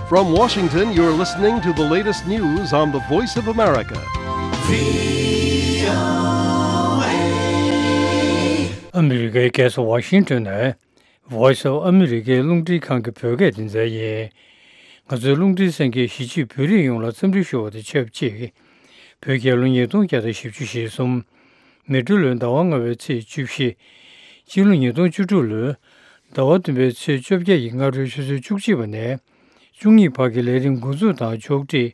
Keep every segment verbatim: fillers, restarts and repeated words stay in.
From Washington, you're listening to the latest news on the Voice of America. ཨ་མི་རི་ཀའི་རྒྱལ་ས་ཝ་ཤིང་ཏོན་ནས་Voice of America རླུང་འཕྲིན་ཁང་གི་བོད་སྐད་སྡེ་ཚན་ཡིན། ང་ཚོའི་རླུང་འཕྲིན་གསན་མཁན་གཞིས་བྱེས་བོད་རིགས་ཡོངས་ལ་འཚམས་འདྲི་ཞུ་བ་དང་ཆབས་ཅིག་བོད་རྒྱལ་ལོ་ཉིས་སྟོང་བརྒྱ་དང་བཞི་བཅུ་ཞེ་གསུམ། མེ་སྤྲེལ་ལོའི་ཟླ་བ་ལྔ་པའི་ཚེས་བཅུ་བཞི། སྤྱི་ལོ་ཉིས་སྟོང་བཅུ་དྲུག་ལོའི་ཟླ་བ་བདུན་པའི་ཚེས་བཅོ་བརྒྱད་ཀྱི་སྔ་དྲོའི་ཆུ་ཚོད་བཅུ་གཅིག་པ་ནས་བཅུ་གཉིས་བར་གྱི་ལས་རིམ་འགོ་འཛུགས་དང་ཕྱོགས་སྒྲིག་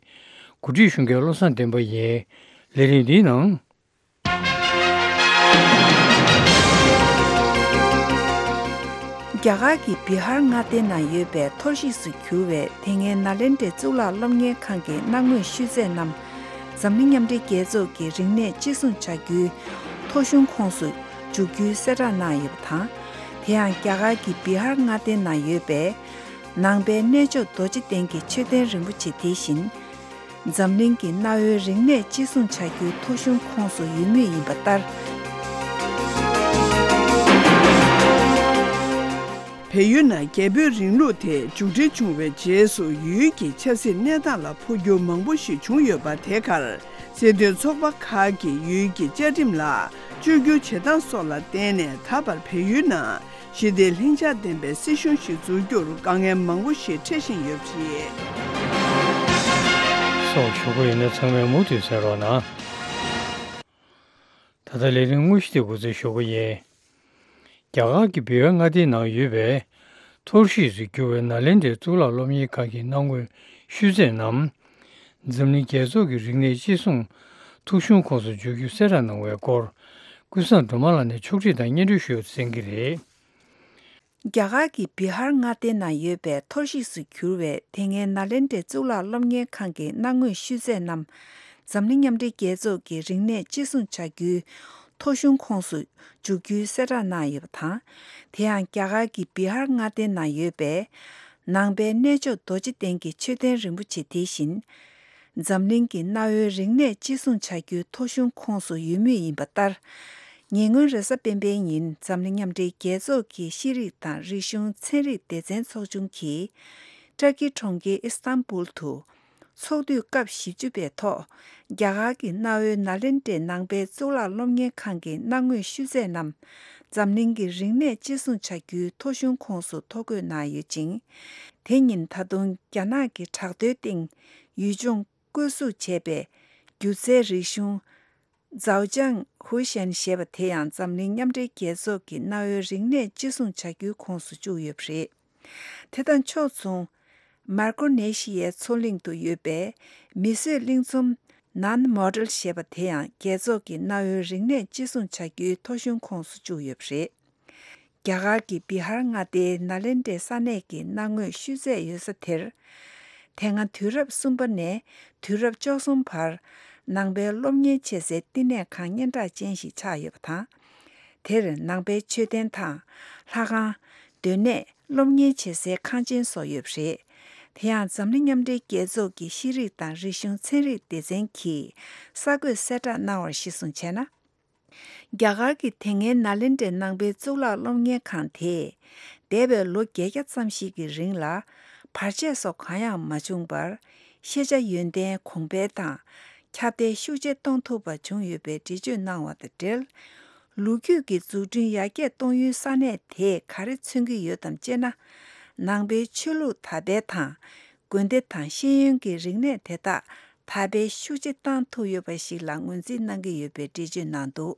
གོ་སྒྲིག་ཞུ་མཁན་བློ་བཟང་བསྟན་པ་ཡིན། ལས་རིམ་འདིའི་ནང་། རྒྱ་གར་གྱི་བི་ཧར་མངའ་སྡེ་ནང་ཡོད་པའི་འཐོར་ཞིག་ཏུ་གྱུར་བའི་དེ་སྔའི་ནཱ་ལེནྡྲའི་གཙུག་ལག་སློབ་གཉེར་ཁང་གི་གནང་དངོས་ཤུལ་རྫས་རྣམས། འཛམ་གླིང་མཉམ་འབྲེལ་རྒྱལ་ཚོགས་ཀྱི་རིག་གནས་གཅེས་སྲུང་བྱ་རྒྱུའི་ཐོ་གཞུང་ཁོངས་སུ་འཇུག་རྒྱུའི་གསལ་བསྒྲགས་གནང་ཡོད་པ་དང་། དེ་ཡང་རྒྱ་གར་གྱི་བི་ཧར་མངའ་སྡེ་ནང་ཡོད་པའི་ནང་པའི་གནས་མཆོག་རྡོ་རྗེ་གདན་གྱི་མཆོད་རྟེན་རིན་པོ་ཆེ་དེ་བཞིན། འཛམ་གླིང་གི་གནའ་བོའི་རིག་གནས་གཅེས་སྲུང་བྱ་རྒྱུའི་ཐོ་གཞུང་ཁོངས་སུ་ཡོད་མུས་ཡིན་པ་ལྟར། བལ་ཡུལ་ནང་རྒྱ་བོད་རིང་ལུགས་དེ་མཇུག་སྒྲིལ་བྱུང་བའི་རྗེས་སུ་ཡུལ་གྱི་ཆབ་སྲིད་གནས་སྟངས་ལ་འཕོ་འགྱུར་མང་པོ་ཞིག་བྱུང་ཡོད་པ་དེ་གར་སྲིད་དོན་ཚོགས་པ་ཁག་གིས་ཡུལ་གྱི་བཅའ་ཁྲིམས་ལ་བཅོས་བསྒྱུར་བྱེད་སྟངས་སོགས་ལ་བརྟེན་ནས་ད་བར་བལ་ཡུལ་ནང་ཞི་བདེ་ལྷིང་འཇགས་ལྡན་པའི་སྲིད་གཞུང་ཞིག་འཛུགས་རྒྱུར་དཀའ་ངལ་མང་པོ་ཞིག་འཕྲད་བཞིན་ཡོད་པ་རེད། སོགས་ཞུ་གི་ཡོད་ན་ཚང་མས་མུ་མཐུད་གསན་རོགས་གནང་། ད་ལྟ་ལས་རིམ་དངོས་གཞི་དེ་འགོ་འཛུགས་ཞུ་གི་ཡིན། རྒྱ་གར་གྱི་བི་ཧར་མངའ་སྡེའི་ནང་ཡོད་པའི་འཐོར་ཞིག་ཏུ་གྱུར་བའི་ནཱ་ལེནྡྲའི་གཙུག་ལག་སློབ་གཉེར་ཁང་གི་གནང་དངོས་ཤུལ་རྫས་རྣམས། འཛམ་གླིང་རྒྱལ་ཚོགས་ཀྱི་རིག་གནས་གཅེས་སྲུང་ཐོ་གཞུང་ཁོངས་སུ་འཇུག་རྒྱུ་གསལ་བསྒྲགས་གནང་བའི་སྐོར། ཀུན་བཟང་སྒྲོལ་མ་ལགས་ནས་ཕྱོགས་སྒྲིག་དང་སྙན་སྒྲོན་ཞུ་ཡོད་གསན་གྱི་རེད། རྒྱ་གར་གྱི་བི་ཧར་མངའ་སྡེ་ནང་ཡོད་པའི་འཐོར་ཞིག་ཏུ་གྱུར་བའི་དེ་སྔའི་ནཱ་ལེནྡྲའི་གཙུག་ལག་སློབ་གཉེར་ཁང་གི་གནང་དངོས་ཤུལ་རྫས་རྣམས། འཛམ་གླིང་མཉམ་འབྲེལ་རྒྱལ་ཚོགས་ཀྱི་རིག་གནས་གཅེས་སྲུང་བྱ་རྒྱུའི་ཐོ་གཞུང་ཁོངས་སུ་འཇུག་རྒྱུའི་གསལ་བསྒྲགས་གནང་ཡོད་པ་དང་། དེ་ཡང་རྒྱ་གར་གྱི་བི་ཧར་མངའ་སྡེ་ནང་ཡོད་པའི་ནང་པའི་གནས་མཆོག་རྡོ་རྗེ་གདན་གྱི་མཆོད་རྟེན་རིན་པོ་ཆེ་དེ་བཞིན། འཛམ་གླིང་གི་གནའ་བོའི་རིག་གནས་གཅེས་སྲུང་བྱ་རྒྱུའི་ཐོ་གཞུང་ཁོངས་སུ་ཡོད་མུས་ཡིན་པ་ལྟར། ཉེ་སྔོན་རེས་གཟའ་སྤེན་པའི་ཉིན་འཛམ་གླིང་མཉམ་འབྲེལ་རྒྱལ་ཚོགས་ཀྱི་ཤེས་རིག་དང་རིག་གཞུང་ཚན་རིག་སྡེ་ཚན་ཚོགས་ཆུང་གིས་ཏུར་ཀི་གྲོང་ཁྱེར་ཨི་སྟན་བུལ་དུ་ཚོགས་དུས་སྐབས་བཞི་བཅུ་པའི་ཐོག་རྒྱ་གར་གྱི་གནའ་བོའི་ནཱ་ལེནྡྲའི་ནང་པའི་གཙུག་ལག་སློབ་གཉེར་ཁང་གི་གནང་དངོས་ཤུལ་རྫས་རྣམས་འཛམ་གླིང་གི་རིག་གནས་གཅེས་སྲུང་བྱ་རྒྱུའི་ཐོ་གཞུང་ཁོངས་སུ་ཐོ་འགོད་གནང་ཡོད་ཅིང་། དེ་ཉིན་ད་དུང་རྒྱ་ནག་གི་དྲག་རྡོའི་སྟེང་ཡུལ་ལྗོངས་བཀོད་གཟུགས་བྱས་པའི་སྒྱུ་རྩལ་རིག་གཞུང་ཛའོ་ཅང་ཧུ་ཤན་ཞེས་པ་དེ་ཡང་འཛམ་གླིང་མཉམ་འབྲེལ་རྒྱལ་ཚོགས་ཀྱི་གནའ་བོའི་རིག་གནས་གཅེས་སྲུང་བྱ་རྒྱུའི་ཁོངས་སུ་བཅུག་ཡོད་པ་རེད། དེ་དང་ཕྱོགས་མཚུངས། མར་ཀོ་ནེ་ཤི་ཡའི་མཚོ་གླིང་དུ་ཡོད་པའི་མིས་བཟོས་གླིང་ཚོམ་ནན་མོ་ཌལ་ཞེས་པ་དེ་ཡང་རྒྱལ་ཚོགས་ཀྱི་གནའ་བོའི་རིག་གནས་གཅེས་སྲུང་བྱ་རྒྱུའི་ཐོ་གཞུང་ཁོངས་སུ་བཅུག་ཡོད་པ་རེད། རྒྱ་གར་གྱི་བི་ཧར་མངའ་སྡེའི་ནཱ་ལེནྡྲའི་ས་གནས་ཀྱི་གནང་དངོས་ཤུལ་རྫས་ཡོད་ས་དེར། དེ་སྔ་དུས་རབས་གསུམ་པ་ནས་དུས་རབས་བཅུ་གསུམ་བར་ནང་པའི་སློབ་གཉེར་བྱེད་སའི་བསྟི་གནས་ཁང་སྙན་གྲགས་ཅན་ཞིག་ཆགས་ཡོད་པ་དང་། དེར་ནང་པའི་མཆོད་རྟེན་དང་ལྷ་ཁང་། སྡོད་གནས། སློབ་གཉེར་བྱེད་སའི་ཁང་ཆེན་སོགས་ཡོད་པ་རེད། དེ་ཡང་འཛམ་གླིང་མཉམ་འབྲེལ་རྒྱལ་ཚོགས་ཀྱི་ཤེས་རིག་དང་རིག་གཞུང་ཚན་རིག་སྡེ་ཚན་གྱིས་གསར་འགོད་གསལ་བསྒྲགས་གནང་བར་གཞི་བཟུང་བྱས་ན། རྒྱ་གར་གྱི་དེ་སྔའི་ནཱ་ལེནྡྲའི་ནང་པའི་གཙུག་ལག་སློབ་གཉེར་ཁང་དེས་འདས་པའི་ལོ་བརྒྱད་བརྒྱ་ཙམ་ཞིག་གི་རིང་ལ་བར་ཆད་སོགས་གང་ཡང་མ་བྱུང་བར་ཤེས་བྱ་ཡོན་ཏན་གོང་འཕེལ་དང་ཁྱབ་གདལ་ཤུགས་ཆེ་གཏོང་ཐུབ་པ་བྱུང་ཡོད་པའི་འགྲེལ་བརྗོད་གནང་བ་དང་འབྲེལ། ལོ་རྒྱུས་ཀྱི་འཛུགས་སྐྲུན་ཡར་རྒྱས་གཏོང་ཡུལ་ས་གནས་དེས་ག་རེ་མཚོན་གྱི་ཡོད་དམ་ཅེ་ན། ནང་པའི་ཆོས་ལུགས་དར་སྤེལ་དང་དགོན་སྡེ་དང་ཤེས་ཡོན་གྱི་རིག་གནས་དེ་དག་དར་སྤེལ་ཤུགས་ཆེ་བཏང་ཐུབ་ཡོད་པ་ཞིག་ལ་ངོས་འཛིན་གནང་གི་ཡོད་པའི་འགྲེལ་བརྗོད་གནང་འདུག་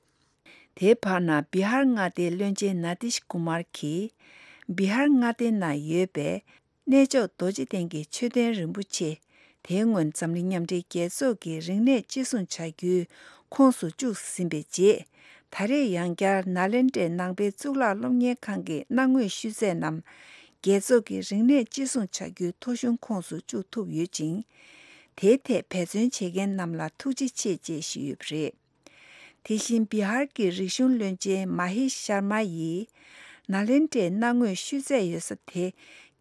དེའི་བར་ན་བི་ཧར་མངའ་སྡེའི་བློན་ཆེན་ན་ཏིཤ་ཀུ་མར་གྱིས། བི་ཧར་མངའ་སྡེའི་ནང་ཡོད་པའི་གནས་མཆོག་རྡོ་རྗེ་གདན་གྱི་མཆོད་རྟེན་རིན་པོ་ཆེ་དེ་སྔོན་འཛམ་གླིང་མཉམ་འབྲེལ་རྒྱལ་ཚོགས་ཀྱི་རིག་གནས་གཅེས་སྲུང་བྱ་རྒྱུའི་ཁོངས་སུ་བཅུག་ཟིན་པའི་རྗེས། ད་རེས་ཡང་བསྐྱར་ནཱ་ལེནྡྲའི་ནང་པའི་གཙུག་ལག་སློབ་གཉེར་ཁང་གི་གནང་དངོས་ཤུལ་རྫས་རྣམས་རྒྱལ་ཚོགས་ཀྱི་རིག་གནས་གཅེས་སྲུང་བྱ་རྒྱུའི་ཐོ་གཞུང་ཁོངས་སུ་བཅུག་ཐུབ་ཡོད་ཅིང་། དེའི་ཐད་འབད་བརྩོན་བྱེད་མཁན་རྣམས་ལ་ཐུགས་རྗེ་ཆེ་ཅེས་ཞུས་ཡོད་པ་རེད། དེ་བཞིན་བི་ཧར་གྱི་རིག་གཞུང་བློན་ཆེན་མ་ཧེ་ཤར་མ་ཡིས། ནཱ་ལེནྡྲའི་གནང་དངོས་ཤུལ་རྫས་ཡོད་ས་དེ་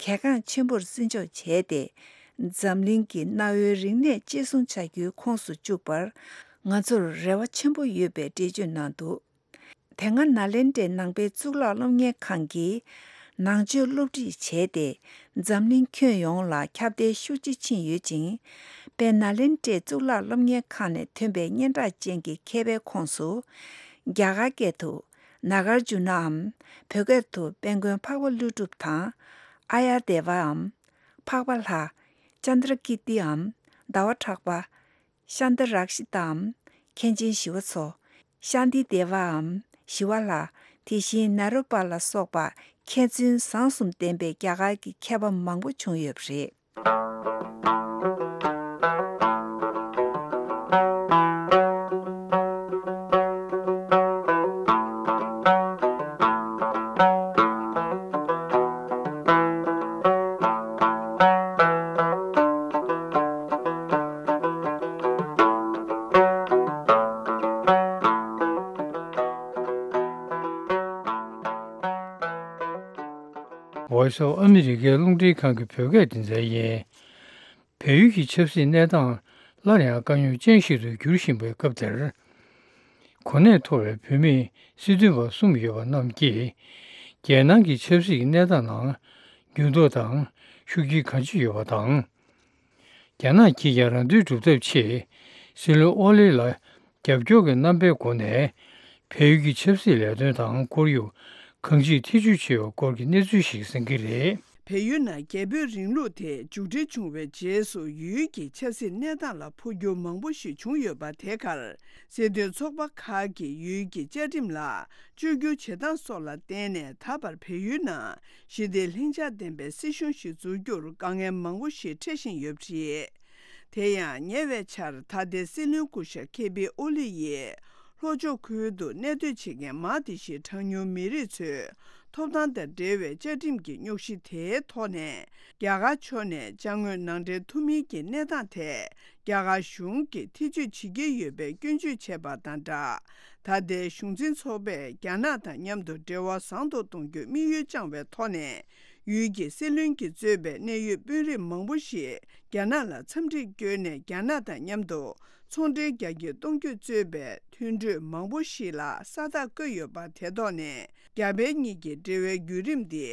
གལ་འགངས་ཆེན་པོར་བརྩི་འཇོག་བྱས་ཏེ། འཛམ་གླིང་གི་གནའ་བོའི་རིག་གནས་གཅེས་སྲུང་བྱ་རྒྱུའི་ཁོངས་སུ་བཅུག་པར་ང་ཚོར་རེ་བ་ཆེན་པོ་ཡོད་པའི་འགྲེལ་བརྗོད་གནང་འདུག་དེ་སྔ་ནཱ་ལེནྡྲའི་ནང་པའི་གཙུག་ལག་སློབ་གཉེར་ཁང་གིས། ནང་ཆོས་སློབ་ཁྲིད་བྱས་ཏེ། འཛམ་གླིང་ཁྱོན་ཡོངས་ལ་ཁྱབ་གདལ་ཤུགས་ཆེ་ཕྱིན་ཡོད་ཅིང་། དཔལ་ནཱ་ལེནྡྲའི་གཙུག་ལག་སློབ་གཉེར་ཁང་ནས་ཐོན་པའི་སྙན་གྲགས་ཅན་གྱི་མཁས་པའི་ཁོངས་སུ། རྒྱ་གར་སྐད་དུ་ནཱ་གཱརྫུ་ནའམ། བོད་སྐད་དུ་དཔལ་མགོན་འཕགས་པ་ཀླུ་སྒྲུབ་དང་། ཨཱརྱ་དེ་ཝའམ། འཕགས་པ་ལྷ། ཅནྡྲ་ཀིརྟིའམ། ཟླ་བ་གྲགས་པ། ཤཱནྟ་རཀྵི་ཏའམ། མཁན་ཆེན་ཞི་བ་འཚོ། ཤཱནྟི་དེ་ཝའམ། ཞི་བ་ལྷ། དེ་བཞིན་ནཱ་རོ་པ་ལ་སོགས་པ་མཁས་བཙུན་བཟང་གསུམ་ལྡན་པའི་རྒྱ་གར་གྱི་མཁས་པ་མང་པོ་བྱུང་ཡོད་པ་རེད། Voice of America རླུང་འཕྲིན་ཁང་གི་བོད་སྐད་སྡེ་ཚན་ཡིན། བལ་ཡུལ་གྱི་ཆབ་སྲིད་གནས་སྟངས་སླར་ཡང་དཀའ་རྙོག་ཅན་ཞིག་ཏུ་འགྱུར་བཞིན་པའི་སྐབས་འདིར། གོ་གནས་མཐོ་བའི་བོད་མི་སྲིད་དོན་པ་གསུམ་ཡོད་པ་རྣམས་ཀྱིས། རྒྱལ་ནང་གི་ཆབ་སྲིད་ཀྱི་གནས་སྟངས་ནང་འགྱུར་ལྡོག་དང་ཤུགས་རྐྱེན་གང་ཅི་ཡོད་པ་དང་། རྒྱ་ནག་གིས་ཀྱང་རང་དོན་སྒྲུབ་ཐབས་ཆེད་སྲིད་བློན་ཨོ་ལི་ལ་རྒྱབ་སྐྱོར་གྱི་རྣམ་པའི་སྒོ་ནས་བལ་ཡུལ་གྱི་ཆབ་སྲིད་ལས་དོན་དང་ཁོར་ཡུག་གང་ཅིར་ཐེ་ཇུས་བྱས་པའི་སྐོར་གྱི་གནས་ཚུལ་ཞིག་གསན་གྱི་རེད། བལ་ཡུལ་ནང་རྒྱ་བོད་རིང་ལུགས་དེ་མཇུག་སྒྲིལ་བྱུང་བའི་རྗེས་སུ་ཡུལ་གྱི་ཆབ་སྲིད་གནས་སྟངས་ལ་འཕོ་འགྱུར་མང་པོ་ཞིག་བྱུང་ཡོད་པ་དེ་གར་སྲིད་དོན་ཚོགས་པ་ཁག་གིས་ཡུལ་གྱི་བཅའ་ཁྲིམས་ལ་བཅོས་བསྒྱུར་བྱེད་སྟངས་སོགས་ལ་བརྟེན་ནས་ད་བར་བལ་ཡུལ་ནང་ཞི་བདེ་ལྷིང་འཇགས་ལྡན་པའི་སྲིད་གཞུང་ཞིག་འཛུགས་རྒྱུར་དཀའ་ངལ་མང་པོ་ཞིག་འཕྲད་བཞིན་ཡོད་པ་རེད། དེ་ཡང་ཉེ་བའི་ཆར་ད་ལྟའི་སྲིད་བློན་སྐུ་ཞབས་ཁེ་པི་ཨོ་ལི་ཡིས་ལྷོ་ཕྱོགས་ཁུལ་དུ་གནས་སྡོད་བྱེད་མཁན་མང་དེ་ཞིག་གྲངས་ཉུང་མི་རིགས་ཚོའི་ཐོབ་ཐང་དང་འབྲེལ་བའི་བཅའ་ཁྲིམས་ཀྱི་རྙོག་གཞི་དེའི་ཐོག་ནས་རྒྱ་གར་ཕྱོགས་ནས་ཅ་དངོས་ནང་འདྲེན་ཐུབ་མིན་གྱི་གནས་སྟངས་ཐད་རྒྱ་གར་གཞུང་གིས་ཐེ་ཇུས་བྱེད་ཀྱི་ཡོད་པའི་སྐྱོན་བརྗོད་བྱས་པ་དང་སྦྲགས། ད་ལྟའི་གཞུང་འཛིན་ཚོགས་པས་རྒྱ་ནག་དང་མཉམ་དུ་འབྲེལ་བ་བཟང་དུ་གཏོང་རྒྱུའི་དམིགས་ཡུལ་བཅངས་པའི་ཐོག་ནས། ཡུལ་གྱི་སྲིད་བློན་གྱིས་གཙོས་པའི་གནད་ཡོད་དཔོན་རིགས་མང་པོ་ཞིག་རྒྱ་ནག་ལ་འཚམས་འདྲིར་བསྐྱོད་ནས་རྒྱ་ནག་དང་མཉམ་དུ་ཚོང་འབྲེལ་རྒྱ་སྐྱེད་གཏོང་རྒྱུ་གཙོས་པའི་མཐུན་གྲོས་མང་པོ་ཞིག་ལ་ས་རྟགས་བཀོད་ཡོད་པ་དེ་ཐོག་ནས་རྒྱ་བལ་གཉིས་ཀྱི་འབྲེལ་བའི་བརྒྱུད་རིམ་འདི་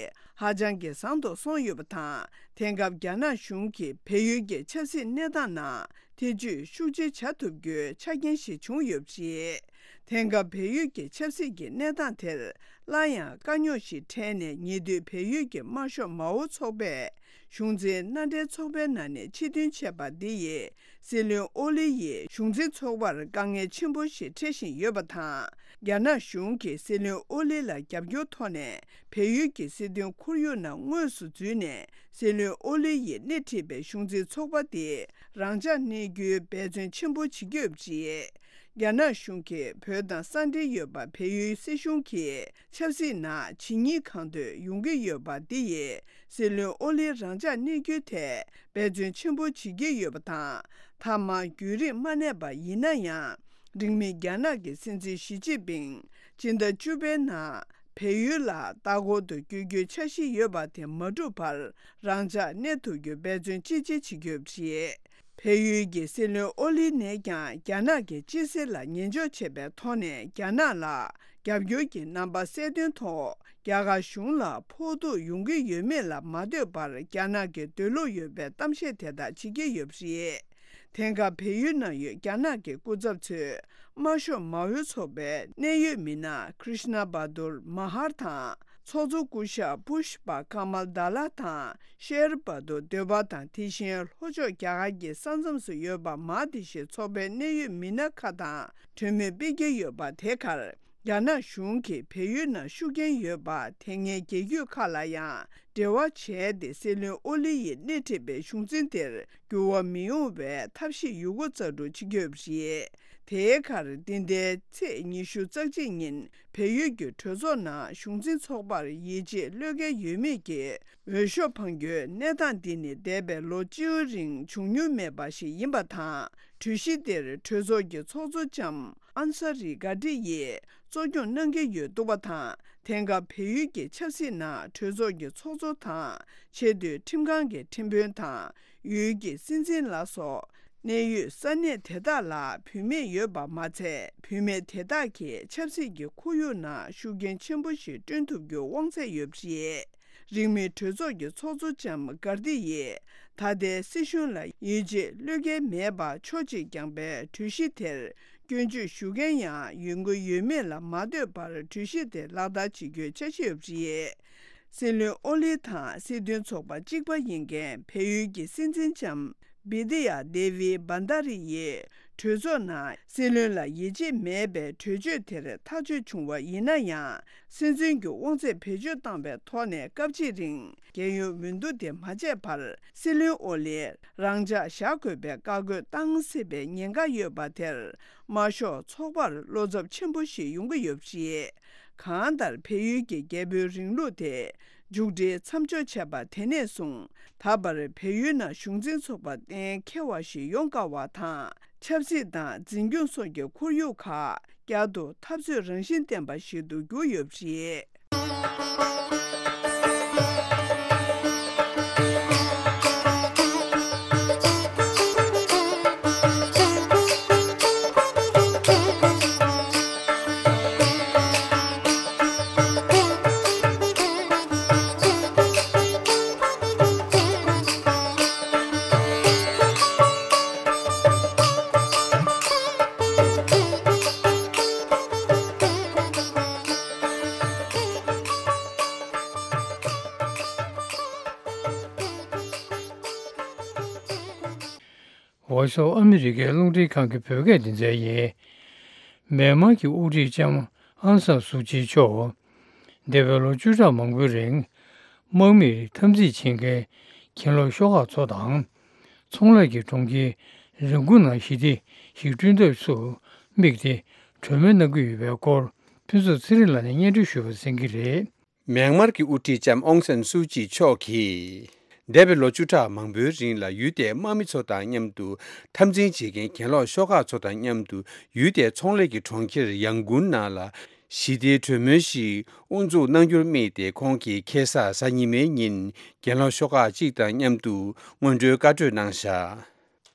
ཧ་ཅང་གི་བཟང་དུ་སོང་ཡོད་པ་དང་། དེང་སྐབས་རྒྱ་ནག་གཞུང་གིས་བལ་ཡུལ་གྱི་ཆབ་སྲིད་གནས་སྟངས་ནང་ཐེ་ཇུས་ཤུགས་ཆེ་བྱ་ཐུབ་རྒྱུའི་ཆ་རྐྱེན་ཞིག་བྱུང་ཡོད་པ་རེད། དེང་སྐབས་བལ་ཡུལ་གྱི་ཆབ་སྲིད་ཀྱི་གནས་སྟངས་དེར་སླར་ཡང་དཀའ་རྙོག་ཞིག་འཕྲད་ནས། ཉེ་དུས་བལ་ཡུལ་གྱི་དམར་ཤོག་མའོ་ཚོགས་པས་གཞུང་འཛིན་མནའ་འབྲེལ་ཚོགས་པའི་ནང་ནས་ཕྱིར་འཐེན་བྱས་པ་འདི་ཡིས་སྲིད་བློན་ཨོ་ལི་ཡི་གཞུང་འཛིན་ཚོགས་པར་དཀའ་ངལ་ཆེན་པོ་ཞིག་འཕྲད་བཞིན་ཡོད་པ་དང་། རྒྱ་ནག་གཞུང་གིས་སྲིད་བློན་ཨོ་ལི་ལ་རྒྱབ་སྐྱོར་ཐོག་ནས་བལ་ཡུལ་གྱི་སྲིད་དོན་ཁོར་ཡུག་ནང་དངོས་སུ་འཛུལ་ནས། སྲིད་བློན་ཨོ་ལི་ཡིས་སྣེ་ཁྲིད་པའི་གཞུང་འཛིན་ཚོགས་པ་དེ་རང་འཇགས་གནས་རྒྱུའི་འབད་བརྩོན་ཆེན་པོ་བྱེད་ཀྱི་ཡོད་པ་རེད། རྒྱ་ནག་གཞུང་གིས་བོད་དང་ས་འབྲེལ་ཡོད་པ་བལ་ཡུལ་སྲིད་གཞུང་གིས་ཆབ་སྲིད་ནང་ཇི་སྙེད་གང་འདོད་ཡོང་གི་ཡོད་པ་འདི་ཡིས་སྲིད་བློན་ཨོ་ལིའི་རང་འཇགས་གནས་རྒྱུའི་ཐད་འབད་བརྩོན་ཆེན་པོ་བྱེད་ཀྱི་ཡོད་པ་དང་། མཐའ་མ་བརྒྱུད་རིམ་མ་གནས་པ་ཡིན་ན་ཡང་། རིང་མིན་རྒྱ་ནག་གི་སྲིད་འཛིན་ཞི་ཅིན་ཕིང་སྤྱི་ཟླ་བཅུ་པའི་ནང་བལ་ཡུལ་ལ་ལྟ་སྐོར་དུ་བསྐྱོད་རྒྱུའི་འཆར་གཞི་ཡོད་པ་དེ་མ་འགྲུབ་བར་རང་འཇགས་གནས་ཐུབ་རྒྱུའི་འབད་བརྩོན་ཅི་ཆེ་བྱེད་ཀྱི་ཡོད་པ་རེད། བལ་ཡུལ་གྱི་སྲིད་བློན་ཨོ་ལི་ནས་ཀྱང་རྒྱ་ནག་གི་སྤྱི་སྲིད་ལ་ཉན་འཇོག་བྱས་པའི་ཐོག་ནས་རྒྱ་ནག་ལ་རྒྱབ་སྐྱོར་གྱི་རྣམ་པ་གསལ་སྟོན་ཐོག་རྒྱ་གར་གཞུང་ལ་ཕོག་ཐུག་ཡོང་གི་ཡོད་མེད་ལ་མ་ལྟོས་པར་རྒྱ་ནག་གི་འདོད་བློ་ཡོད་པའི་གཏམ་བཤད་དེ་དག་བྱེད་ཀྱི་ཡོད་པ་རེད། དེང་སྐབས་བལ་ཡུལ་ནང་ཡོད་རྒྱ་ནག་གི་སྐུ་ཚབ་ཚོས་དམར་ཤོག་མའོ་ཚོགས་པའི་གནད་ཡོད་མི་སྣ་ཀྲིཤ་ན་བྷ་དུར་མ་ཧར་དང་། ཚོགས་གཙོ་སྐུ་ཞབས་བྷུ་ཤ་པ་ཀ་མལ་དཱ་ལ་དང་ཤེར་བྷ་དུར་འདོད་པ་དང་། དེ་བཞིན་ལྷོ་ཕྱོགས་རྒྱ་གར་གྱི་ས་མཚམས་སུ་ཡོད་པ་མང་དེ་ཞིག་ཚོགས་པའི་གནད་ཡོད་མི་སྣ་ཁག་དང་གྲོས་མོལ་སྤེལ་གྱི་ཡོད་པ་དེ་གར། རྒྱ་ནག་གཞུང་གིས་བལ་ཡུལ་ནང་ཤུགས་རྐྱེན་ཡོད་པ་དེ་སྔའི་རྒྱལ་རྒྱུད་ཁག་ལ་ཡང་འབྲེལ་བ་བྱས་ཏེ། སྲིད་བློན་ཨོ་ལི་ཡིས་སྣེ་ཁྲིད་པའི་གཞུང་འཛིན་དེར་འགྱུར་བ་མི་ཡོང་བའི་ཐབས་ཤེས་ཡོད་རྒུ་རྩལ་སྤྲུགས་བྱེད་ཀྱི་ཡོད་པ་རེད། དེའི་ཁར་འདི་ཟླའི་ཚེས་ཉི་ཤུ་རྩ་གཅིག་ཉིན་བལ་ཡུལ་གྱི་གྲོས་ཚོགས་ནང་གཞུང་འཛིན་ཚོགས་པར་ཡིད་ཆེས་བློས་འགེལ་ཡོད་མེད་ཀྱི་འོས་ཤོག་འཕང་རྒྱུའི་གནས་སྟངས་འདི་ནི་འདས་པའི་ལོ་བཅུའི་རིང་བྱུང་མྱོང་མེད་པ་ཞིག་ཡིན་པ་དང་། གྲོས་གཞི་དེར་གྲོས་ཚོགས་ཀྱི་ཚོགས་གཙོ་ལྕམ་ཨན་ས་རི་གྷ་ཏི་ཡིས་གཙོ་སྐྱོང་གནང་གི་ཡོད་འདུག་པ་དང་། དེང་སྐབས་བལ་ཡུལ་གྱི་ཆབ་སྲིད་ནང་གྲོས་ཚོགས་ཀྱི་ཚོགས་གཙོ་དང་། ཆེས་མཐོའི་ཁྲིམས་ཁང་གི་ཁྲིམས་དཔོན་དང་། ཡུལ་གྱི་སྲིད་འཛིན་ལ་སོགས་གནད་ཡོད་ས་གནས་དེ་དག་ལ་བུད་མེད་ཡོད་པ་མ་ཚད། བུད་མེད་དེ་དག་གིས་ཆབ་སྲིད་ཀྱི་ཁོར་ཡུག་ནང་ཤུགས་རྐྱེན་ཆེན་པོ་ཞིག་བསྐྲུན་ཐུབ་རྒྱུའི་དབང་ཚད་ཡོད་པ་རེད། རིང་མིན་གྲོས་ཚོགས་ཀྱི་ཚོགས་གཙོ་ལྕམ་གྷར་ཏི་ཡིས་ད་ལྟའི་སྲིད་གཞུང་ལ་ཡིད་ཆེས་བློས་འགེལ་མེད་པ་ཕྱོགས་གཅིག་བརྐྱངས་པའི་གྲོས་གཞི་དེར་སྐྱོན་བརྗོད་ཞུ་མཁན་ཡང་ཡོང་གི་ཡོད་མེད་ལ་མ་ལྟོས་པར་གྲོས་གཞི་དེ་ལག་བསྟར་བྱེད་རྒྱུའི་འཆར་གཞི་ཡོད་པ་རེད། སྲིད་བློན་ཨོ་ལི་དང་སྲིད་དོན་ཚོགས་པ་གཅིག་པ་ཡིན་མཁན་བལ་ཡུལ་གྱི་སྲིད་འཛིན་ལྕམ་བི་དི་ཡ་དེ་བི་བྷན་དྷ་རི་ཡིས་གྲོས་ཚོགས་ནང་སྲིད་བློན་ལ་ཡིད་ཆེས་མེད་པའི་གྲོས་ཆོད་དེར་ཐག་གཅོད་བྱུང་བ་ཡིན་ན་ཡང་། སྲིད་འཛིན་གྱི་དབང་ཚད་བེད་སྤྱོད་བཏང་བའི་ཐོག་ནས་སྐབས་གཅིག་རིང་རྒྱལ་ཡོངས་འོས་བསྡུ་དེ་མ་བྱས་བར་སྲིད་བློན་ཨོ་ལིར་རང་འཇགས་བཞག་དགོས་པའི་བཀའ་བཀོད་བཏང་སྲིད་པའི་ཉེན་ཁ་ཡོད་པ་དེར་དམར་ཤོག་ཚོགས་པར་བློ་འཚབ་ཆེན་པོ་ཞིག་ཡོང་གི་ཡོད་པ་རེད། གང་ལྟར་བལ་ཡུལ་གྱི་རྒྱལ་པོའི་རིང་ལུགས་དེ་མཇུག་སྒྲིལ་མཚམས་འཇོག་བྱས་པ་དེ་ནས་བཟུང་ད་བར་བལ་ཡུལ་ནང་གཞུང་འཛིན་ཚོགས་པ་གཏན་འཁེལ་བ་ཞིག་ཡོང་དཀའ་བ་དང་། ཆབ་སྲིད་དང་འཛིན་སྐྱོང་སོགས་ཀྱི་ཁོར་ཡུག་ཁག་བསྐྱར་དུ་འཐབ་རྩོད་རང་བཞིན་ལྡན་པ་ཞིག་ཏུ་གྱུར་ཡོད་པ་རེད། Voice of America རླུང་འཕྲིན་ཁང་གི་བོད་སྐད་སྡེ་ཚན་ཡིན། མེན་མར་གྱི་དབུ་ཁྲིད་ལྕམ་ཨང་སན་སུའུ་ཅི་མཆོག་འདས་པའི་ལོ་བཅུ་ཕྲག་མང་པོའི་རིང་དམག་མིར་འཐབ་འཛིང་བྱེད་མཁན་གྱེན་ལོག་ཤོག་ཁག་ཚོ་དང་། ཚོང་ལས་ཀྱི་གྲོང་ཁྱེར་རང་ཀུན་ནང་ཞི་བདེ་ཞིག་བསྐྲུན་ཐབས་སུ་དམིགས་ཏེ་གྲོས་མོལ་གནང་གི་ཡོད་པའི་སྐོར་ཕུན་ཚོགས་ཚེ་རིང་ལགས་ནས་སྙན་སྒྲོན་ཞུས་པ་གསན་གྱི་རེད། མེན་མར་གྱི་དབུ་ཁྲིད་ལྕམ་ཨོང་སན་སུའུ་ཅི་མཆོག་གིས། འདས་པའི་ལོ་བཅུ་ཕྲག་མང་པོའི་རིང་ལ་ཡུལ་དེའི་དམག་མི་ཚོ་དང་མཉམ་དུ་འཐབ་འཛིང་བྱེད་མཁན་གྱེན་ལོག་ཤོག་ཁག་ཚོ་དང་མཉམ་དུ་ཡུལ་དེའི་ཚོང་ལས་ཀྱི་གྲོང་ཁྱེར་ཡང་གུན་ནང་ལ་ཞི་བདེའི་གྲོས་མོལ་ཞིག་དབུ་འཛུགས་གནང་རྒྱུར་དམིགས་ཏེ་ཁོང་གིས་ཁ་སང་གཟའ་ཉི་མའི་ཉིན་གྱེན་ལོག་ཤོག་ཁག་ཅིག་དང་མཉམ་དུ་སྔོན་འགྲོའི་བཀའ་གྲོས་གནང་བཞག་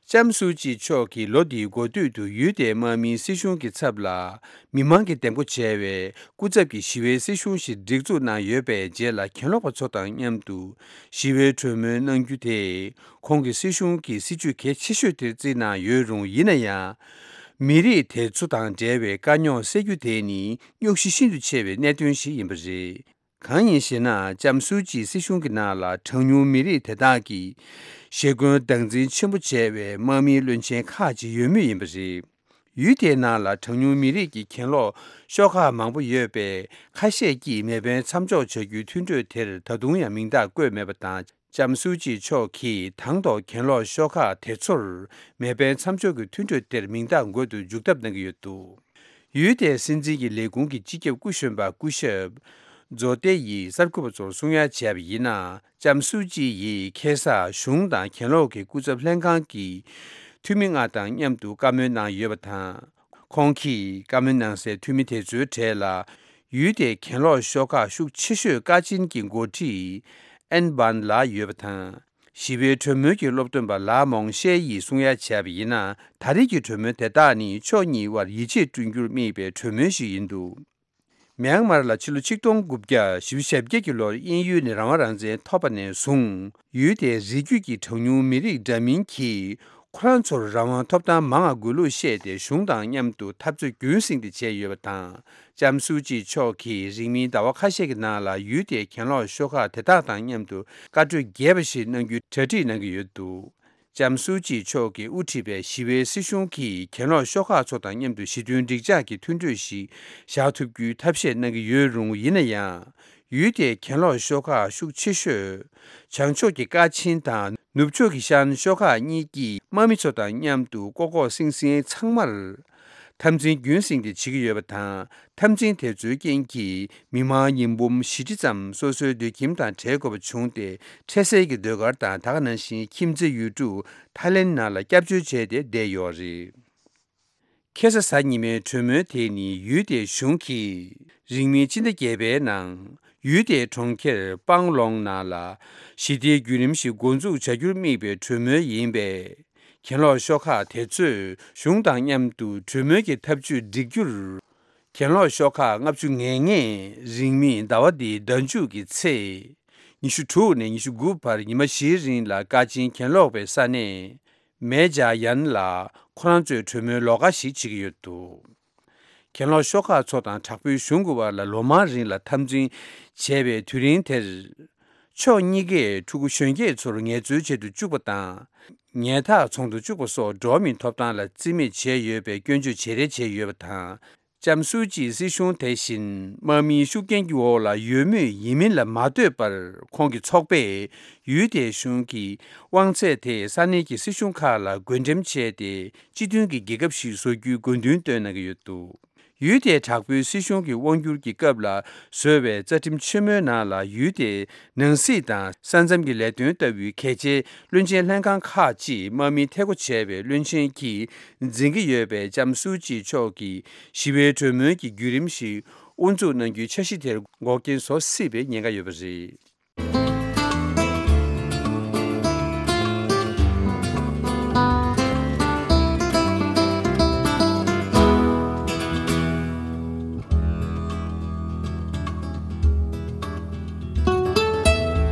ལྕམ་སུའུ་ཅི་མཆོག་གིས་ལོ་འདིའི་འགོ་སྟོད་དུ་ཡུལ་དེའི་དམག་མིའི་སྲིད་གཞུང་གི་ཚབ་ལ་མི་མང་གིས་འདེམས་བསྐོ་བྱས་པའི་སྐུ་ཚབ་ཀྱི་ཞི་བའི་སྲིད་གཞུང་ཞིག་སྒྲིག་འཛུགས་གནང་ཡོད་པའི་རྗེས་ལ་གྱེན་ལོག་པ་ཚོ་དང་མཉམ་དུ་ཞི་བའི་གྲོས་མོལ་གནང་རྒྱུ་དེ་ཁོང་གི་སྲིད་གཞུང་གི་སྲིད་ཇུས་གལ་ཆེ་ཤོས་དེར་བརྩིས་གནང་ཡོད་རུང་། ཡིན་ན་ཡང་མི་རིགས་དེ་ཚོ་དང་འབྲེལ་བའི་དཀའ་རྙོག་སེལ་རྒྱུ་དེ་ནི་རྙོག་གཞི་ཤིན་ཏུ་ཆེ་བའི་གནད་དོན་ཞིག་ཡིན་པ་རེད། གང་ཡིན་ཞེ་ན། ལྕམ་སུའུ་ཅིའི་སྲིད་གཞུང་གི་ནང་ལ་གྲངས་ཉུང་མི་རིགས་དེ་དག་གིས་ཞེ་སྐུན་སྟངས་འཛིན་ཆེན་པོ་བྱས་པའི་དམག་མིའི་བློན་ཆེན་ཁག་ཅིག་ཡོད་མུས་ཡིན་པ་རེད། ཡུལ་དེའི་ནང་ལ་གྲངས་ཉུང་མི་རིགས་ཀྱི་གྱེན་ལོག་ཤོག་ཁག་མང་པོ་ཡོད་པས། ཁ་ཤས་ཀྱིས་མེ་འཕེན་མཚམས་འཇོག་བྱ་རྒྱུའི་མཐུན་གྲོས་དེར་ད་དུང་ཡང་མིང་རྟགས་བཀོད་མེད་པ་དང་། ལྕམ་སུའུ་ཅི་མཆོག་གིས་དང་ཐོག་གྱེན་ལོག་ཤོག་ཁག་དེ་ཚོར་མེ་འཕེན་མཚམས་འཇོག་གི་མཐུན་གྲོས་དེར་མིང་རྟགས་འགོད་དུ་འཇུག་ཐབས་གནང་གི་ཡོད་འདུག་ཡུལ་དེའི་སྲིད་འཛིན་གྱི་ལས་ཁུངས་ཀྱི་སྤྱི་ཁྱབ་སྐུ་གཞོན་པ་སྐུ་ཞབས་ཛོ་ཏེ་ཡིས་གསར་འགོད་པ་ཚོར་གསུང་ཡ་བྱས་པ་ཡིན་ན། ལྕམ་སུའུ་ཅི་ཡིས་ཁ་སང་གཞུང་དང་གྱེན་ལོག་གི་སྐུ་ཚབ་ལྷན་ཁང་གི་འཐུས་མི་ལྔ་དང་མཉམ་དུ་བཀའ་མོལ་གནང་ཡོད་པ་དང་། ཁོང་གིས་བཀའ་མོལ་གནང་སའི་འཐུས་མི་དེ་ཚོའི་གྲས་ལ་ཡུལ་དེའི་གྱེན་ལོག་ཤོག་ཁག་ཤུགས་ཆེ་ཤོས་ཀ་ཅིན་གྱི་འགོ་ཁྲིད་ཨན་བན་ལགས་ཡོད་པ་དང་། ཞི་བའི་གྲོས་མོལ་གྱི་སློབ་སྟོན་པ་ལའ་མོང་ཤེ་ཡིས་གསུང་ཡ་བྱས་པ་ཡིན་ན། ད་རེས་ཀྱི་གྲོས་མོལ་དེ་དག་ནི་ཕྱོགས་གཉིས་དབར་ཡིད་ཆེས་བསྐྲུན་རྒྱུར་དམིགས་པའི་གྲོས་མོལ་ཞིག་ཡིན་འདུག་མེན་མར་ལ་ཕྱི་ལོ་ཆིག་སྟོང་དགུ་བརྒྱ་བཞི་བཅུ་ཞེ་བརྒྱད་ཀྱི་ལོར་དབྱིན་ཡུལ་ནས་རང་དབང་རང་བཙན་ཐོབ་པ་ནས་བཟུང་། ཡུལ་དེའི་རིགས་རྒྱུད་ཀྱི་གྲངས་ཉུང་མི་རིགས་འདྲ་མིན་གྱིས་ཁོ་རང་ཚོར་རང་དབང་ཐོབ་ཐང་མང་བ་དགོས་ལུགས་བཤད་དེ། གཞུང་དང་མཉམ་དུ་འཐབ་རྩོད་རྒྱུན་བསྲིངས་ཏེ་བྱས་ཡོད་པ་དང་། ལྕམ་སུའུ་ཅི་མཆོག་གིས་རིང་མིན་ཟླ་བ་ཁ་ཤས་ཀྱི་ནང་ལ་ཡུལ་དེའི་གྱེན་ལོག་ཤོག་ཁག་དེ་དག་དང་མཉམ་དུ་བཀའ་གྲོས་རྒྱས་པ་ཞིག་གནང་རྒྱུའི་གྲ་སྒྲིག་གནང་གི་ཡོད་འདུག་ལྕམ་སུའུ་ཅི་མཆོག་གིས་དབུ་ཁྲིད་པའི་ཞི་བའི་སྲིད་གཞུང་གིས་གྱེན་ལོག་ཤོག་ཁག་ཚོ་དང་མཉམ་དུ་ཞི་མཐུན་འགྲིག་འཇགས་ཀྱི་མཐུན་གྲོས་ཤིག་བཞག་ཐུབ་རྒྱུའི་ཐབས་ཤེས་གནང་གི་ཡོད་རུང་། ཡིན་ན་ཡང་ཡུལ་དེའི་གྱེན་ལོག་ཤོག་ཁག་ཤུགས་ཆེ་ཤོས་བྱང་ཕྱོགས་ཀྱི་ཀ་ཆིན་དང་ནུབ་ཕྱོགས་ཀྱི་ཤན་ཤོག་ཁག་གཉིས་ཀྱིས་དམག་མི་ཚོ་དང་མཉམ་དུ་ལྐོག་ལྐོག་སིང་སིང་ཚང་མར་འཐབ་འཛིང་རྒྱུན་བསྲིངས་ཏེ་བྱེད་ཀྱི་ཡོད་པ་དང་། འཐབ་འཛིང་དེ་ཚོའི་རྐྱེན་གྱིས་མི་མང་ཉིས་འབུམ་བཞི་ཁྲི་ཙམ་སོ་སོའི་སྡོད་ཁྱིམ་དང་བྲལ་དགོས་པ་བྱུང་སྟེ། འཕྲལ་སེལ་གྱི་ཟློས་གར་དང་། ད་ག་ནང་བཞིན་ཁྱིམ་མཚེས་ཡུལ་གྲུ་ཐའི་ལེན་ནང་ལ་སྐྱབས་བཅོལ་བྱས་ཏེ་བསྡད་ཡོད་རེད། ཁ་སང་གཟའ་ཉི་མའི་གྲོས་མོལ་དེ་ནི་ཡུལ་དེའི་གཞུང་གིས་རིང་མིན་ཕྱི་ཟླ་བརྒྱད་པའི་ནང་ཡུལ་དེའི་གྲོང་ཁྱེར་པང་ལོང་ནང་ལ་ཞི་བདེའི་བརྒྱུད་རིམ་ཞིག་འགོ་འཛུགས་བྱ་རྒྱུར་དམིགས་པའི་གྲོས་མོལ་ཡིན་པས། གྱེན་ལོག་ཤོག་ཁག་དེ་ཚོས་གཞུང་དང་མཉམ་དུ་གྲོས་མོལ་གྱི་ཐབས་ཇུས་སྒྲིག་རྒྱུར། གྱེན་ལོག་ཤོག་ཁག་ལྔ་བཅུ་ང་ལྔས་རིང་མིན་ཟླ་བ་འདིའི་ཟླ་མཇུག་གི་ཚེ། ཉི་ཤུ་དྲུག་ནས་ཉི་ཤུ་དགུ་བར་ཉི་མ་བཞིའི་རིང་ལ་ཀ་ཆེན་གྱེན་ལོག་པའི་ས་གནས་མེ་ཇ་ཡན་ལ་ཁོ་རང་ཚོའི་གྲོས་མོལ་ལོགས་ཀ་ཞིག་བྱེད་ཀྱི་ཡོད་འདུག། གྱེན་ལོག་ཤོག་ཁག་ཚོ་དང་དྲག་པོའི་གཞུང་གི་བར་ལ་ལོ་མང་རིང་ལ་འཐབ་འཛིང་བྱས་པའི་དུས་རིང་དེར། ཕྱོགས་གཉིས་ཀས་ཕྲུ་གུ་གཞོན་སྐྱེས་ཚོར་ངལ་རྩོལ་བྱེད་དུ་བཅུག་པ་དང་། ཉལ་ཐག་ཚོང་དུ་བཅུག་པ་སོགས་འགྲོ་བ་མིའི་ཐོབ་ཐང་ལ་བརྩི་མེད་བྱས་ཡོད་པའི་སྐྱོན་བརྗོད་བྱེད་རེས་བྱས་ཡོད་པ་དང་། ལྕམ་སུའུ་ཅིའི་སྲིད་གཞུང་དེ་བཞིན་དམག་མིའི་ཤུགས་རྐྱེན་གྱི་འོག་ལ་ཡོད་མུས་ཡིན་མིན་ལ་མ་ལྟོས་པར་ཁོང་གི་ཚོགས་པས་ཡུལ་དེའི་གཞུང་གི་དབང་ཚད་དེ་ས་གནས་ཀྱི་སྲིད་གཞུང་ཁག་ལ་བགོ་འགྲེམས་བྱས་ཏེ་སྤྱི་མཐུན་གྱི་རྒྱལ་ཁབ་ཞིག་བཟོ་རྒྱུའི་དགོས་འདུན་བཏོན་གནང་གི་ཡོད་འདུག། ཡུལ་དེའི་དྲག་པོའི་སྲིད་གཞུང་གི་དབང་སྒྱུར་གྱི་སྐབས་ལ་བཟོས་པའི་རྩ་ཁྲིམས་ཆེན་མོའི་ནང་ལ་ཡུལ་དེའི་ནང་སྲིད་དང་ས་མཚམས་ཀྱི་ལས་དོན་ལྟ་བུའི་གལ་ཆེའི་བློན་ཆེན་ལྷན་ཁང་ཁག་ཅིག་དམག་མིས་ཐད་སྒོ་བྱས་པའི་བློན་ཆེན་གྱིས་འཛིན་གྱི་ཡོད་པའི་ལྕམ་སུའུ་ཅི་མཆོག་གིས་ཞི་བའི་གྲོས་མོལ་གྱི་བརྒྱུད་རིམ་ཞིག་དབུ་འཛུགས་གནང་རྒྱུའི་འཆར་གཞི་དེར་འགོག་རྐྱེན་བཟོ་སྲིད་པའི་ཉེན་ཁ་ཡོད་པ་རེད།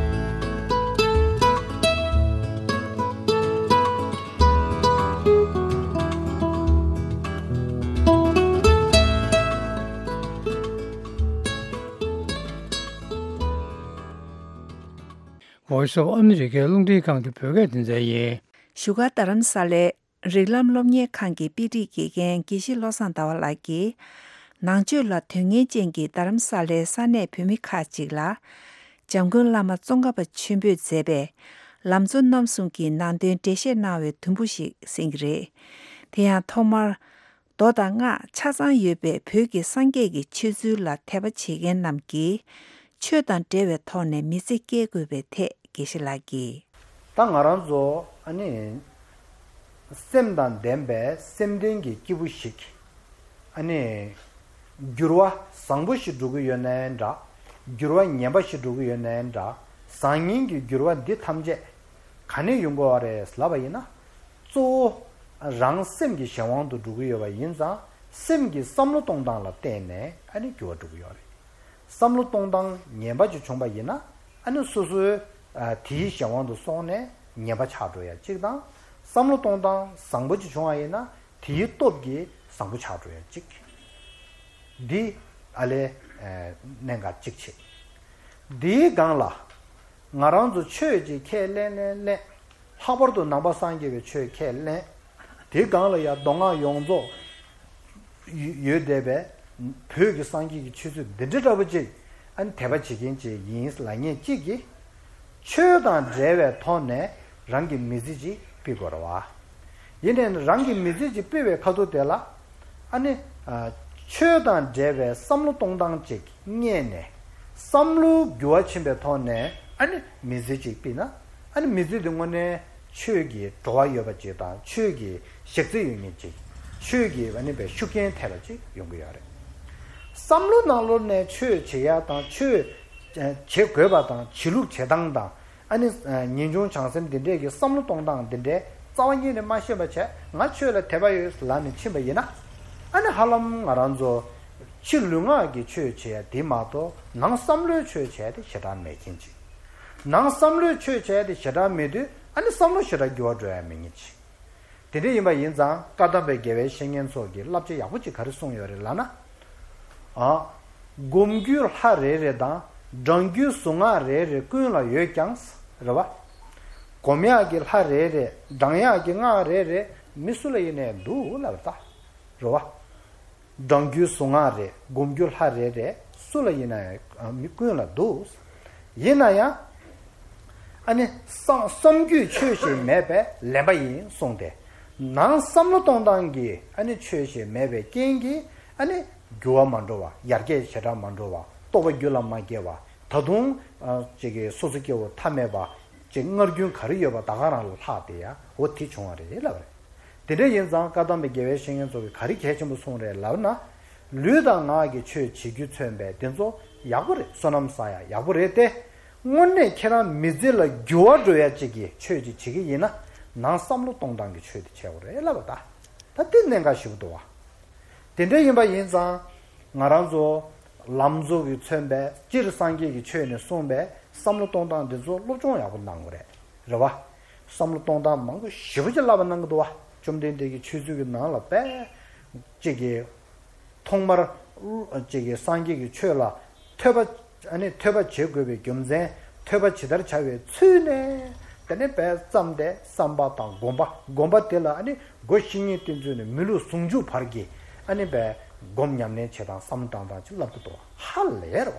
Voice of America རླུང་འཕྲིན་ཁང་གི་བོད་སྐད་སྡེ་ཚན་ཡིན། བཞུགས་སྒར་རྡ་རམ་ས་ལའི་རིགས་ལམ་སློབ་གཉེར་ཁང་གི་དཔེ་སྒྲིག་དགེ་རྒན་དགེ་བཤེས་བློ་བཟང་ཟླ་བ་ལགས་ཀྱིས། ནང་ཆོས་ལ་དོན་གཉེར་ཅན་གྱི་རྡ་རམ་ས་ལའི་ས་གནས་བོད་མི་ཁག་ཅིག་ལ། འཇམ་མགོན་བླ་མ་ཙོང་ཁ་པ་ཆེན་པོས་མཛད་པའི་ལམ་གཙོ་རྣམ་གསུམ་གྱི་ནང་དོན་འགྲེལ་བཤད་གནང་བའི་དུམ་བུ་ཞིག་གསན་གྱི་རེད། དེ་ཡང་ཐོག་མར། མདོ་དང་སྔགས་ཆ་ཚང་ཡོད་པའི་བོད་ཀྱི་སངས་རྒྱས་ཀྱི་ཆོས་ཚུལ་ལ་དད་པ་བྱེད་མཁན་རྣམས་ཀྱིས་ཆོས་དང་འབྲེལ་བའི་ཐོག་ནས་མི་ཚེ་སྐྱེལ་དགོས་པའི་ཐད་དགེ་བཤེས་ལགས་ཀྱིས། ད་ང་རང་ཚོ་ཨ་ནི་སེམས་དང་ལྡན་པའི་སེམས་ལྡན་གྱི་སྐྱེས་བུ་ཞིག་ཨ་ནི་འགྱུར་བ་བཟང་པོ་ཞིག་འགྲོ་གི་ཡོད་ནའི་འདྲ། འགྱུར་བ་ངན་པ་ཞིག་འགྲོ་གི་ཡོད་ནའི་འདྲ། བཟང་ངན་གྱི་འགྱུར་བ་འདི་ཐམས་ཅད་ག་ནས་ཡོང་དགོས་པ་རེད་ལབ་པ་ཡིན་ན། གཙོ་བོ་རང་སེམས་ཀྱི་གཞན་དབང་དུ་འགྲོ་གི་ཡོད་པ་ཡིན་ཙང་སེམས་ཀྱི་བསམ་བློ་གཏོང་སྟངས་ལ་བརྟེན་ནས་ཨ་ནི་འགྱུར་བ་འགྲོ་གི་ཡོད་རེད། བསམ་བློ་གཏོང་སྟངས་ངན་པ་ཅིག་བྱུང་པ་ཡིན་ན་ཨ་ནི་སོ་སོའི་ཨ་དེའི་གཞན་དབང་དུ་སོང་ནས་ངན་པ་ཆགས་འགྲོ་ཡ་གཅིག་དང་། བསམ་བློ་གཏོང་སྟངས་བཟང་པོ་ཅིག་བྱུང་བ་ཡིན་ན་དེའི་སྟོབས་ཀྱིས་བཟང་པོ་ཆགས་འགྲོ་ཡ་གཅིག། འདི་ཨ་ལས་ཨ་གནད་འགག་གཅིག་བྱེད། འདིའི་སྒང་ལ་ང་རང་ཚོ་ཆོས་ཀྱི་ཁས་ལེན་ལེན་ལེན། ལྷག་པར་དུ་ནང་པ་སངས་རྒྱས་པའི་ཆོས་ཁས་ལེན། དེའི་སྒང་ལ་ཡང་མདོ་སྔགས་ཡོངས་རྫོགས་ཡོད་བསྡད་པའི་བོད་ཀྱི་སངས་རྒྱས་ཀྱི་ཆོས་ཚུལ་འདི་འདྲ་འདྲ་པོ་ཅིག་ཨ་ནི་དད་པ་བྱེད་མཁན་ཅིག་ཡིན་ལབ་མཁན་གཅིག་གིས་ཆོས་དང་འབྲེལ་བའི་ཐོག་ནས་རང་གི་མི་ཚེ་ཅིག་སྤེལ་དགོས་རེད་བ། ཡིན་ནའི་རང་གི་མི་ཚེ་ཅིག་སྤེལ་བའི་ཁ་ཐུག་དེ་ལ་ཨ་ནི་ཨ་ཆོས་དང་འབྲེལ་བའི་བསམ་བློ་གཏོང་སྟངས་ཅིག་རྙེད་ནས་བསམ་བློ་འགྱུར་བ་ཕྱིན་པའི་ཐོག་ནས་ཨ་ནི་མི་ཚེ་ཅིག་སྤེལ་ན་ཨ་ནི་མི་ཚེ་དེ་དངོས་གནས་ཆོས་ཀྱི་བྲོ་བ་ཡོད་པ་ཅིག་དང་ཆོས་ཀྱི་ཞག་རྩི་ཡོད་མཁན་ཅིག་ཆོས་ཀྱི་ཨ་ནི་པའི་ཤུགས་རྐྱེན་ཐེབས་པ་ཅིག་ཡོང་གི་ཡོད་རེད། བསམ་བློ་ནང་ལོགས་ནས་ཆོས་བྱེད་ཡ་དང་ཆོས་བྱེད་དགོས་པ་དང་བྱེད་ལུགས་བྱེད་སྟངས་དང་། ཨ་ནི་ངེས་འབྱུང་བྱང་སེམས་འདི་འདྲས་ཀྱི་བསམ་བློ་གཏོང་སྟངས་འདི་འདྲས་རྩ་བ་ཉིད་ནས་མ་ཤེས་པ་བྱས་ང་ཆོས་ལ་དད་པ་ཡོད་ལབ་ནས་ཕྱིན་པ་ཡིན་ན། ཨ་ནི་ཧ་ལམ་ང་རང་ཚོ་ཕྱི་ལུས་ངག་གི་ཆོས་བྱེད་ཡ་དེ་མ་གཏོགས་ནང་བསམ་བློའི་ཆོས་བྱེད་ཡ་དེ་ཞེ་དྲག་མེད་མཁན་ཅིག། ནང་བསམ་བློའི་ཆོས་བྱེད་ཡ་དེ་ཞེ་དྲག་མེད་དུས་ཨ་ནི་བསམ་བློ་ཞེ་དྲག་འགྱུར་བ་འགྲོ་ཡ་མེད་མཁན་ཅིག། དེ་འདྲ་ཡིན་པ་ཡིན་ཙང་བཀའ་གདམས་པའི་དགེ་བའི་བཤེས་གཉེན་ཚོ་གིས་བསླབ་བྱ་ཡག་པོ་ཅིག་ག་རེ་གསུངས་ཡོད་རེད་ལབ་ན། ཨ། སྒོམ་རྒྱུ་ལྷ་རེ་རེ་དང་བགྲང་རྒྱུ་གཟུངས་སྔགས་རེ་རེ་ཀུན་ལ་ཡོད་ཀྱང་། རེད་བ། སྒོམ་ཡག་གི་ལྷ་རེ་རེ་བགྲང་ཡག་གི་སྔགས་རེ་རེ་མི་སུ་ལ་ཡིན་ནའི་འདུག་ལབ་པ་ད། རེད་བ། བགྲང་རྒྱུའི་གཟུངས་སྔགས་རེ་སྒོམ་རྒྱུ་ལྷ་རེ་རེ་སུ་ལ་ཡིན་ན་ཡང་མི་ཀུན་ལ་འདུག། ཡིན་ན་ཡང་། ཨ་ནི་བསམ་བསམ་རྒྱུས་ཆོས་ཤིག་མེད་པས་ལན་པ་ཡིན་གསུངས་ཏེ། ནང་བསམ་བློ་གཏོང་སྟངས་ཀྱི་ཨ་ནི་ཆོས་ཤིག་མེད་པའི་རྐྱེན་གྱིས་ཨ་ནི་འགྱུར་བ་མ་འགྲོ་བ་ཡར་རྒྱས་ཞེ་དྲག་མ་འགྲོ་བ་རྟོགས་པ་རྒྱུད་ལ་མ་སྐྱེ་བ་ད་དུང་ཨ་ཅིག་གི་སོ་སོ་སྐྱེ་བོ་ཐ་མལ་པ་ཅིག་སྔར་རྒྱུན་ག་རེ་ཡོད་པ་ད་ག་རང་ལ་ལྷག་སྟེ་ཡ་འོ་དེ་བྱུང་བ་རེད་ལབ་རེད། དེ་འདྲ་ཡིན་ཙང་བཀའ་གདམས་པའི་དགེ་བའི་བཤེས་གཉེན་ཚོ་གིས་ག་རེ་གལ་ཆེན་པོ་གསུངས་རེད་ལབ་ན། ལུས་དང་ངག་གི་ཆོས་བྱེད་རྒྱུ་མཚོན་པས་དེ་ཚོ་ཡག་པོ་རེད། བསོད་ནམས་བསགས་ཡ་ཡག་པོ་རེད་དེ། དངོས་གནས་ཁྱེད་རང་མི་ཚེ་ལ་འགྱུར་བ་འགྲོ་ཡ་གཅིག་གི་ཆོས་ཅིག་བྱེད་ཀྱི་ཡིན་ན་ནང་བསམ་བློ་གཏོང་སྟངས་ཀྱི་ཆོས་དེ་བྱེད་དགོས་རེད་ལབ་པ་ད། ད་དེ་གནད་འགག་ཞེ་པོ་འདུག་བ། དེ་འདྲ་ཡིན་པ་ཡིན་ཙང་ང་རང་ཚོ་ ལམ་གཙོ་གིས་མཚོན་པའི་སྤྱིར་སངས་རྒྱས་ཀྱི་ཆོས་ནས་གསུངས་པའི་བསམ་བློ་གཏོང་སྟངས་འདི་ཚོ་སློབ་སྦྱོང་ཡག་པོ་གནང་དགོས་རེད། རེད་བ། བསམ་བློ་གཏོང་སྟངས་མང་པོ་ཞེ་པོ་ཅིག་བསླབ་པ་གནང་གི་འདུག་བ། བཅོམ་ལྡན་འདས་ཀྱི་ཆོས་ཚུལ་གྱི་ནང་ལ་དཔེ་གཅིག་གིས་ཐོག་མར་གཅིག་གིས་སངས་རྒྱས་ཀྱི་ཆོས་ལ་ཐོས་པ། ཨ་ནི་ཐོས་པ་བྱེད་དགོས་པའི་རྒྱུ་མཚན། ཐོས་པ་ཇི་ལྟར་བྱ་བའི་ཚུལ་ནས། དེ་ནས་དཔེ་བརྩམས་ཏེ་བསམ་པ་དང་སྒོམ་པ། སྒོམ་པ་དེ་ལ་ཨ་ནི་སྒོ་བཤེས་གཉེན་བསྟེན་ཚུལ་ནས་མི་ལུས་ཟུང་འཇུག་བར་གྱི་ཨ་ནི་དཔེ་སྒོམ་ཉམས་ལེན་བྱེད་སྟངས་བསམ་བློ་བཏང་སྟངས་ཅིག་བསླབ་ཀྱི་འདུག་བ། ཧ་ལས་རེད་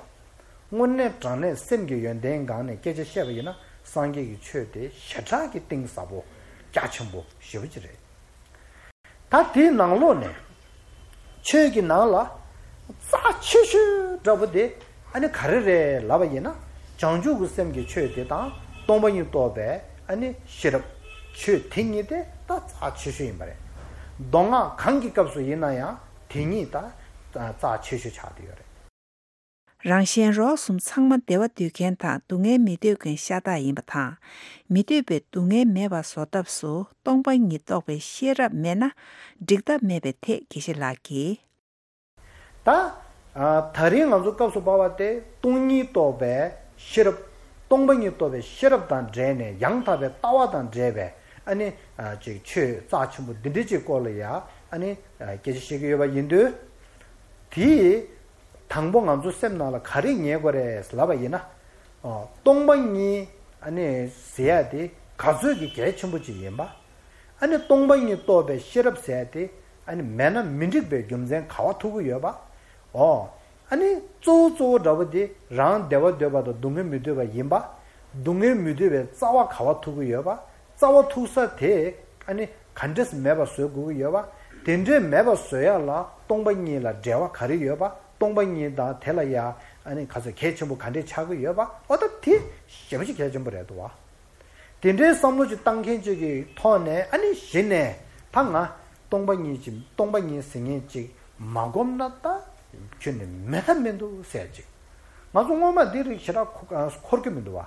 བ། དངོས་གནས་དྲང་གནས་སེམས་ཀྱི་ཡོན་ཏན་སྒང་ནས་སྐད་ཆ་བཤད་པ་ཡིན་ན། སངས་རྒྱས་ཀྱི་ཆོས་དེ་ཞེ་དྲག་གི་གཏིང་ཟབ་པོ་རྒྱ་ཆེན་པོ་ཞེ་པོ་ཅིག་རེད། ད་དེའི་ནང་ལོགས་ནས་ཆོས་ཀྱི་ནང་ལ་རྩ་ཆེ་ཤོས་འདྲ་པོ་དེ་ཨ་ནི་ག་རེ་རེད་ལབ་པ་ཡིན་ན། བྱང་ཆུབ་ཀྱི་སེམས་ཀྱི་ཆོས་དེ་དང་སྟོང་པ་ཉིད་རྟོགས་པའི་ཨ་ནི་ཤེས་རབ། ཆོས་དེ་གཉིས་དེ་ད་རྩ་ཆེ་ཤོས་ཡིན་པ་རེད། མདོ་སྔགས་གང་གི་སྐབས་སུ་ཡིན་ན་ཡང་དེ་གཉིས་ད་རྩ་ཆེ་ཤོས་ཆགས་བསྡད་ཡོད་རེད། རང་གཞན་རོགས་གསུམ་ཚང་མ་བདེ་བ་འདོད་མཁན་དང་སྡུག་བསྔལ་མི་འདོད་མཁན་ཤ་སྟག་ཡིན་པ་དང་། མི་འདོད་པའི་སྡུག་བསྔལ་མེད་པ་བཟོ་ཐབས་སུ་སྟོང་པ་ཉིད་རྟོགས་པའི་ཤེས་རབ་མེད་ན་འགྲིག་ཐབས་མེད་པའི་ཐད་དགེ་བཤེས་ལགས་ཀྱིས། ད་ད་རིང་ང་ཚོ་སྐབས་སུ་བབས་པ་དེ་སྟོང་ཉིད་རྟོགས་པའི་ཤེས་རབ། སྟོང་པ་ཉིད་རྟོགས་པའི་ཤེས་རབ་དང་འབྲེལ་ནས། ཡང་དག་པའི་ལྟ་བ་དང་འབྲེལ་བའི་ཨ་ནི་ཅིག་ཆོས་རྩ་ཆེན་པོ་འདི་འདྲའི་ཅིག་སྐོར་ལ་ཡ་ཨ་ནི་སྐད་ཆ་བཤད་ཀྱི་ཡོད་པ་ཡིན་དུས། དེའི་དང་པོ་ང་ཚོ་སེམས་ནང་ལ་ག་རེ་ངེས་དགོས་རེད་ལབ་པ་ཡིན་ན། ཨོ། སྟོང་པ་ཉིད་ཨ་ནི་ཟེར་ཡ་དེ་ག་ཚོད་ཀྱི་གལ་ཆེན་པོ་ཅིག་ཡིན་པ། ཨ་ནི་སྟོང་པ་ཉིད་རྟོགས་པའི་ཤེས་རབ་ཟེར་ཡ་དེ་ཨ་ནི་མེད་ན་མི་འགྲིག་པའི་རྒྱུ་མཚན་ག་བ་ཐུག་གི་ཡོད་པ། ཨོ། ཨ་ནི་གཙོ་བོ་གཙོ་བོ་འདྲ་པོ་དེ་རང་བདེ་བ་འདོད་པ་དང་སྡུག་བསྔལ་མི་འདོད་པ་ཡིན་པ། སྡུག་བསྔལ་མི་འདོད་པའི་རྩ་བ་ག་བ་ཐུག་གི་ཡོད་པ། རྩ་བ་ཐུག་ས་དེ་ཨ་ནི་ག་འདྲས་མེད་པ་བཟོ་དགོས་ཀྱི་ཡོད་པ། དེ་འདྲས་མེད་པ་བཟོ་ཡ་ལ་སྟོང་པ་ཉིད་ལ་འབྲེལ་བ་ག་རེ་ཡོད་པ། སྟོང་པ་ཉིད་དང་དེ་ལ་ཡ་ཨ་ནི་ག་ཚོད་གལ་ཆེན་པོ་ག་འདྲས་ཆགས་ཀྱི་ཡོད་པ། འོ་ད་དེ་ཞེ་པོ་ཅིག་གལ་ཆེན་པོ་རེད་འདུག་བ། དེ་འདྲའི་བསམ་བློ་ཅིག་བཏང་མཁན་ཅིག་གི་ཐོག་ནས་ཨ་ནི་གཞི་ནས་ད་ང་སྟོང་པ་ཉིད་ཅིག་སྟོང་པ་ཉིད་ཟེར་མཁན་ཅིག་མ་སྒོམ་ན་ད་ཁྱོན་ནས་མེད་ཐབས་མི་འདུག་ཟེར་ཅིག་ང་ཚོ་སྔོན་མ་འདི་རིགས་ཞེ་དྲག་འཁོར་གྱི་མི་འདུག་བ།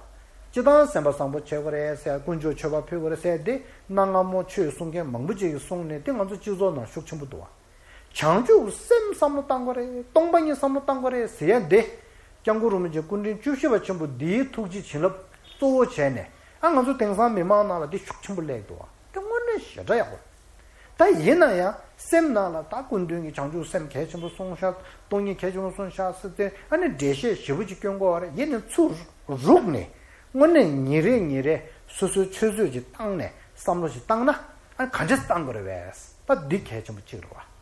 སྤྱི་བཏང་སེམས་པ་བཟང་པོ་བྱེད་དགོས་རེད་ཟེར། དཀོན་མཆོག་མཆོད་པ་ཕུལ་དགོས་རེད་ཟེར། འདི་གནའ་སྔ་མོ་ཆོས་གསུང་མཁན་མང་པོ་ཅིག་གིས་གསུངས་ནས་དེ་ང་ཚོ་སྤྱི་ཚོགས་ནང་ཤུགས་ཆེན་པོ་འདུག་བ། བྱང་ཆུབ་སེམས་བསམ་བློ་བཏང་དགོས་རེད། སྟོང་པ་ཉིད་བསམ་བློ་བཏང་དགོས་རེད་ཟེར་ཡ་འདི། སྐྱབས་མགོན་རིན་པོ་ཆེ་སྐུ་ཕྲེང་བཅུ་བཞི་པ་ཆེན་པོ་འདིའི་ཐུགས་རྗེ་བྱིན་རླབས་གཙོ་བོ་བྱས་ནས། ཨ་ང་ཚོ་དེང་སང་མི་མང་ནང་ལ་འདི་ཤུགས་ཆེན་པོ་སླེབས་འདུག་བ། དེ་དངོས་གནས་ཞེ་དྲག་ཡག་པོ་རེད། ད་ཡིན་ན་ཡང་སེམས་ནང་ལ་ད་སྐུ་མདུན་གྱིས་བྱང་ཆུབ་སེམས་གལ་ཆེན་པོ་གསུངས་ཤག་སྟོང་ཉིད་གལ་ཆེན་པོ་གསུངས་ཤག་ཟེར་ཏེ་ཨ་ནི་འགྲེལ་བཤད་ཞེ་པོ་ཅིག་སྐྱོན་དགོས་པ་རེད། ཡིན་ནའི་ཚུར་རུག་ནས་དངོས་གནས་ཉིན་རེ་ཉིན་རེ་སོ་སོའི་ཆུད་ཟོས་ཅིག་བཏང་ནས་བསམ་བློ་ཞིག་བཏང་ན། ཨ་ག་འདྲས་བཏང་དགོས་རེད་པས། ད་འདི་གལ་ཆེན་པོ་གཅིག་རེད་བ། བྱས་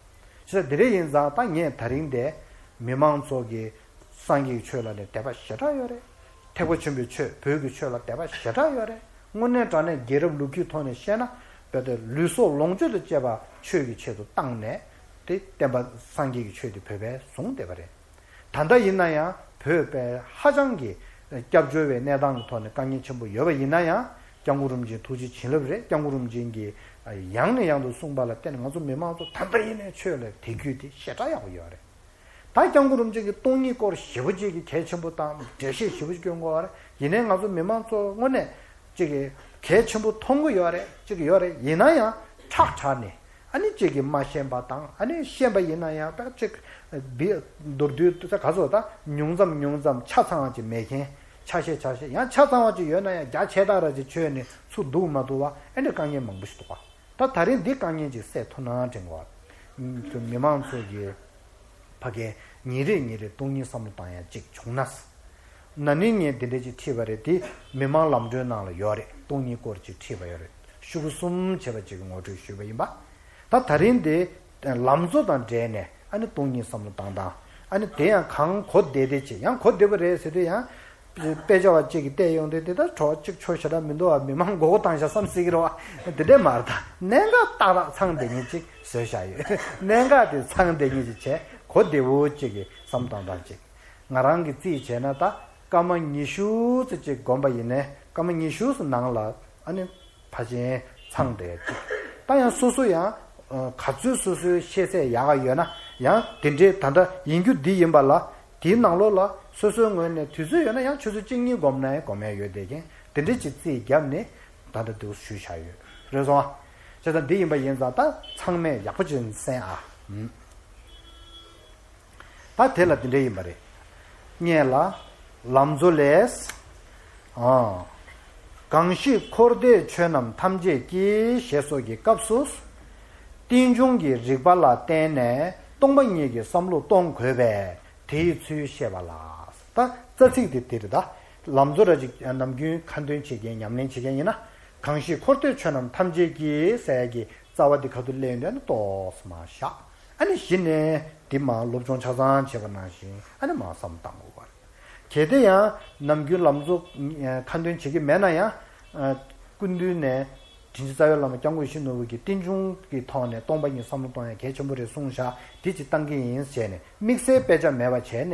ཙང་དེ་འདྲ་ཡིན་ཙང་ད་ངས་ད་རིང་འདི་མི་མང་ཚོ་གིས་སངས་རྒྱས་ཀྱི་ཆོས་ལ་ནི་དད་པ་ཞེ་དྲག་ཡོད་རེད། ཐེག་པ་ཆེན་པོའི་ཆོས། བོད་ཀྱི་ཆོས་ལ་དད་པ་ཞེ་དྲག་ཡོད་རེད། དངོས་གནས་དྲང་གནས་རྒྱལ་རབས་ལོ་རྒྱུས་ཐོག་ནས་བཤད་ན། དཔེ་དེ་ལུས་སྲོག་ལོངས་སྤྱོད་དང་བཅས་པ་ཆོས་ཀྱི་ཆེད་དུ་བཏང་ནས། དེ་བསྟན་པ་སངས་རྒྱས་ཀྱི་ཆོས་དེ་བོད་པས་བཟུང་བསྡད་པ་རེད། ད་ལྟ་ཡིན་ན་ཡང་བོད་པས་ཧ་ཅང་གི་སྐྱབས་བཅོལ་བའི་གནས་སྟངས་ཀྱི་ཐོག་ནས་དཀའ་ངལ་ཆེན་པོ་ཡོད་པ་ཡིན་ན་ཡང་། སྐྱབས་མགོན་རིན་པོ་ཆེའི་ཐུགས་རྗེ་བྱིན་རླབས་རེད། སྐྱབས་མགོན་རིན་པོ་ཆེ་གིས་ཡང་ནས་ཡང་དུ་གསུངས་པ་ལ་བརྟེན་ནས་ང་ཚོ་མི་མང་ཚོ་ད་ལྟ་ཡིན་ནའི་ཆོས་ལ་དད་གུས་དེ་ཞེ་དྲག་ཡག་པོ་ཡོད་རེད། ད་སྐྱབས་མགོན་རིན་པོ་ཆེ་གིས་སྟོང་ཉིད་སྐོར་ཞེ་པོ་ཅིག་གི་གལ་ཆེན་པོ་དང་འགྲེལ་བཤད་ཞེ་པོ་ཅིག་སྐྱོན་གོ་བ་རེད། ཡིན་ནའི་ང་ཚོ་མི་མང་ཚོ་དངོས་གནས་ཅིག་གི་གལ་ཆེན་པོ་མཐོང་གི་ཡོད་རེད། ཅིག་ཡོད་རེད། ཡིན་ན་ཡང་ཁྲག་དྲག་ནས། ཨ་ནི་གཅིག་གིས་མ་ཤེས་པ་དང་། ཨ་ནི་ཤེས་པ་ཡིན་ན་ཡང་ད་གཅིག་བི་མདོར་བསྡུས་ད་ག་ཚོད་ད་ཉུང་ཙམ་ཉུང་ཙམ་ཆ་ཚང་བ་ཅིག་མེད་མཁན། ཆ་ཤས་ཆ་ཤས་ཡང་ཆ་ཚང་བ་ཅིག་ཡོད་ན་ཡང་རྒྱ་ཆེ་དྲགས་ར་ཅིག་བྱས་ནས་ཚུར་འདུག་མ་འདུག་བ། ཨ་ནི་དཀའ་ངལ་མང་པོ་ཞིག་འདུག་བ། ད་ད་རིང་འདི་དཀའ་ངལ་ཅིག་སེལ་ཐུབ་ན་དྲན་གོ་བ། མི་མང་ཚོ་གིས་ཕ་གིར་ཉིན་རེ་ཉིན་རེ་སྟོང་ཉིད་བསམ་བློ་བཏང་ཡ་ཅིག་བྱུང་ན། ན་ནིང་ངས་འདི་འདྲ་ཅིག་ཁྲིད་པ་རེད། དེ་མི་མང་ལམ་གྲོན་ནང་ལ་ཡོད་རེད། སྟོང་ཉིད་སྐོར་ཅིག་ཁྲིད་པ་ཡོད་རེད། ཤོག་གུ་གསུམ་བྱས་པ་ཅིག་གི་ངོ་སྤྲོད་ཞུས་པ་ཡིན་པ། ད་ད་རིང་འདི་ལམ་གཙོ་དང་འབྲེལ་ནས་ཨ་ནི་སྟོང་ཉིད་བསམ་བློ་བཏང་སྟངས། ཨ་ནི་དེ་ཡང་གང་གོ་བདེ་བདེ་ཅིག་ཡང་གོ་བདེ་པོ་རེད་ཟེར་དུས་ཡང་། དཔེ་ཆ་བ་གཅིག་གིས་བལྟས་ཡོང་དུས་དེ་ལྟར་བྲོ་བ་གཅིག་ཆོ་ཞེ་དྲག་མི་འདུག་བ། མི་མང་མགོ་སྐོར་བཏང་ཤག་བསམ་སྲིད་ཀྱི་རེད་བ། དེ་འདྲས་མ་རེད། ད་གནད་འགག་ཏག་ཏག་ཚང་བསྡད་མཁན་ཅིག་བཟོས་བཞག་ཡོད། གནད་འགག་དེ་ཚང་བསྡད་མཁན་ཅིག་བྱས། གོ་བདེ་བོ་གཅིག་གི་བསམ་བཏང་སྟངས་ཅིག་ང་རང་གིས་རྩིས་བྱས་ན་ད་སྐར་མ་ཉི་ཤུ་ཙམ་ཅིག་བསྒོམས་པ་ཡིན་ནའི་སྐར་མ་ཉི་ཤུ་ཙམ་ནང་ལ་ཨ་ནི་ཕལ་ཆེར་ཚང་བསྡད་ཅིག་ད་ཡང་སོ་སོ་ཡང་ག་ཚོད་སོ་སོའི་ཤེས་ཚད་ཡག་ག་ཡོད་ན་ཡང་དེ་འདྲའི་ད་ལྟ་ཡིན་རྒྱུ་འདི་ཡིན་པ་ལ། དེའི་ནང་ལོགས་ལ་སོ་སོའི་ངོས་ནས་དུས་ཚོད་ཡོད་ན་ཡང་ཆུ་ཚོད་གཅིག་གཉིས་བསྒོམས་ན་ཡང་སྒོམ་ཡ་ཡོད་བསྡད་མཁན་དེ་འདྲ་ཅིག་རྩིས་བརྒྱབ་ནས་ད་ལྟ་འདུག་ཞུས་བཞག་ཡོད། རེད་སོང་ཨ། བྱས་ཙང་འདི་ཡིན་པ་ཡིན་ཙང་ད་ཚང་མས་ཡག་པོ་ཅིག་གསན་ཨ། ཨུམ། ད་དེ་ལ་འདི་འདྲ་ཡིན་པ་རེད། ལྔ་ལ། ལམ་གཙོ་ལས། ཨ། གང་ཞིག་འཁོར་འདས་ཆོས་རྣམས་ཐམས་ཅད་ཀྱི་ཞེས་སོགས་ཀྱི་སྐབས་སུ། རྟེན་འབྱུང་གི་རིགས་པ་ལ་བརྟེན་ནས་སྟོང་པ་ཉིད་ཀྱི་བསམ་བློ་གཏོང་དགོས་པས་དེའི་ཚུལ་བཤད་པ་ལ། ད་རྩ་ཚིག་དེ་དེ་རེད་ད། ལམ་གཙོ་ར་ཅིག་ནམ་རྒྱུན་ཁ་འདོན་བྱེད་མཁན་ཉམས་ལེན་བྱེད་མཁན་ཡིན་ན། གང་ཞིག་འཁོར་འདས་ཆོས་རྣམས་ཐམས་ཅད་ཀྱི་ཟེར་ཡ་གི་རྩ་བ་འདི་ཁ་ཐུག་ལེན་དོན་ཏོག་ཙམ་མར་བཞག་ཨ་ནི་གཞི་ནས་འདི་མར་སློབ་སྦྱོང་ཆ་ཚང་བྱས་པ་ནང་བཞིན་ཨ་ནི་མར་བསམ་བློ་བཏང་དགོས་པ་རེད། གལ་ཏེ་ཡང་ནམ་རྒྱུན་ལམ་གཙོ་ཁ་འདོན་བྱེད་ཀྱི་མེད་ན་ཡང་། སྐུ་མདུན་ནས་དྲིན་ཅན་རྩ་བའི་བླ་མ་སྐྱབས་མགོན་ཡིད་བཞིན་ནོར་བུ་གིས་རྟེན་འབྱུང་གི་ཐོག་ནས་སྟོང་པ་ཉིད་བསམ་བློ་གཏོང་ཡ་གལ་ཆེན་པོ་རེད་གསུངས་བཞག་འདི་ཅིག་བཏང་གི་ཡིན་ཟེར་ནས་དམིགས་བསལ་དཔེ་ཆ་མེད་པ་བྱས་ནས་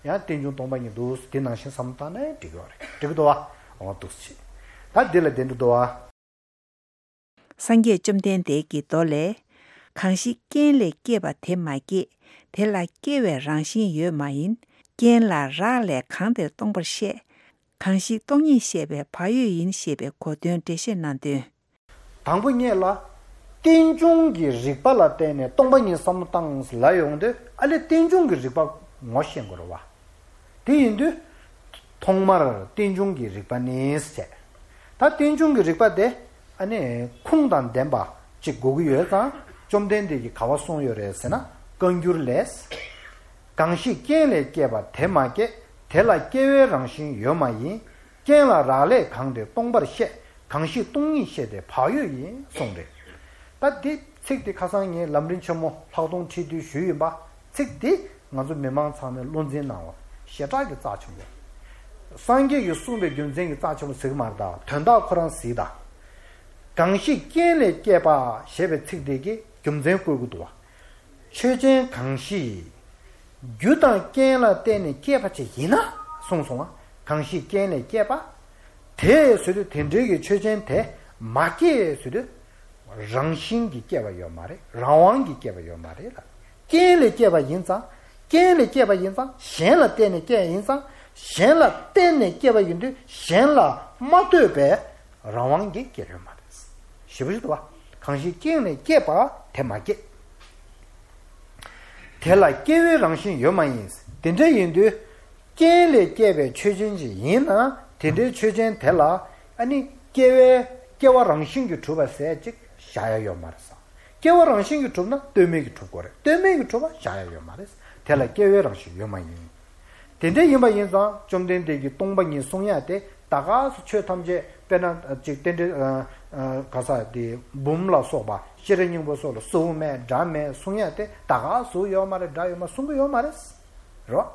ཡང་རྟེན་འབྱུང་སྟོང་པ་ཉིད་འདུག་འདི་ནང་བཞིན་བསམ་བློ་བཏང་ན་འགྲིག་གི་རེད། འགྲིག་གི་འདུག་བ། འོ་འདུག་སེ་བྱེད། ད་འདི་ལ་བདེན་འགྲོ་འདུག་བ། སངས་རྒྱས་བཅོམ་ལྡན་འདས་ཀྱི་མདོ་ལས། གང་ཞིག་རྐྱེན་ལས་སྐྱེས་པ་དེ་མ་སྐྱེས། དེ་ལ་སྐྱེ་བའི་རང་བཞིན་ཡོད་མ་ཡིན། རྐྱེན་ལ་རག་ལས་གང་དེར་སྟོང་པར་བཤད། གང་ཞིག་སྟོང་ཉིད་བཤད་པའི་བག་ཡོད་ཡིན་ཞེས་པའི་གོ་དོན་འགྲེལ་བཤད་གནང་དོན། དང་པོ་ཉིད་ལ། རྟེན་འབྱུང་གི་རིགས་པ་ལ་བརྟེན་ནས་སྟོང་པ་ཉིད་བསམ་བློ་བཏང་ལ་ཡོང་དུས་ཨ་ལས་རྟེན་འབྱུང་གི་རིགས་པ་ངོ་ཤེས་དགོས་རེད་བ། དེ་ཡིན་དུས། ཐོག་མར་རྟེན་འབྱུང་གི་རིགས་པ་ནི་ཟེར། ད་རྟེན་འབྱུང་གི་རིགས་པ་དེ་ཨ་ནི་ཁུངས་དང་ལྡན་པ་ཅིག་དགོས་ཀྱི་ཡོད་ཙང་བཅོམ་ལྡན་འདས་ཀྱིས་ག་བ་གསུངས་ཡོད་རེད་ཟེར་ན་བཀའ་འགྱུར་ལས། གང་ཞིག་རྐྱེན་ལས་སྐྱེས་པ་དེ་མ་སྐྱེས། དེ་ལ་སྐྱེ་བའི་རང་བཞིན་ཡོད་མ་ཡིན། རྐྱེན་ལ་རག་ལས་གང་དེ་སྟོང་པར་བཤད། གང་ཞིག་སྟོང་ཉིད་བཤད་དེ་བག་ཡོད་ཡིན་གསུངས་རེད། ད་འདི་ཚིག་འདི་ཁ་སང་ངས་ལམ་རིམ་ཆེན་མོ་ལྷག་མཐོང་ཁྲིད་དུས་ཞུས་ཡིན་པ། ཚིག་འདི་ང་ཚོ་མི་མང་ཚང་མས་བློ་འཛིན་གནང་བ་ཞེ་དྲག་གི་རྩ་ཆེན་པོ། སངས་རྒྱས་ཀྱིས་གསུངས་པའི་རྒྱུ་མཚན་གྱི་རྩ་ཆེན་པོ་ཟིག་མ་རེད་ད་དོན་དག་ཁོ་རང་ཟིག་ད། གང་ཞིག་རྐྱེན་ལས་སྐྱེས་པ་ཞེས་པའི་ཚིག་འདི་གིས་རྒྱུ་མཚན་བཀོད་ཀྱི་འདུག་བ། ཆོས་ཅན་གང་ཞིག་རྒྱུ་དང་རྐྱེན་ལ་བརྟེན་ནས་སྐྱེས་པ་ཅིག་ཡིན་ན་གསུངས་སོང་ང་། གང་ཞིག་རྐྱེན་ལས་སྐྱེས་པ། དེ་ཟེར་དུས་དེ་འདྲའི་གི་ཆོས་ཅན་དེ་མ་སྐྱེས་ཟེར་དུས། རང་བཞིན་གྱིས་སྐྱེས་པ་ཡོད་མ་རེད། རང་དབང་གིས་སྐྱེས་པ་ཡོད་མ་རེད་ལ། རྐྱེན་ལས་སྐྱེས་པ་ཡིན་ཙང་། རྐྱེན་ལས་སྐྱེས་པ་ཡིན་ཙང་གཞན་ལ་བརྟེན་ནས་སྐྱེས་ཡིན་ཙང་། གཞན་ལ་བརྟེན་ནས་སྐྱེས་པ་ཡིན་དུས་གཞན་ལ་མ་ལྟོས་པའི་རང་དབང་གིས་སྐྱེས་ཡོད་མ་རེད། ཞེ་པོ་ཞིག་འདུག་བ། གང་ཞིག་རྐྱེན་ལས་སྐྱེས་པ་དེ་མ་སྐྱེས། དེ་ལ་སྐྱེ་བའི་རང་བཞིན་ཡོད་མ་ཡིན། དེ་འདྲ་ཡིན་དུས། རྐྱེན་ལས་སྐྱེས་པའི་ཆོས་ཅན་ཅིག་ཡིན་ན་དེ་འདྲའི་ཆོས་ཅན་དེ་ལ་ཨ་ནི་སྐྱེ་བའི་སྐྱེ་བ་རང་བཞིན་གྱིས་གྲུབ་པ་ཟེར་ཅིག་བཞག་ཡ་ཡོད་མ་རེད་ཟེར། སྐྱེ་བ་རང་བཞིན་གྱིས་གྲུབ་ན་ལྟོས་མེད་ཀྱིས་གྲུབ་དགོས་རེད། ལྟོས་མེད་ཀྱིས་གྲུབ་པ་བཞག་ཡ་ཡོད་མ་རེད། དེ་ལ་སྐྱེ་བའི་རང་བཞིན་ཡོད་མ་ཡིན། དེ་འདྲ་ཡིན་པ་ཡིན་ཙང་བཅོམ་ལྡན་འདས་ཀྱིས་སྟོང་པ་ཉིད་གསུང་ཡ་དེ་ད་ག་སུ་ཆོས་ཐམས་ཅད་དཔེར་ན་ཅིག་རྟེན་འབྲེལ་ག་ས་དེ་འབུམ་ལ་སོགས་པ་ཤེས་རབ་སྙིང་པོ་སོགས་ལ་གཟུགས་མེད་སྒྲ་མེད་གསུང་ཡ་དེ་ད་ག་སུ་ཡོད་མ་རེད། སྒྲ་ཡོད་མ་གསུང་གི་ཡོད་མ་རེད། རེད་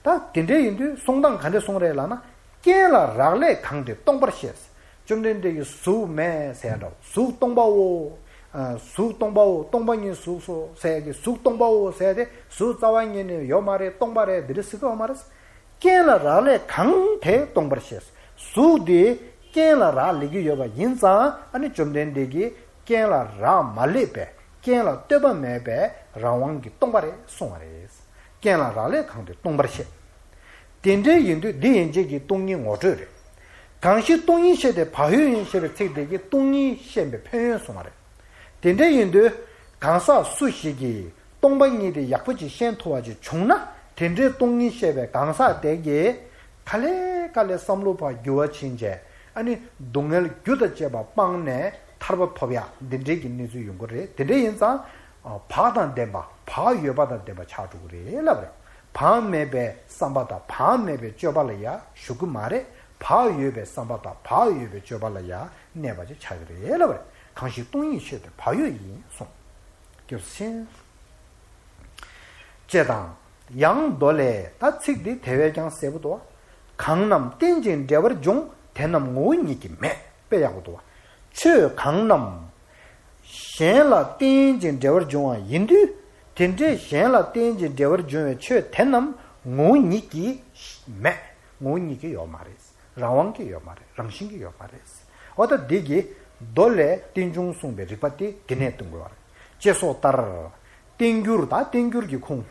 བ། ད་དེ་འདྲ་ཡིན་དུས་གསུང་སྟངས་ག་འདྲ་གསུང་རེད་ལབ་ན། རྐྱེན་ལ་རག་ལས་གང་དེ་སྟོང་པར་བཤད། བཅོམ་ལྡན་འདས་ཀྱིས་གཟུགས་མེད་ཟེར་ཡ་འདྲ་བོ། གཟུགས་སྟོང་པའོ། གཟུགས་སྟོང་པའོ། སྟོང་པ་ཉིད་གཟུགས་སོ་ཟེར་ཡ་གི་གཟུགས་སྟོང་པའོ་ཟེར་ཡ་དེ་གཟུགས་རྩ་བ་ཉིད་ནས་ཡོད་མ་རེད། སྟོང་པ་རེད། འདི་འདྲ་ཟེར་གི་ཡོད་མ་རེད། རྐྱེན་ལ་རག་ལས་གང་དེ་སྟོང་པར་བཤད། གཟུགས་དེ་རྐྱེན་ལ་རག་ལས་ཀྱི་ཡོད་པ་ཡིན་ཙང་ཨ་ནི་བཅོམ་ལྡན་འདས་ཀྱིས་རྐྱེན་ལ་རག་མ་ལས་པའི་རྐྱེན་ལ་ལྟོས་པ་མེད་པའི་རང་དབང་གིས་སྟོང་པ་རེད་གསུངས་པ་རེད། རྐྱེན་ལ་རག་ལས་གང་དེ་སྟོང་པར་བཤད། དེ་འདྲའི་ཡིན་དུས་འདི་ཡན་ཆད་ཀྱི་སྟོང་ཉིད་ངོ་སྤྲོད་རེད། གང་ཞིག་སྟོང་ཉིད་བཤད་དེ་བག་ཡོད་ཡིན་ཞེས་པའི་ཚིག་དེ་གིས་སྟོང་ཉིད་བཤད་པའི་ཕན་ཡོན་གསུངས་པ་རེད། དེ་འདྲ་ཡིན་དུས་གང་ཟག་སུ་ཞིག་གིས་སྟོང་པ་ཉིད་དེ་ཡག་པོ་ཅིག་ཤེས་ཐུབ་པ་ཅིག་བྱུང་ན་དེ་འདྲའི་སྟོང་ཉིད་བཤད་པའི་གང་ཟག་དེ་གིས་ག་ལེ་ག་ལེ་བསམ་བློ་ཕར་འགྱུར་བ་ཕྱིན་བྱས་ཨ་ནི་སྡུག་བསྔལ་རྒྱུ་དང་བཅས་པ་སྤངས་ནས་ཐར་པ་ཐོབ་ཡག་འདི་འདྲའི་གི་གནས་ཚུལ་ཡོང་གི་རེད། དེ་འདྲ་ཡིན་ཙང་བག་དང་ལྡན་པ་བག་ཡོད་པ་དང་ལྡན་པ་ཆགས་འགྲོ་གི་རེད་ལབ་རེད། བག་མེད་པའི་བསམ་པ་དང་བག་མེད་པའི་སྤྱོད་པ་ལ་ཡང་ཞུགས་ཀྱི་མ་རེད། བག་ཡོད་པའི་བསམ་པ་དང་བག་ཡོད་པའི་སྤྱོད་པ་ལ་ཡང་གནས་པ་ཅིག་ཆགས་ཀྱི་རེད་ལབ་རེད། གང་ཞིག་སྟོང་ཉིད་ཆོས་དེ་བག་ཡོད་ཡིན་གསུངས། སྐྱབས་སུ་མཆི། ཅེས་དང་། ཡང་མདོ་ལས། ད་ཚིག་འདི་དེ་བས་ཀྱང་གསལ་པོ་འདུག་བ། གང་རྣམས་རྟེན་ཅིང་འབྲེལ་བར་འབྱུང་དེ་རྣམས་ངོ་བོ་ཉིད་ཀྱིས་མེད། དཔེ་ཡག་པོ་འདུག་བ། ཆོས་གང་རྣམས་གཞན་ལ་རྟེན་ཅིང་འབྲེལ་བར་འབྱུང་བ་ཡིན་དུས། དེ་འདྲའི་གཞན་ལ་རྟེན་ཅིང་འབྲེལ་བར་འབྱུང་བའི་ཆོས་དེ་རྣམས་ངོ་བོ་ཉིད་ཀྱིས་མེད། ངོ་བོ་ཉིད་ཀྱིས་ཡོད་མ་རེད། རང་དབང་གིས་ཡོད་མ་རེད། རང་བཞིན་གྱིས་ཡོད་མ་རེད། འོ་ད་འདི་གི་མདོ་ལས་རྟེན་འབྱུང་གསུངས་པའི་རིགས་པ་དེ་འདི་ནས་སྟོན་དགོས་པ་རེད། ཅེས་སོགས་ལྟར། བསྟན་འགྱུར་དང་བསྟན་འགྱུར་གྱི་ཁུངས།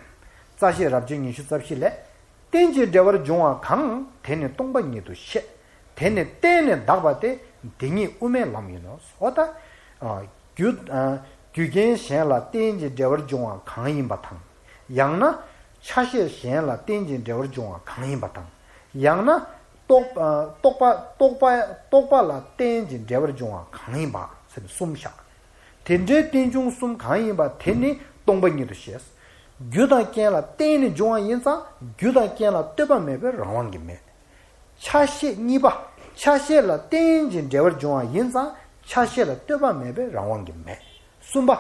རྩ་ཤེས་རབ་བྱེད་ཉི་ཤུ་རྩ་བཞི་ལས། རྟེན་ཅིང་འབྲེལ་བར་འབྱུང་བ་གང་། དེ་ནི་སྟོང་པ་ཉིད་དུ་བཤད། དེ་ནི་བརྟེན་ནས་འདག་པ་སྟེ། འདི་ཉིད་དབུ་མའི་ལམ་ཡིན་ནོ། འོ་ད། རྒྱུ། རྒྱུ་རྐྱེན་གཞན་ལ་རྟེན་ཅིང་འབྲེལ་བར་འབྱུང་བ་གང་ཡིན་པ་དང་། ཡང་ན། ཆ་ཤས་གཞན་ལ་རྟེན་ཅིང་འབྲེལ་བར་འབྱུང་བ་གང་ཡིན་པ་དང་། ཡང་ན་རྟོག་ཨ་རྟོག་པ་རྟོག་པ་རྟོག་པ་ལ་རྟེན་ཅིང་འབྲེལ་བར་འབྱུང་བ་གང་ཡིན་པ་ཟེར་ནས་གསུམ་བཞག་དེ་འདྲའི་རྟེན་འབྱུང་གསུམ་གང་ཡིན་པ་དེ་ནི་སྟོང་པ་ཉིད་དུ་ཤེས། རྒྱུ་དང་རྐྱེན་ལ་བརྟེན་ནས་འབྱུང་བ་ཡིན་ཙང་རྒྱུ་དང་རྐྱེན་ལ་ལྟོས་པ་མེད་པའི་རང་དབང་གིས་མེད། ཆ་ཤས་གཉིས་པ། ཆ་ཤས་ལ་བརྟེན་ཅིང་འབྲེལ་བར་འབྱུང་བ་ཡིན་ཙང་ཆ་ཤས་ལ་ལྟོས་པ་མེད་པའི་རང་དབང་གིས་མེད། གསུམ་པ།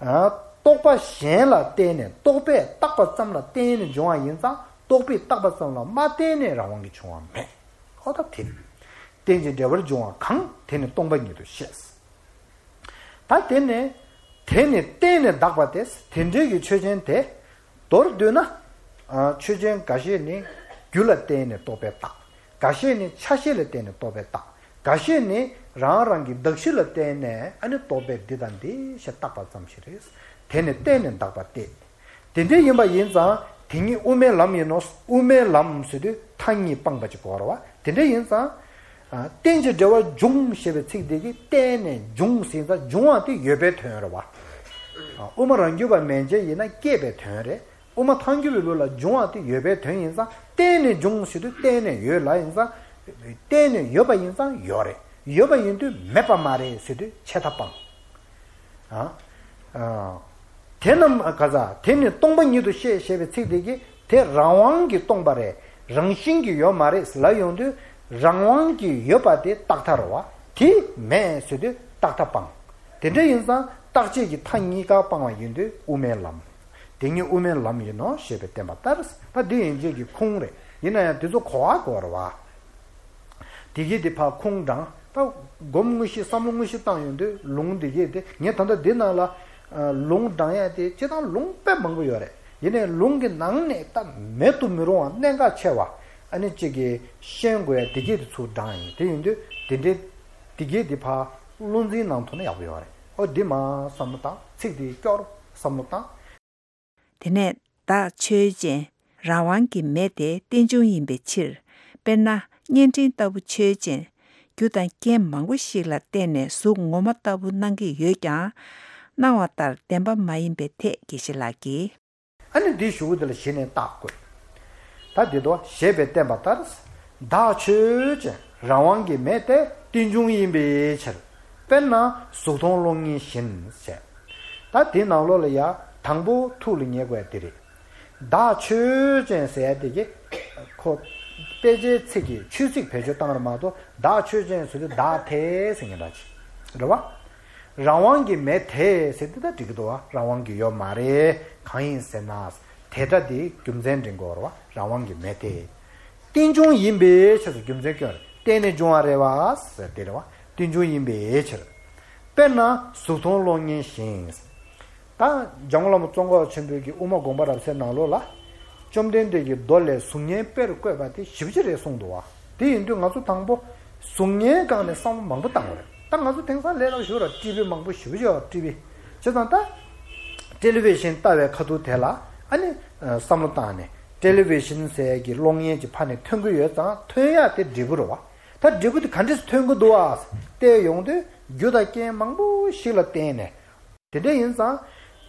ཨ་རྟོག་པ་གཞན་ལ་བརྟེན་ནས་རྟོག་པས་བཏགས་པ་ཙམ་ལ་བརྟེན་ནས་འབྱུང་བ་ཡིན་ཙང་རྟོག་པས་བཏགས་པ་ཙམ་ལ་མ་བརྟེན་ནས་རང་དབང་གིས་བྱུང་བ་མེད། ཨོ་ད་དེ། རྟེན་ཅིང་འབྲེལ་བར་འབྱུང་བ་གང་དེ་ནི་སྟོང་པ་ཉིད་དུ་ཤེས། ད་དེ་ནི། དེ་ནི་བརྟེན་ནས་བཏགས་པ་སྟེ། དེ་འདྲའི་གི་ཆོས་ཅན་དེ། མདོར་བསྡུས་ན། ཨ་ཆོས་ཅན་འགའ་ཤས་ནི་རྒྱུ་ལ་བརྟེན་ནས་རྟོག་པས་བཏགས། འགའ་ཤས་ནི་ཆ་ཤས་ལ་བརྟེན་ནས་རྟོག་པས་བཏགས། འགའ་ཤས་ནི་རང་རང་གི་གདགས་གཞི་ལ་བརྟེན་ནས་ཨ་ནི་རྟོག་པས་འདི་དང་འདི་ཞེས་བཏགས་པ་ཙམ་ཞིག་རེད། དེ་ནི་བརྟེན་ནས་བཏགས་པ་སྟེ། དེ་འདྲ་ཡིན་པ་ཡིན་ཙང་དེ་ཉིད་དབུ་མའི་ལམ་ཡིན་ནོ། དབུ་མའི་ལམ་ཟེར་དུས་མཐའ་གཉིས་སྤངས་པ་ཅིག་གོ་ར་བ། དེ་འདྲ་ཡིན་ཙང་། ཨ་རྟེན་ཅིང་འབྲེལ་བར་འབྱུང་ཞེས་པའི་ཚིག་འདི་གིས་བརྟེན་ནས་འབྱུང་ཟེར་ཙང་འབྱུང་བ་དེ་ཡོད་པའི་དོན་རེད་བ། ཨ་དབུ་མ་རང་རྒྱུད་པ་མན་ཆད་ཡིན་ན་སྐྱེས་པའི་དོན་རེད། དབུ་མ་ཐལ་འགྱུར་བའི་ལུགས་ལ་འབྱུང་བ་དེ་ཡོད་པའི་དོན་ཡིན་ཙང་བརྟེན་ནས་འབྱུང་ཟེར་དུས་བརྟེན་ནས་ཡོད་ལ་ཡིན་ཙང་། བརྟེན་ནས་ཡོད་པ་ཡིན་ཙང་ཡོད་རེད། ཡོད་པ་ཡིན་དུས་མེད་པ་མ་རེད་ཟེར་དུས་ཆད་མཐའ་སྤངས། ཨ། ཨ། དེ་རྣམས་ག་ས་དེ་ནི་སྟོང་པ་ཉིད་དུ་ཤེས་ཞེས་པའི་ཚིག་དེ་གིས་དེ་རང་དབང་གིས་སྟོང་པ་རེད། རང་བཞིན་གྱིས་ཡོད་མ་རེད་ལབ་ཡོང་དུས་རང་དབང་གིས་ཡོད་པ་དེ་རྟག་མཐའ་རེད་བ། དེ་མེད་ཟེར་དུས་རྟག་མཐའ་སྤངས། དེ་འདྲ་ཡིན་ཙང་རྟག་ཆད་ཀྱི་མཐའ་གཉིས་ཀ་སྤང་བ་ཡིན་དུས་དབུ་མའི་ལམ། དེ་ཉིད་དབུ་མའི་ལམ་ཡིན་ནོ་ཞེས་པས་བསྟན་པ་ལྟར། ད་འདི་ཡན་ཆད་ཀྱི་ཁུངས་རེད། ཡིན་ན་ཡང་དེ་ཚོ་གོ་བ་གོ་བ་རེད་བ། དེ་གས་དེ་ཕར་ཁུངས་དྲངས། ད་སྒོམ་དངོས་གཞི་བསམ་བློ་དངོས་གཞི་བཏང་ཡོང་དུས་ལུང་དེ་གས་དེ་ངས་ད་ལྟ་འདི་ནང་ལ་ལུང་དྲངས་ཡ་དེ་སྤྱིར་བཏང་ལུང་དཔེ་མང་པོ་ཡོད་རེད། ཡིན་ནའི་ལུང་གི་ནང་ནས་ད་མེད་དུ་མི་རུང་བ་གནད་འགག་ཆེ་བ་ཨ་ནི་གཅིག་གིས་ཤེས་དགོས་ཡ་དེ་གས་དེ་ཚུར་དྲངས་ཡིན། དེ་ཡིན་དུས་དེ་འདྲའི་དེ་གས་དེ་ཕར་བློ་འཛིན་གནང་ཐུབ་ན་ཡག་པོ་ཡོད་རེད། ཨོ་འདི་མ་བསམ་བློ་བཏང་། ཚིག་དེ་སྐྱོར་བསམ་བློ་བཏང་། དེ་ནས་བདག་ཆོས་ཅན། རང་དབང་གི་མེ་དེ་རྟེན་འབྱུང་ཡིན་པའི་ཕྱིར། དཔེར་ན་བརྙན་འཕྲིན་ལྟ་བུ་ཆོས་ཅན། རྒྱུ་དང་རྐྱེན་མང་པོ་ཞིག་ལ་བརྟེན་ནས་གཟུགས་ངོ་མ་ལྟ་བུ་སྣང་གི་ཡོད་ཀྱང་། སྣང་བ་ལྟར་བདེན་པ་མ་ཡིན་པའི་ཐད་དགེ་བཤེས་ལགས་ཀྱིས། ཨ་ནི་འདིའི་གཞུག་གུ་དེ་ལ་གཞི་ནས་བརྟག་དགོས། ད་འདི་དོ་ཞེས་པས་བསྟན་པ་ལྟར། བདག་ཆོས་ཅན། རང་དབང་གི་མེ་དེ་རྟེན་འབྱུང་ཡིན་པའི་ཕྱིར། དཔེར་ན་གཟུགས་མཐོང་གློག་བརྙན་བཞིན་ཞེས། ད་དེའི་ནང་ལོགས་ལ་ཡ་དང་པོ་ཐུགས་ལ་ངེས་དགོས་ཡ་དེ་རེད། བདག་ཆོས་ཅན་ཟེར་ཡ་དེ་གི་ཁོ་དཔེ་ཆའི་ཚིག་གི་ཆོས་ཚིག་བེད་སྤྱོད་བཏང་ར་མ་གཏོགས་བདག་ཆོས་ཅན་ཟེར་དུས་བདག་དེ་ཟེར་མཁན་འདྲ་ཅིག་རེད་བ། རང་དབང་གི་མེ་དེ་ཟེར་དེ་ད་འགྲིག་གི་འདུག་བ། རང་དབང་གི་ཡོད་མ་རེད། གང་ཡིན་ཟེར་ན། དེ་སྒྲ་དེའི་རྒྱུ་མཚན་འདྲེན་དགོས་རེད་བ། རང་དབང་གི་མེ་དེ། རྟེན་འབྱུང་ཡིན་པའི་ཕྱིར་དུ་རྒྱུ་མཚན་སྐྱོན་རེད། བརྟེན་ནས་འབྱུང་བ་རེད་བ་ཟེར་དེ་རེད་བ། རྟེན་འབྱུང་ཡིན་པའི་ཕྱིར། དཔེར་ན་གཟུགས་མཐོང་གློག་བརྙན་བཞིན། ད་འཇམ་མགོན་བླ་མ་ཙོང་ཁ་པ་ཆེན་པོའི་གི་དབུ་མ་དགོངས་པ་རབ་གསལ་ནང་ལོགས་ལ། བཅོམ་ལྡན་འདས་ཀྱི་མདོ་ལས་གཟུགས་བརྙན་དཔེར་བཀོད་པ་དེ་ཞེ་པོ་ཅིག་རེད་གསུངས་འདུག་བ། དེ་ཡིན་དུས་ང་ཚོ་དང་པོ་གཟུགས་བརྙན་སྒང་ནས་བསམ་བློ་མང་པོ་བཏང་བ་རེད། ད་ང་ཚོ་དེང་སང་ལས་སླ་པོ་ཞིག་རེད། ཊི་ཝི་མང་པོ་ཞེ་པོ་ཅིག་ཡོད་རེད། ཊི་ཝི། བྱས་ཙང་ད་ཊེ་ལི་ཝི་ཤིན་ལྟ་བའི་ཁ་ཐུག་དེ་ལ་ཨ་ནི་བསམ་བློ་བཏང་ནས་ཊེ་ལི་ཝི་ཤིན་ཟེར་གྱི་གློག་བརྙན་གྱི་ཕ་ནས་ཐོན་གྱི་ཡོད་ཙང་ཐོན་ཡག་དེ་འབྲས་བུ་རེད་བ། ད་འབྲས་བུ་དེ་ག་འདྲས་ཐོན་གྱི་འདུག་བ། བལྟས་ཡོང་དུས་རྒྱུ་དང་རྐྱེན་མང་པོ་ཞིག་ལ་བརྟེན་ནས། དེ་འདྲ་ཡིན་ཙང་།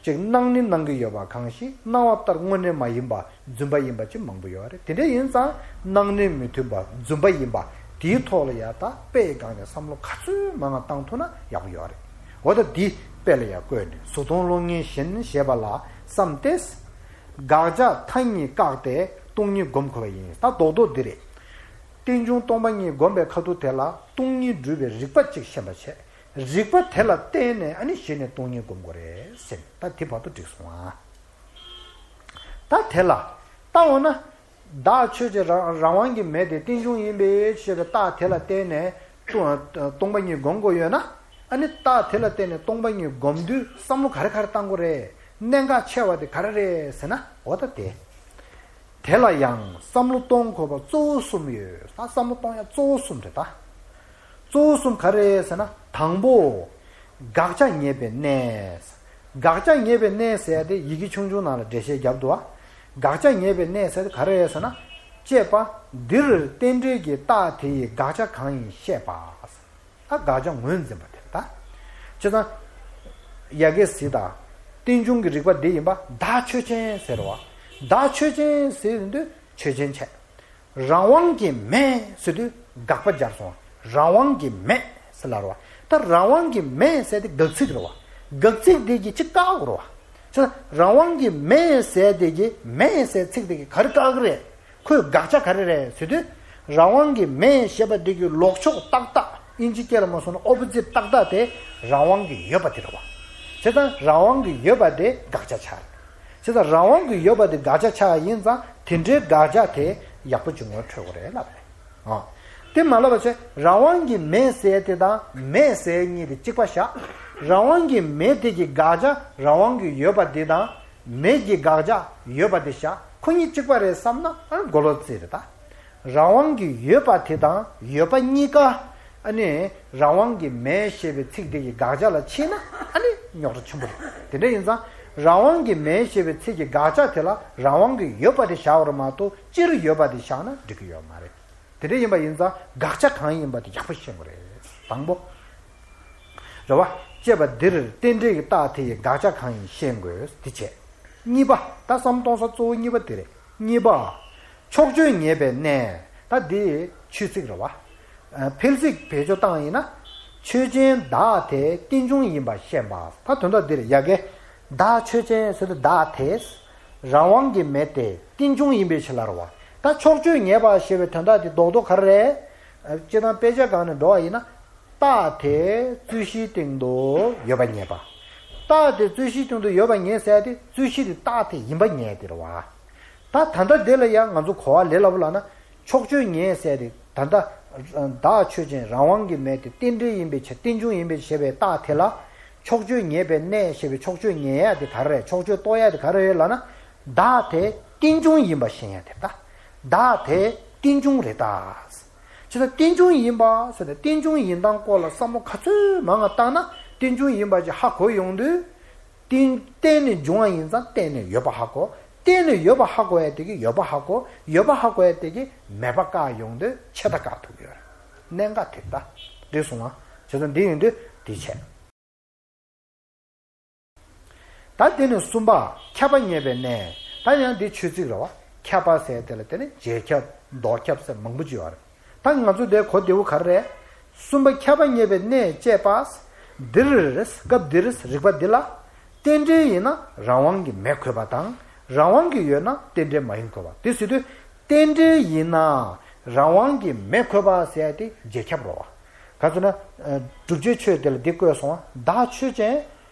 ཅིག་སྣང་ནི་སྣང་གི་ཡོད་པ་གང་ཞིག་སྣང་བ་ལྟར་དངོས་གནས་མ་ཡིན་པ་རྫུན་པ་ཡིན་པ་ཅིག་མང་པོ་ཡོད་རེད། དེ་འདྲ་ཡིན་ཙང་སྣང་གནས་མི་མཐུན་པ་རྫུན་པ་ཡིན་པ་དེའི་ཐོག་ལ་ཡ་ད་དཔེ་ཡི་སྒང་ནས་བསམ་བློ་ག་ཚོད་མང་བ་བཏང་ཐུབ་ན་ཡག་པོ་ཡོད་རེད། འོ་ད་འདི་དཔེ་ལ་ཡ་བཀོད་ནས་གཟུགས་མཐོང་གློག་བརྙན་བཞིན་ཞེས་པ་ལ་བསམ་སྟེ། དགག་བྱ་མཐའ་གཉིས་བཀག་སྟེ་སྟོང་ཉིད་སྒོམ་དགོས་པ་ཡིན། ད་རྡོག་རྡོག་འདི་རེད། རྟེན་འབྱུང་སྟོང་པ་ཉིད་སྒོམ་པའི་ཁ་ཐུག་དེ་ལ་སྟོང་ཉིད་སྒྲུབ་པའི་རིགས་པ་གཅིག་ཤེས་པ་བྱས། རིགས་པ་དེ་ལ་བརྟེན་ནས་ཨ་ནི་གཞི་ནས་སྟོང་ཉིད་སྒོམ་དགོས་རེད་ཟེར། ད་དེ་བར་དུ་འགྲིག་སོང་ཨ། ད་དེ་ལ་ལྟ་འོ་ན། བདག་ཆོས་ཅན། རང་རང་དབང་གི་མེ་དེ་རྟེན་འབྱུང་ཡིན་པའི་ཕྱིར། རྟགས་དེ་ལ་བརྟེན་ནས་སྟོང་སྟོང་པ་ཉིད་སྒོམ་དགོས་ཡོད་ན། ཨ་ནི་རྟགས་དེ་ལ་བརྟེན་ནས་སྟོང་པ་ཉིད་སྒོམ་དུས་བསམ་བློ་ག་རེ་ག་རེ་བཏང་དགོས་རེད། གནད་འགག་ཆེ་བ་དེ་ག་རེ་རེད་ཟེར་ན་འོ་ད་དེ། དེ་ལ་ཡང་བསམ་བློ་གཏོང་དགོས་པ་གཙོ་བོ་གསུམ་ཡོད། ད་བསམ་བློ་གཏོང་ཡ་གཙོ་བོ་གསུམ་རེད་ད། གཙོ་བོ་གསུམ་ག་རེ་རེད་ཟེར་ན་དང་པོ། དགག་བྱ་ངེས་པའི་གནས། དགག་བྱ་ངེས་པའི་གནས་ཟེར་ཡ་དེ་ཡི་གེ་ཆུང་ཆུང་ནང་ལ་འགྲེལ་བཤད་བརྒྱབ་འདུག་བ། དགག་བྱ་ངེས་པའི་གནས་ཟེར་དེ་ག་རེ་རེད་ཟེར་ན། དཔྱད་པ། འདིར་རྟེན་འབྲེལ་གྱི་རྟགས་དེ་ཡི་དགག་བྱ་གང་ཡིན་བཤད་པ། ད་དགག་བྱ་ངོས་འཛིན་པ་དེ་རེད་ད། བྱས་ཙང་། ཡ་གི་གཟིགས་དང་། རྟེན་འབྱུང་གི་རིགས་པ་འདི་ཡིན་པ་བདག་ཆོས་ཅན་ཟེར་བ། བདག་ཆོས་ཅན་ཟེར་དུས་ཆོས་ཅན་བྱས། རང་དབང་གི་མེད་ཟེར་དུས་དགག་པ་སྦྱར་སོང་། རང་དབང་གི་མེད་ཟེར་ལབ་རེད་བ། ད་རང་དབང་གི་མེད་ཟེར་དེ་དགག་ཚིག་རེད་བ། དགག་ཚིག་དེ་གིས་ཅིག་བཀག་དགོས་རེད་བ། ཅེས་རང་དབང་གི་མེད་ཟེར་དེ་གིས་མེད་ཟེར་ཚིག་དེ་གིས་ག་རེ་བཀག་གི་རེད། ཁོའི་དགག་བྱ་ག་རེ་རེད་ཟེར་དུས། རང་དབང་གི་མེད་ཞེས་པ་འདི་གི་ལོག་ཕྱོགས་ཏག་ཏག་ཨིན་ཇི་སྐད་ལ་མ་སོང་ན་ཨོ་པོ་ཛིཊ་ཏག་ཏག་དེ་རང་དབང་གི་ཡོད་པ་དེ་རེད་བ། བྱས་ཙང་རང་དབང་གི་ཡོད་པ་དེ་དགག་བྱ་ཆགས་རེད། བྱས་ཙང་རང་དབང་གི་ཡོད་པ་དེ་དགག་བྱ་ཆགས་ཡིན་ཙང་དེ་འདྲའི་དགག་བྱ་དེ་ཡག་པོ་ཅིག་ངོ་འཕྲོད་དགོས་རེད་ལབ་རེད། ཨ། དེ་མ་ལབ་པ་བྱས་རང་དབང་གི་མེད་ཟེར་དེ་དང་མེད་ཟེར་གཉིས་དེ་གཅིག་པ་བཞག་རང་དབང་གི་མེད་དེ་གི་དགག་བྱ་རང་དབང་གི་ཡོད་པ་དེ་དང་། མེད་ཀྱི་དགག་བྱ་ཡོད་པ་དེ་བཞག་ཁོ་གཉིས་གཅིག་པ་རེད་བསམ་ན་ཨ་མགོ་ལོག་རྩིས་རེད་ད། རང་དབང་གི་ཡོད་པ་དེ་དང་ཡོད་པ་གཉིས་ཀ་ཨ་ནི་རང་དབང་གི་མེད་ཞེས་པའི་ཚིག་དེ་གི་དགག་བྱ་ལ་ཕྱིན་ན་ཨ་ནི་རྙོག་དྲ་ཆེན་པོ་རེད། དེ་འདྲ་ཡིན་ཙང་རང་དབང་གི་མེད་ཞེས་པའི་ཚིག་གི་དགག་བྱ་དེ་ལ་རང་དབང་གི་ཡོད་པ་དེ་བཞག་པར་མ་གཏོགས་སྤྱིར་ཡོད་པ་དེ་བཞག་ན་འགྲིག་གི་ཡོད་མ་རེད། དེ་འདྲ་ཡིན་པ་ཡིན་ཙང་དགག་བྱ་གང་ཡིན་པ་དེ་ཡག་པོ་ཤེས་དགོས་རེད། དང་པོ། རེད་བ། ཅེས་པ་འདིར་རྟེན་འབྲེལ་གྱི་རྟགས་དེ་ཡི་དགག་བྱ་གང་ཡིན་ཤེས་དགོས་དེ་བྱས། གཉིས་པ། ད་བསམ་གཏོང་ས་གཙོ་བོ་གཉིས་པ་དེ་རེད། གཉིས་པ། ཕྱོགས་ཆོས་ངེས་པའི་གནས། ད་འདི་ཆོས་ཚིག་རེད་བ། ཨ། འཕེལ་ཚིག་བེད་སྤྱོད་བཏང་ཡིན་ན། ཆོས་ཅན་བདག་དེ་རྟེན་འབྱུང་ཡིན་པ་ཤེས་པ། ད་དོན་དག་འདི་རེད་ཡ་གི། བདག་ཆོས་ཅན་ཟེར་དུས་བདག་དེ། རང་དབང་གི་མེད་དེ་རྟེན་འབྱུང་ཡིན་པའི་ཕྱིར་ལ་རེད་བ། ད་ཕྱོགས་ཆོས་ངེས་པ་ཞེས་པའི་དོན་དག་དེ་རྡོག་རྡོག་ག་རེ་རེད། ཨ། སྤྱིར་བཏང་དཔེ་ཆ་སྒང་ནས་འགྲོ་བ་ཡིན་ན། རྟགས་དེ་རྩོད་གཞིའི་སྟེང་དུ་ཡོད་པ་ངེས་པ། རྟགས་དེ་རྩོད་གཞིའི་སྟེང་དུ་ཡོད་པ་ངེས་ཟེར་ཏེ་རྩོད་གཞི་དེ་རྟགས་དེ་ཡིན་པ་ངེས་དེ་རེད་བ། ད་ད་ལྟ་དེ་ལ་ཡང་ང་ཚོ་གོ་བ་ལེན་སླ་པོ་ལབ་ན་ཕྱོགས་ཆོས་ངེས་ཟེར་ཏེ་ད་ལྟ་བདག་ཆོས་ཅན་རང་དབང་གི་མེད་དེ་རྟེན་འབྲེལ་ཡིན་པའི་ཕྱིར་རྟེན་འབྱུང་ཡིན་པའི་ཞེས་པའི་རྟགས་དེ་ལ་ཕྱོགས་ཆོས་ངེས་པའི་གནས་ཞེས་པའི་ཕྱོགས་ཆོས་ངེས་ཡ་དེ་ག་རེ་རེད། ཕྱོགས་ཆོས་རྟོགས་ཡ་དེ་ག་རེ་རེད་ལབ་ན་བདག་དེ་རྟེན་འབྱུང་ཡིན་པ་ཤེས་ཡ་དེ་ད། བདག་དེ་རྟེན་འབྱུང་རེད་ད། ཅེས་རྟེན་འབྱུང་ཡིན་པ་ཟེར་ནས་རྟེན་འབྱུང་ཡིན་སྟངས་སྐོར་ལ་བསམ་བློ་ག་ཚོད་མང་ང་བཏང་ན་རྟེན་འབྱུང་ཡིན་པ་ཅིག་ཧ་གོ་ཡོང་དུས། རྟེན་རྟེན་ནས་འབྱུང་བ་ཡིན་ཙང་རྟེན་ནས་ཡོད་པ་ཧ་གོ། རྟེན་ནས་ཡོད་པ་ཧ་གོ་ཡ་དེ་གིས་ཡོད་པ་ཧ་གོ། ཡོད་པ་ཧ་གོ་ཡ་དེ་གིས་མེད་པ་བཀག་ཡོང་དུས་ཆད་ལྟ་བཀག་ཐུབ་ཡོད་རེད། གནད་འགག་དེ་ད་འགྲིག་སོང་ང་། བྱས་ཙང་འདི་ཡིན་དུས་འདི་བྱས། ད་དེ་ནས་གསུམ་པ་ཁྱབ་པ་ངེས་པའི་གནས། ད་ཡང་འདི་ཆོས་ཚིག་རེད་བ། ཁྱབ་པ་ཟེར་དེ་ལ་དེ་ནི་རྗེས་ཁྱབ་ལྡོག་ཁྱབ་ཟེར་མང་པོ་ཅིག་ཡོད་རེད། ད་ང་ཚོ་དེ་གོ་བདེ་བོ་ག་རེ་རེད། གསུམ་པ་ཁྱབ་པ་ངེས་པའི་གནས་བཅས་པ། འདིར་སྐབས་འདིར་རིགས་པ་འདི་ལ། རྟེན་འབྲེལ་ཡིན་ན་རང་དབང་གི་མེད་དགོས་པ་དང་རང་དབང་གི་ཡོད་ན་རྟེན་འབྲེལ་མ་ཡིན་དགོས་པ་དེ་ཟེར་དུས། རྟེན་འབྲེལ་ཡིན་ན་རང་དབང་གི་མེད་དགོས་པ་ཟེར་ཡ་དེ་རྗེས་ཁྱབ་རེད་བ། ག་ཚོད་ན། ཨ། བསྒྲུབ་བྱའི་ཆོས་དེ་ལ་འདི་བཀོད་སོང་བ། བདག་ཆོས་ཅན།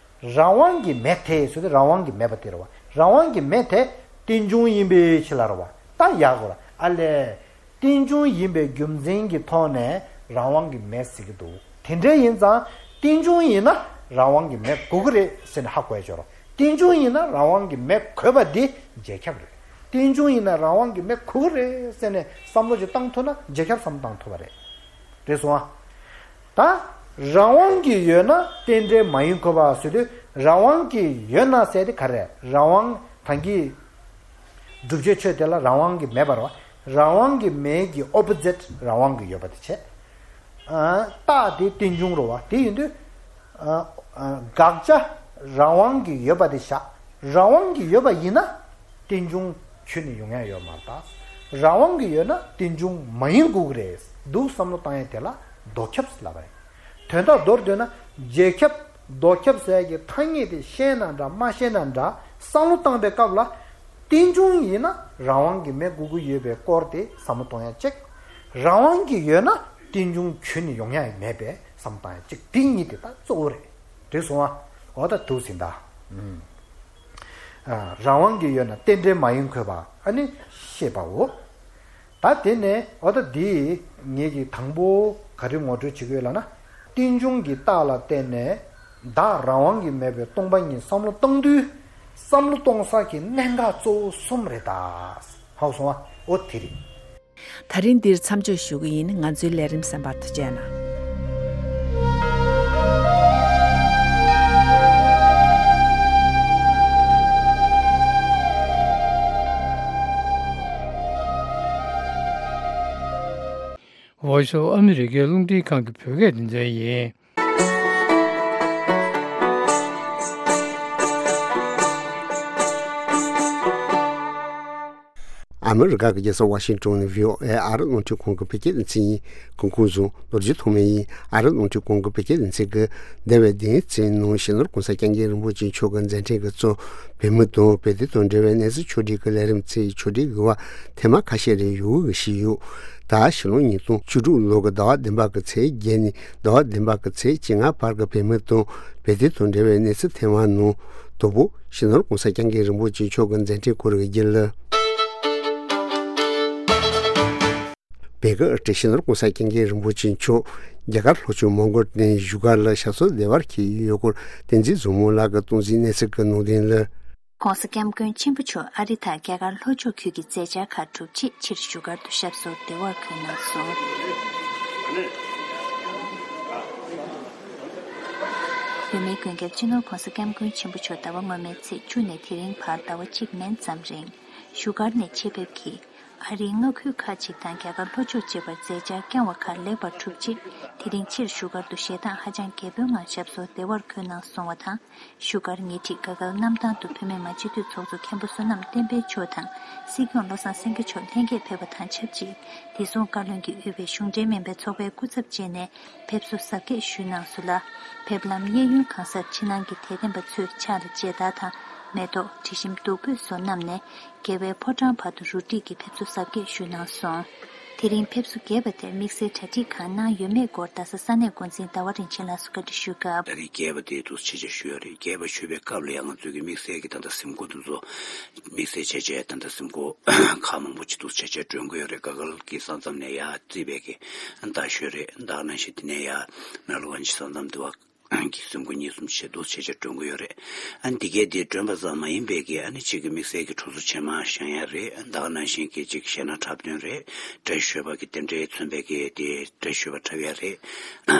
རང་དབང་གི་མེད་དེ་ཟེར་ཏེ་རང་དབང་གི་མེད་པ་དེ་རེད་བ། རང་དབང་གི་མེད་དེ་རྟེན་འབྱུང་ཡིན་པའི་ཕྱིར་ལ་རེད་བ། ད་ཡག་གོ་ར་ཨ་ལས། རྟེན་འབྱུང་ཡིན་པའི་རྒྱུ་མཚན་གྱི་ཐོག་ནས་རང་དབང་གི་མེད་ཟེར་གྱི་འདུག་དེ་འདྲ་ཡིན་ཙང་རྟེན་འབྱུང་ཡིན་ན་རང་དབང་གི་མེད་དགོས་ཀྱི་རེད་ཟེར་ནས་ཧ་གོ་ཡ་ཅོ་རོགས། རྟེན་འབྱུང་ཡིན་ན་རང་དབང་གི་མེད་དགོས་པ་འདི་རྗེས་ཁྱབ་རེད། རྟེན་འབྱུང་ཡིན་ན་རང་དབང་གི་མེད་དགོས་ཀྱི་རེད་ཟེར་ནས་བསམ་བློ་ཅིག་བཏང་ཐུབ་ན་རྗེས་ཁྱབ་བསམ་བཏང་ཐུབ་པ་རེད། རེད་སོང་ཨ། ད་རང་དབང་གི་ཡོད་ན་རྟེན་འབྲེལ་མ་ཡིན་དགོས་པ་ཟེར་དུས་རང་དབང་གི་ཡོད་ན་ཟེར་དེ་ག་རེ། རང་དབང་ད་གིན་བསྒྲུབ་བྱའི་ཆོས་དེ་ལ་རང་དབང་གི་མེད་པ་རེད་བ། རང་དབང་གི་མེད་ཀྱི་ཨོ་པོ་ཛིཊ་རང་དབང་གི་ཡོད་པ་དེ་བྱས། ཨ། རྟགས་དེ་རྟེན་འབྱུང་རེད་བ། དེ་ཡིན་དུས། ཨ། ཨ། དགག་བྱ་རང་དབང་གི་ཡོད་པ་དེ་བཞག་རང་དབང་གི་ཡོད་པ་ཡིན་ན་རྟེན་འབྱུང་ཁྱོན་ནས་ཡོང་ཡ་ཡོད་མ་རེད་ད། རང་དབང་གི་ཡོད་ན་རྟེན་འབྱུང་མ་ཡིན་དགོས་ཀྱི་རེད་འདུག་བསམ་བློ་བཏང་ཡ་དེ་ལ་ལྡོག་ཁྱབ་ཟེར་ལབ་པ་རེད། དོན་དག་མདོར་བསྡུས་ན་རྗེས་ཁྱབ་ལྡོག་ཁྱབ་ཟེར་ཡ་གི་ཐ་སྙད་དེ་ཤེས་ན་འདྲ་མ་ཤེས་ན་འདྲ་བསམ་བློ་བཏང་པའི་སྐབས་ལ། རྟེན་འབྱུང་ཡིན་ན་རང་དབང་གི་མེད་དགོས་ཀྱི་ཡོད་པའི་སྐོར་དེ་བསམ་བློ་གཏོང་ཡ་གཅིག་རང་དབང་གི་ཡོད་ན་རྟེན་འབྱུང་ཁྱོན་ནས་ཡོང་ཡ་མེད་པའི་བསམ་བློ་བཏང་ཡ་གཅིག་དེ་གཉིས་དེ་ད་གཙོ་བོ་རེད། འགྲིག་སོང་ཨ། འོ་ད་འདུག་ཟིན་ད། ཨུམ། ཨ། རང་དབང་གི་ཡོད་ན་རྟེན་འབྲེལ་མ་ཡིན་དགོས་པ་ཨ་ནི་ཤེས་པའོ། ད་དེ་ནས་འོ་ད་འདི་ངེད་ཀྱིས་དང་པོ་ག་རེ་ངོ་སྤྲོད་བྱེད་ཀྱི་ཡོད་ལབ་ན། རྟེན་འབྱུང་གི་རྟགས་ལ་བརྟེན་ནས་བདག་རང་དབང་གིས་མེད་པའི་སྟོང་པ་ཉིད་བསམ་བློ་བཏང་དུས། བསམ་བློ་གཏོང་ས་ཀྱི་གནད་འགག་གཙོ་བོ་གསུམ་རེད་ད། ཧ་གོ་སོང་ཨ། འོ་དེ་རེད། ད་རིང་འདིར་མཚམས་འཇོག་ཞུ་གི་ཡིན། ང་ཚོའི་ལས་རིམ་གསན་པར་ཐུགས་རྗེ་གནང་། Voice of America རླུང་འཕྲིན་ཁང་གི་བོད་སྐད་སྡེ་ཚན་ཡིན། ཨ་མི་རི་ཀ་གི་རྒྱལ་ས་ཝ་ཤིང་ཏོན་ནས་ཝི་ཨོ་ཨེ་ཨ་རི་རླུང་འཕྲིན་ཁང་གི་བོད་སྐད་སྡེ་ཚན་ཡིན། སྐུ་ཁམས་བཟང་། ནོར་གྱི་ཐོག་མའི་ཡིན། ཨ་རི་རླུང་འཕྲིན་ཁང་གི་བོད་སྐད་སྡེ་ཚན་གྱི་འདས་པའི་བདུན་ཚན་ནང་སྤྱི་ནོར་གོང་ས་སྐྱབས་མགོན་རིན་པོ་ཆེ་མཆོག་གི་མཛད་འཕྲིན་གྱི་གཙོ་བོད་མི་དང་བོད་དོན་དང་འབྲེལ་བའི་གནས་ཚུལ་ཕྱོགས་སྒྲིག་གི་ལས་རིམ་ཚེས་ཕྱོགས་སྒྲིག་གི་བར་ཐེངས་མ་ཁ་ཤས་རེ་ཡོང་གི་ཞིག་ཡོད། ད་ཕྱི་ལོ་ཉིས་སྟོང་བཅུ་དྲུག་ལོ་གི་ཟླ་བ་བདུན་པ་གི་ཚེས་བརྒྱད་ནས་ཟླ་བ་བདུན་པ་གི་ཚེས་བཅོ་ལྔ་བར་གྱི་བོད་མི་དང་བོད་དོན་དང་འབྲེལ་བའི་གནས་ཚུལ་ཐེངས་མ་ནང་དང་པོ་སྤྱི་ནོར་གོང་ས་སྐྱབས་མགོན་རིན་པོ་ཆེ་མཆོག་གི་མཛད་འཕྲིན་སྐོར་གྱི་རྒྱུན་ལས། བོད་ཀྱི་སྤྱི་ནོར་གོང་ས་སྐྱབས་མགོན་རིན་པོ་ཆེ་མཆོག་རྒྱ་གར་ལྷོ་ཕྱོགས་མོང་གོལ་སྟེང་བཞུགས་སྒར་ལ་ཞབས་སོར་བདེ་བར་འཁེལ་ཡོད་སྐོར་བསྟན་འཛིན་བཟང་མོ་ལགས་ཀྱིས་གཏོང་འཛིན་གནས་ཚུལ་གྱི་ནང་དོན་ལ། གོང་ས་སྐྱབས་མགོན་ཆེན་པོ་མཆོག་ཨ་རི་དང་རྒྱ་གར་ལྷོ་ཕྱོགས་ཁུལ་གྱི་མཛད་འཆར་ཁག་གྲུབ་རྗེས་ཕྱིར་བཞུགས་སྒར་དུ་ཞབས་སོར་བདེ་བར་འཁོད་གནང་སོང་། བོད་མིའི་མགོན་སྐྱབས་སྤྱི་ནོར་གོང་ས་སྐྱབས་མགོན་ཆེན་པོ་མཆོག་ཟླ་བ་སྔོན་མའི་ཚེས་བཅུ་ནས་དེ་རིང་བར་ཟླ་བ་གཅིག་མན་ཙམ་རིང་བཞུགས་སྒར་ནས་ཆེད་ཕེབས་ཀྱིས་ཨ་རིའི་མངའ་ཁུལ་ཁག་ཅིག་དང་རྒྱ་གར་ལྷོ་ཕྱོགས་བཅས་པར་མཛད་འཆར་བསྐྱངས་བ་ཁག་ལེགས་པར་གྲུབ་རྗེས་དེ་རིང་ཕྱིར་བཞུགས་སྒར་དུ་ཞལ་ཏང་ཧ་ཅང་རྒྱས་པོའི་ངང་ཞབས་སོར་བདེ་བར་འཁོད་གནང་སོང་བ་དང་། བཞུགས་སྒར་ཉེ་འཁྲིས་དགའ་སྐལ་གནམ་ཐང་དུ་བོད་མི་མང་སྤྱི་འཐུས་ཚོགས་གཙོ་མཁན་པོ་བསོད་ནམས་བསྟན་འཕེལ་མཆོག་དང་སྲིད་སྐྱོང་བློ་བཟང་སེང་གེ་མཆོག་ལྷན་རྒྱས་ཕེབས་པ་དང་ཆབས་ཅིག་བདེ་སྲུང་བཀའ་བློན་གྱིས་དབུས་པའི་གཞུང་འབྲེལ་མིན་པའི་ཚོགས་པའི་སྐུ་ཚབ་བཅས་ནས་ཕེབས་བསུ་གཟབ་རྒྱས་ཞུས་གནང་སོང་ལ། ཕེབས་ལམ་གཡས་གཡོན་གང་སར་ཕྱི་ནང་གི་དད་ལྡན་པ་ཚོས་ཕྱག་ལ་མཇལ་དར་དང་མེ་ཏོག་དྲི་ཞིམ་བདུག་སྤོས་སོགས་བསྣམས་ནས་རྒྱལ་བའི་ཕོ་བྲང་བར་དུ་རུ་སྒྲིག་གིས་ཕེབས་བསུ་གཟབ་རྒྱས་ཞུས་གནང་སོང་། དེ་རིང་ཕེབས་བསུ་རྒྱས་པ་དེར་དམིགས་བསལ་གྲ་སྒྲིག་གང་གནང་ཡོད་མེད་སྐོར་རྡ་ས་ས་གནས་འགོ་འཛིན་ཟླ་བ་རིན་ཆེན་ལགས་སུ་བཀའ་འདྲི་ཞུས་སྐབས། ད་རེས་རྒྱས་པ་དེ་འདུག་ཆེད་ཆེད་ཞུ་ཡ་རེད། རྒྱས་པ་ཞུ་བའི་སྐབས་ལ་ཡང་ང་ཚོའི་གི་དམིགས་བསལ་གྱི་ད་ལྟ་གཟིམ་འགོ་དེ་ཚོ་དམིགས་བསལ་བྱས་བྱས་ད་ལྟ་གཟིམ་འགོ་ཁག་མང་པོ་ཅིག་འདུག་ཆེད་ཆེད་སྒྲོན་གི་ཡོད་རེད། དགའ་སྐལ་གྱི་ས་མཚམས་ནས་ཡར་རྩིས་པའི་གི་རྡ་ཤོད་རེད། ད་ག་ནང་བཞིན་དེ་ནས་ཡར་མེ་ལོ་གན་ཇི་ས་མཚམས་དེ་བ་གི་གཟིམ་འགོ་གཉིས་གསུམ་ཆེད་དུ་ཆེད་ཆེད་སྒྲོན་གི་ཡོད་རེད། ཨ་ནི་འདི་གས་འདི་སྒྲོན་པ་ཙམ་མ་ཡིན་པའི་གི་ཨ་ནི་གཅིག་གི་དམིགས་བསལ་གྱི་གྲོས་ཚོགས་ཆེན་མོ་བཞེངས་ཡ་རེད། ད་ག་ནང་བཞིན་གྱི་གཅིག་གཞས་སྣ་འཁྲབ་སྟོན་རེད། བཀྲ་ཤིས་ཞོལ་པ་གི་དེ་འདྲའི་མཚོན་པའི་གི་དེ་བཀྲ་ཤིས་ཞོལ་པ་འཁྲབ་ཡ་རེད།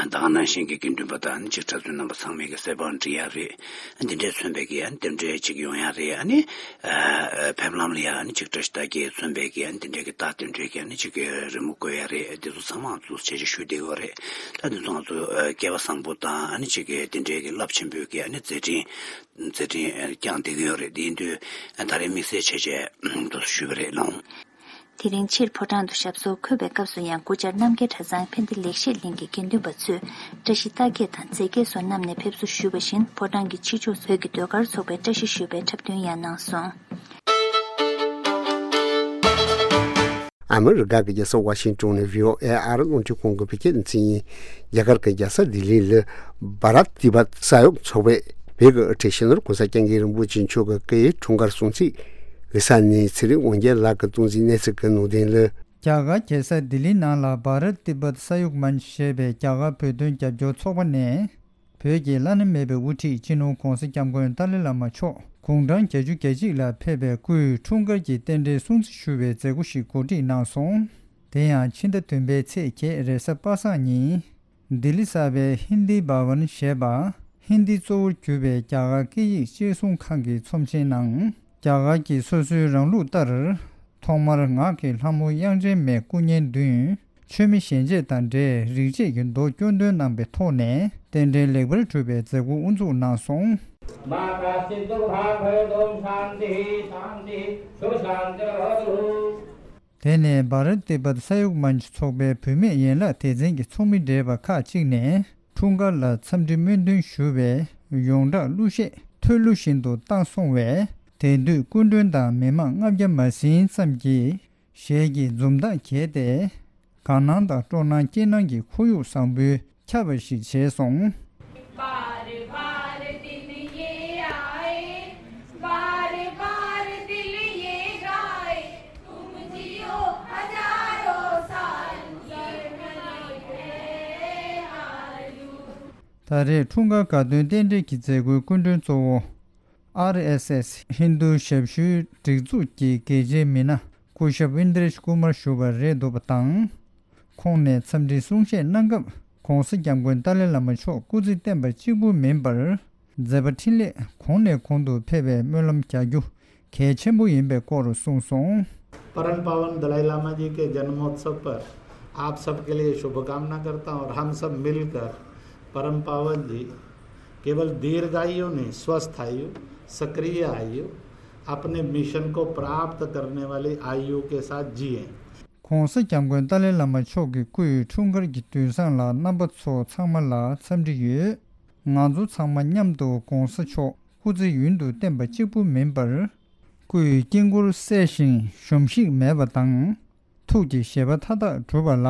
ད་ག་ནང་བཞིན་གྱི་དགེ་འདུན་པ་དང་ཨ་ནི་གཅིག་གྲྭ་བཙུན་རྣམ་པ་ཚང་མས་གི་གསེར་པང་སྒྲིག་ཡ་རེད། ཨ་འདི་འདྲའི་མཚོན་པའི་གི་ཨ་ནི་དེ་འདྲའི་གཅིག་ཡོང་ཡ་རེད། ཨ་ནི་ཨ་ཕེབས་ལམ་ལ་ཡ་ཨ་ནི་གཅིག་བཀྲ་ཤིས་རྟགས་བརྒྱད་མཚོན་པའི་གི་ཨ་ནི་དེ་འདྲའི་གི་རྟགས་དེ་འདྲའི་གི་ཨ་ནི་གཅིག་གི་རི་མོ་བཀོད་ཡ་རེད། དེ་ཚོ་ཚང་མ་ཚོ་བྱས་བྱས་ཞུ་བསྡད་ཡོད་རེད། ད་འདི་ཚོ་ང་ཚོ་ཨ་སྐལ་བ་བཟང་པོ་དང་ཨ་ནི་གཅིག་གི་དེ་འདྲའི་གི་རླབས་ཆེན་པོའི་གི་ཨ་ནི་མཛད་འཕྲིན་མཛད་འཕྲིན་ཨ་བསྐྱངས་བསྡད་ཀྱི་ཡོད་རེད། དེ་ཡིན་དུས་ཨ་ད་རེས་དམིགས་བསལ་བྱས་བྱས་འདུག་ཞུས་པ་རེད་ལགས། དེ་རིང་ཕྱིར་ཕོ་བྲང་དུ་ཞབས་སོར་འཁོད་པའི་སྐབས་སུ་ཡང་སྐུ་བཅར་རྣམ་རྒྱལ་གྲྭ་ཚང་ཕན་བདེ་ལེགས་བཤད་གླིང་གི་དགེ་འདུན་པ་ཚོས་བཀྲ་ཤིས་རྟགས་བརྒྱད་དང་རྫས་བརྒྱད་སོགས་བསྣམས་ནས་ཕེབས་བསུ་ཞུས་པ་བཞིན་ཕོ་བྲང་གི་ཕྱི་ཕྱོགས་བོད་ཀྱི་ཟློས་གར་ཚོགས་པའི་བཀྲ་ཤིས་ཞུ་བའི་འཁྲབ་སྟོན་ཡང་གནང་སོང་། ཨ་མི་རི་ཀ་གི་རྒྱལ་ས་ཝ་ཤིང་ཏོན་ནས་ཝི་ཨོ་ཨེ་ཨ་རི་རླུང་འཕྲིན་ཁང་གི་བོད་སྐད་སྡེ་ཚན་ཡིན། རྒྱ་གར་གྱི་རྒྱལ་ས་ལྡི་ལི་ལ་བྷ་རཏ་ཏི་བྷཏ་ས་ཡོམ་ཚོགས་པས་བོད་ཀྱི་དབུ་ཁྲིད་སྤྱི་ནོར་གོང་ས་སྐྱབས་མགོན་རིན་པོ་ཆེ་མཆོག་གི་སྐུའི་འཁྲུངས་སྐར་སྲུང་བརྩི་གི་ས་ནས་ཚེ་རིང་དབང་རྒྱལ་ལགས་ཀྱིས་གཏོང་འཛིན་གནས་ཚུལ་གྱི་ནང་དོན་ལ། རྒྱ་གར་རྒྱལ་ས་ལྡི་ལི་ནང་ལ་བྷ་རཏ་ཏི་བྷཏ་ས་ཡོམ་མན་ཆ་ཞེས་པའི་རྒྱ་གར་བོད་དོན་རྒྱབ་སྐྱོར་ཚོགས་པ་ནས། བོད་ཀྱི་བླ་ན་མེད་པའི་དབུ་ཁྲིད་སྤྱི་ནོར་གོང་ས་སྐྱབས་མགོན་ཏཱ་ལའི་བླ་མ་མཆོག་དགུང་གྲངས་བརྒྱད་ཅུ་གྱ་གཅིག་ལ་ཕེབས་པའི་སྐུའི་འཁྲུངས་སྐར་གྱི་རྟེན་འབྲེལ་སྲུང་བརྩི་ཞུ་བའི་མཛད་སྒོ་ཞིག་གོ་སྒྲིག་གནང་སོང་། དེ་ཡང་ཕྱི་ཟླ་བདུན་པའི་ཚེས་བརྒྱད་རེས་གཟའ་པ་སངས་ཉིན། ལྡི་ལི་གསར་པའི་ཧིན་དི་བྷ་ཝན་ཞེས་པ་ཧིན་དི་གཙོ་བོར་གྱུར་པའི་རྒྱ་གར་སྐད་ཡིག་གཅེས་སྲུང་ཁང་གི་ཚོམས་ཆེན་ནང་། རྒྱ་གར་གྱི་སོ་སོའི་རང་ལུགས་ལྟར། ཐོག་མར་ངག་གི་ལྷ་མོ་དབྱངས་ཅན་མའི་སྐུ་བརྙན་བདུན། མཆོད་མེ་ཞལ་འབྱེད་དང་འབྲེལ་རིག་བྱེད་ཀྱི་མདོ་སྐྱོར་འདོན་གནང་པའི་ཐོག་ནས་རྟེན་འབྲེལ་ལེགས་པར་གྲུབ་པའི་མཛད་སྒོ་དབུ་འཛུགས་གནང་སོང་། མ་ཀ་ཅི་དུག་གྷ་ཁ་ཡོ་དོམ་ཤཱན་ཏི་ཤཱན་ཏི་ཤུ་ཤཱན་ཏི་ར་ཧོ་ཏུ། དེ་ནས་བྷ་རཏ་ཏི་བྷཏ་ས་ཡོམ་མན་ཆ་ཚོགས་པའི་བུད་མེད་ཡན་ལག་སྡེ་ཚན་གྱི་ཚོགས་མི་བགྲེས་པ་ཁག་ཅིག་ནས་འཁྲུངས་སྐར་ལ་འཚམས་འདྲི་སྨོན་འདུན་ཞུ་བའི་ཡོངས་གྲགས་གླུ་གཞས་ཐོས་གླུ་བཞིན་དུ་བཏང་སོང་བས། དེ་དུས་སྐུ་མགྲོན་དང་མི་མང་ལྔ་བརྒྱ་མ་ཟིན་ཙམ་གྱིས་གཞས་ཀྱི་འཛུམ་མདངས་བརྒྱས་ཏེ། དགའ་སྣང་དང་སྤྲོ་སྣང་སྐྱིད་སྣང་གི་ཁོར་ཡུག་བཟང་པོས་ཁྱབ་པ་ཞིག་བྱས་སོང་། ད་རེས་འཁྲུངས་སྐར་དགའ་སྟོན་རྟེན་འབྲེལ་གྱི་མཛད་སྒོའི་སྐུ་མགྲོན་གཙོ་བོ། ཨར་ཨེས་ཨེས་ཧིན་རྡུ་ཞབས་ཞུའི་སྒྲིག་འཛུགས་ཀྱི་དགེ་ཆེའི་མི་སྣ་སྐུ་ཞབས་ཝིན་དྲེ་ཤ་ཀུ་མར་ཞུ་བ་རེད་འདུག་པ་དང་། ཁོང་ནས་འཚམས་འདྲིའི་གསུང་བཤད་གནང་སྐབས་གོང་ས་སྐྱབས་མགོན་ཏཱ་ལའི་བླ་མ་མཆོག་སྐུ་ཚེ་བརྟན་པ་གཅིག་པུ་མིན་པར་མཛད་པ་འཕྲིན་ལས་གོང་ནས་གོང་དུ་འཕེལ་བའི་སྨོན་ལམ་རྒྱག་རྒྱུ་གལ་ཆེན་པོ་ཡིན་པའི་སྐོར་གསུངས་སོང་། परम पावन दलाई लामा जी के जन्मोत्सव पर आप सबके लिए शुभकामना करता हूँ और हम सब मिलकर परम पावन जी केवल दीर्घायु नहीं, स्वस्थ आयु, सक्रिय आयु, अपने मिशन को प्राप्त करने वाली आयु के साथ जिएं। ༧གོང་ས་༧སྐྱབས་མགོན་ཏཱ་ལའི་བླ་མ་མཆོག་གི་སྐུའི་འཁྲུངས་སྐར་གྱི་དུས་བཟང་ལ་རྣམ་པ་ཚོ་ཚང་མ་ལ་འཚམས་འདྲི་ཡོད། ང་ཚོ་ཚང་མ་མཉམ་དུ་༧གོང་ས་མཆོག་སྐུ་ཚེ་ཡུན་དུ་བརྟན་པ་གཅིག་པུ་མིན་པར། སྐུའི་དཀྱིལ་འཁོར་གསལ་ཞིང་གཞོམ་གཞིག་མེད་པ་དང་། ཐུགས་ཀྱི་བཞེད་པ་མཐའ་དག་གྲུབ་པ་ལ།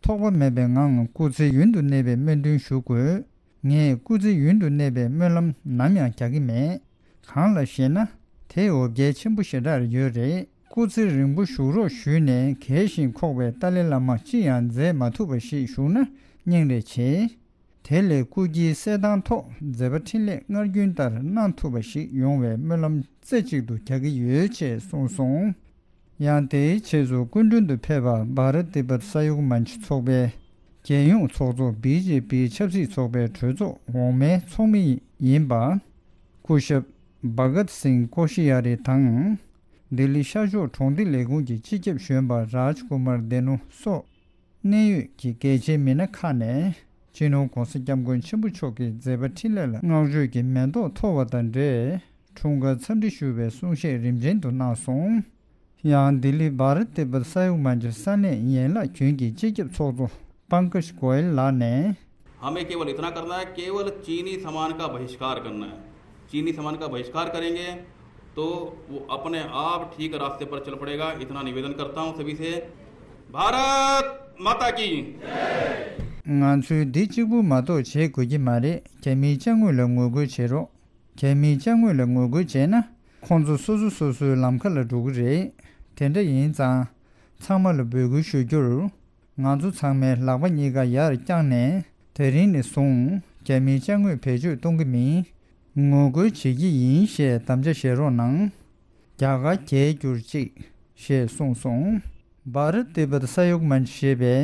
ཐོགས་པ་མེད་པའི་ངང་སྐུ་ཚེ་ཡུན་དུ་གནས་པའི་སྨོན་འདུན་ཞུ་དགོས། ངས་སྐུ་ཚེ་ཡུན་དུ་གནས་པའི་སྨོན་ལམ་ནམ་ཡང་རྒྱག་གི་མེད། གང་ལ་ཞེ་ན། དེ་འོ་བརྒྱལ་ཆེན་པོ་ཞེ་དྲག་ཡོད་རེད། སྐུ་ཚེ་རིང་པོ་བཞུགས་རོགས་ཞུས་ནས་གལ་ཞིང་ཁོག་པའི་ཏཱ་ལའི་བླ་མ་ཅི་ཡང་མཛད་མ་ཐུབ་པ་ཞིག་བཞུགས་ན་སྙིང་རེ་རྗེ། དེ་ལས་སྐུ་དཀྱིལ་གསལ་ཐང་ཐོག་མཛད་པ་འཕྲིན་ལས་སྔར་རྒྱུན་ལྟར་གནང་ཐུབ་པ་ཞིག་ཡོང་བའི་སྨོན་ལམ་རྩེ་གཅིག་ཏུ་རྒྱག་གི་ཡོད་ཅེས་གསུངས་སོང་། ཡང་དེའི་རྗེས་སུ་སྐུ་མགྲོན་དུ་ཕེབས་པ་བྷ་ར་ཏི་པ་ས་ཡུག་མན་ཆུ་ཚོགས་པའི་རྒྱལ་ཡོངས་ཚོགས་གཙོ་བི་ཇེ་པི་ཆབ་སྲིད་ཚོགས་པའི་གྲོས་ཚོགས་འོག་མའི་ཚོགས་མི་ཡིན་པ། སྐུ་ཞབས་བྷ་གཏ་སིང་ཀོ་ཤི་ཡ་རི་དང་། ལྡི་ལི་ཤར་ཕྱོགས་གྲོང་སྡེ་ལས་ཁུངས་ཀྱི་སྤྱི་ཁྱབ་གཞོན་པ་རཱཇ་ཀུ་མར་དེ་ནུ་སོགས། གནད་ཡོད་ཀྱི་གལ་ཆེའི་མི་སྣ་ཁག་ནས་སྤྱི་ནོར་༧གོང་ས་༧སྐྱབས་མགོན་ཆེན་པོ་མཆོག་གི་མཛད་པ་འཕྲིན་ལས་ལ་བསྔགས་བརྗོད་ཀྱི་མེ་ཏོག་འཐོར་བ་དང་འབྲེལ་འཁྲུངས་སྐར་འཚམས་འདྲི་ཞུ་བའི་གསུང་བཤད་རིམ་ཆེན་དུ་གནང་སོང་། ཡང་ལྡི་ལི་བྷ་ར་ཏི་པ་ས་ཡུག་མན་ཆུ་ས་གནས་ཡན་ལག་རྒྱུན་གྱི་སྤྱི་ཁྱབ་ཚོགས་གཙོ་པང་ཀ་ཤ་གོ་ཡལ་ལགས་ནས། हमें केवल इतना करना है, केवल चीनी सामान का बहिष्कार करना है। चीनी सामान का बहिष्कार करेंगे तो वो अपने आप ठीक रास्ते पर चल पड़ेगा। इतना निवेदन करता हूँ सभी से। भारत माता की। ང་ཚོས་འདི་གཅིག་པུ་མ་གཏོགས་བྱེད་དགོས་ཀྱི་མ་རེད། རྒྱ་མིའི་ཅ་དངོས་ལ་ངོ་རྒོལ་བྱེད་རོགས། རྒྱ་མིའི་ཅ་དངོས་ལ་ངོ་རྒོལ་བྱས་ན། ཁོང་ཚོ་སོ་སོ་སོ་སོའི་ལམ་ཁ་ལ་འགྲོ་གི་རེད། དེ་འདྲ་ཡིན་ཙང་། ཚང་མ་ལ་འབོད་སྐུལ་ཞུ་རྒྱུར། ང་ཚོ་ཚང་མའི་ལག་པ་གཉིས་ཀ་ཡར་བརྐྱངས་ནས། དེ་རིང་ནས་བཟུང་རྒྱ་མིའི་ཅ་དངོས་བེད་སྤྱོད་གཏོང་གི་མིན། ངོ་རྒོལ་བྱེད་ཀྱི་ཡིན་ཞེས་དམ་བཅའ་བཞེས་རོགས་གནང་། རྒྱ་གར་རྒྱལ་གྱུར་ཅིག་ཞེས་གསུངས་སོང་། བྷ་ར་ཏི་པ་ས་ཡུག་མན་ཆུ་ཞེས་པའི་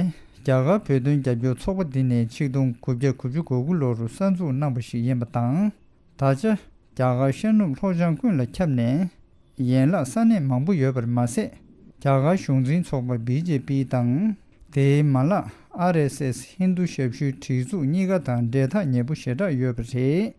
རྒྱ་གར་བོད་དོན་རྒྱབ་སྐྱོར་ཚོགས་པ་འདི་ནི་ཆིག་སྟོང་དགུ་བརྒྱ་དགུ་བཅུ་གོ་དགུ་ལོར་གསར་འཛུགས་གནང་པ་ཞིག་ཡིན་པ་དང་། ད་ཆ་རྒྱ་གར་ཤར་ནུབ་ལྷོ་བྱང་ཀུན་ལ་ཁྱབ་ནས། ཡན་ལག་ས་གནས་མང་པོ་ཡོད་པར་མ་ཟད། རྒྱ་གར་གཞུང་འཛིན་ཚོགས་པ་བི་ཇེ་པི་དང་། དེའི་མ་ལག་ཨར་ཨེས་ཨེས་ཧིན་རྡུ་ཞབས་ཞུའི་སྒྲིག་འཛུགས་གཉིས་ཀ་དང་འབྲེལ་ཐག་ཉེ་པོ་ཞེ་དྲག་ཡོད་པ་རེད།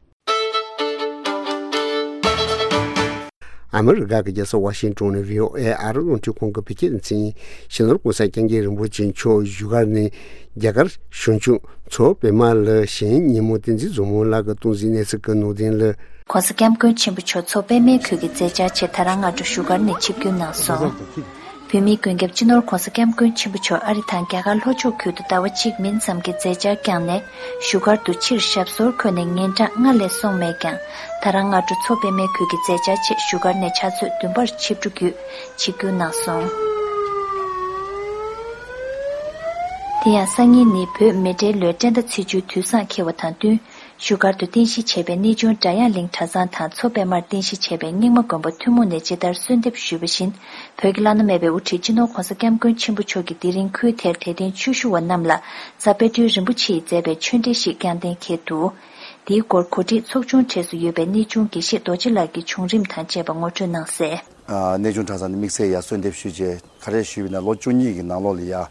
ཨ་མི་རི་ཀ་གི་རྒྱལ་ས་ཝ་ཤིང་ཏོན་ནས་བྷི་ཨོ་ཨེ་ཨ་རི་རླུང་འཕྲིན་ཁང་གི་བོད་སྐད་སྡེ་ཚན་ཡིན། སྤྱི་ནོར་༧གོང་ས་༧སྐྱབས་མགོན་རིན་པོ་ཆེ་མཆོག་བཞུགས་སྒར་ནས་རྒྱ་གར་གཞུང་ཕྱོགས་མཚོ་པདྨ་ལ་གཞེས་ཉིན་མོ་བསྟན་འཛིན་བཟང་མོ་ལགས་ཀྱིས་གཏོང་གཟིགས་གནས་ཚུལ་གྱི་ནང་དོན་ལ། ༸གོང་ས་༸སྐྱབས་མགོན་ཆེན་པོ་མཆོག་མཚོ་པདྨའི་ཁུལ་གྱི་མཛད་འཆར་ཆེད་ད་རང་སྔ་དྲོ་བཞུགས་སྒར་ནས་ཆིབས་བསྒྱུར་གནང་སོང་། བོད་མིའི་མགོན་སྐྱབས་སྤྱི་ནོར་༸གོང་ས་༸སྐྱབས་མགོན་ཆེན་པོ་མཆོག་ཨ་རི་དང་རྒྱ་གར་ལྷོ་ཕྱོགས་ཁུལ་དུ་ཟླ་བ་གཅིག་མིན་ཙམ་གྱི་མཛད་འཆར་བསྐྱངས་ནས་བཞུགས་སྒར་དུ་ཕྱིར་ཞབས་སོར་འཁོད་ནས་ཉིན་གྲངས་ལྔ་ལས་སོང་མེད་ཀྱང་། ད་རང་སྔ་དྲོ་མཚོ་པདྨའི་ཁུལ་གྱི་མཛད་འཆར་ཆེད་བཞུགས་སྒར་ནས་ཕྱག་ཚོད་བདུན་པར་ཆིབས་འགྲོ་བརྒྱུད་ཆིབས་བསྒྱུར་གནང་སོང་། དེ་ཡང་སང་ཉིན་ནི་བོད་མེ་ཏྲེ་ལོའི་བཀྲས་མཐའ་ཚེས་བཅུའི་དུས་བཟང་འཁེལ་བ་དང་བསྟུན། བཞུགས་སྒར་དུ་རྟེན་གཞི་བྱས་པའི་གནས་ཆུང་སྒྲ་དབྱངས་གླིང་གྲྭ་ཚང་དང་མཚོ་པདྨར་རྟེན་གཞི་བྱས་པའི་རྙིང་མ་དགོན་པ་ཐུན་མོང་ནས་ཇི་ལྟར་གསོལ་འདེབས་ཞུས་པ་བཞིན། བོད་ཀྱི་བླ་ན་མེད་པའི་དབུ་ཁྲིད་སྤྱི་ནོར་༸གོང་ས་༸སྐྱབས་མགོན་ཆེན་པོ་མཆོག་གིས་དེ་རིང་ཁུལ་དེར་དད་ལྡན་ཆོས་ཞུ་བ་རྣམས་ལ་རྩ་དཔལ་སྤྲུལ་རིན་པོ་ཆེས་མཛད་པའི་ཆོས་འབྲེལ་ཞིག་བསྐྱངས་གཏན་འཁེལ་འདུག། འདིའི་སྐོར་གོ་སྒྲིག་ཚོགས་ཆུང་གྲས་སུ་ཡོད་པའི་གནས་ཆུང་དགེ་བཤེས་རྡོ་རྗེ་ལགས་ཀྱིས་བྱུང་རིམ་དང་བཅས་པ་ངོ་སྤྲོད་གནང་གསལ། ཨ། གནས་ཆུང་གྲྭ་ཚང་ནས་དམིགས་བསལ་ཡར་གསོལ་འདེབས་ཞུས་རྗེས་ག་རེ་ཞུས་པ་ཡིན་ན། ལོ་བཅུ་གཉིས་ཀྱི་ནང་ལོགས་ལ་ཡར་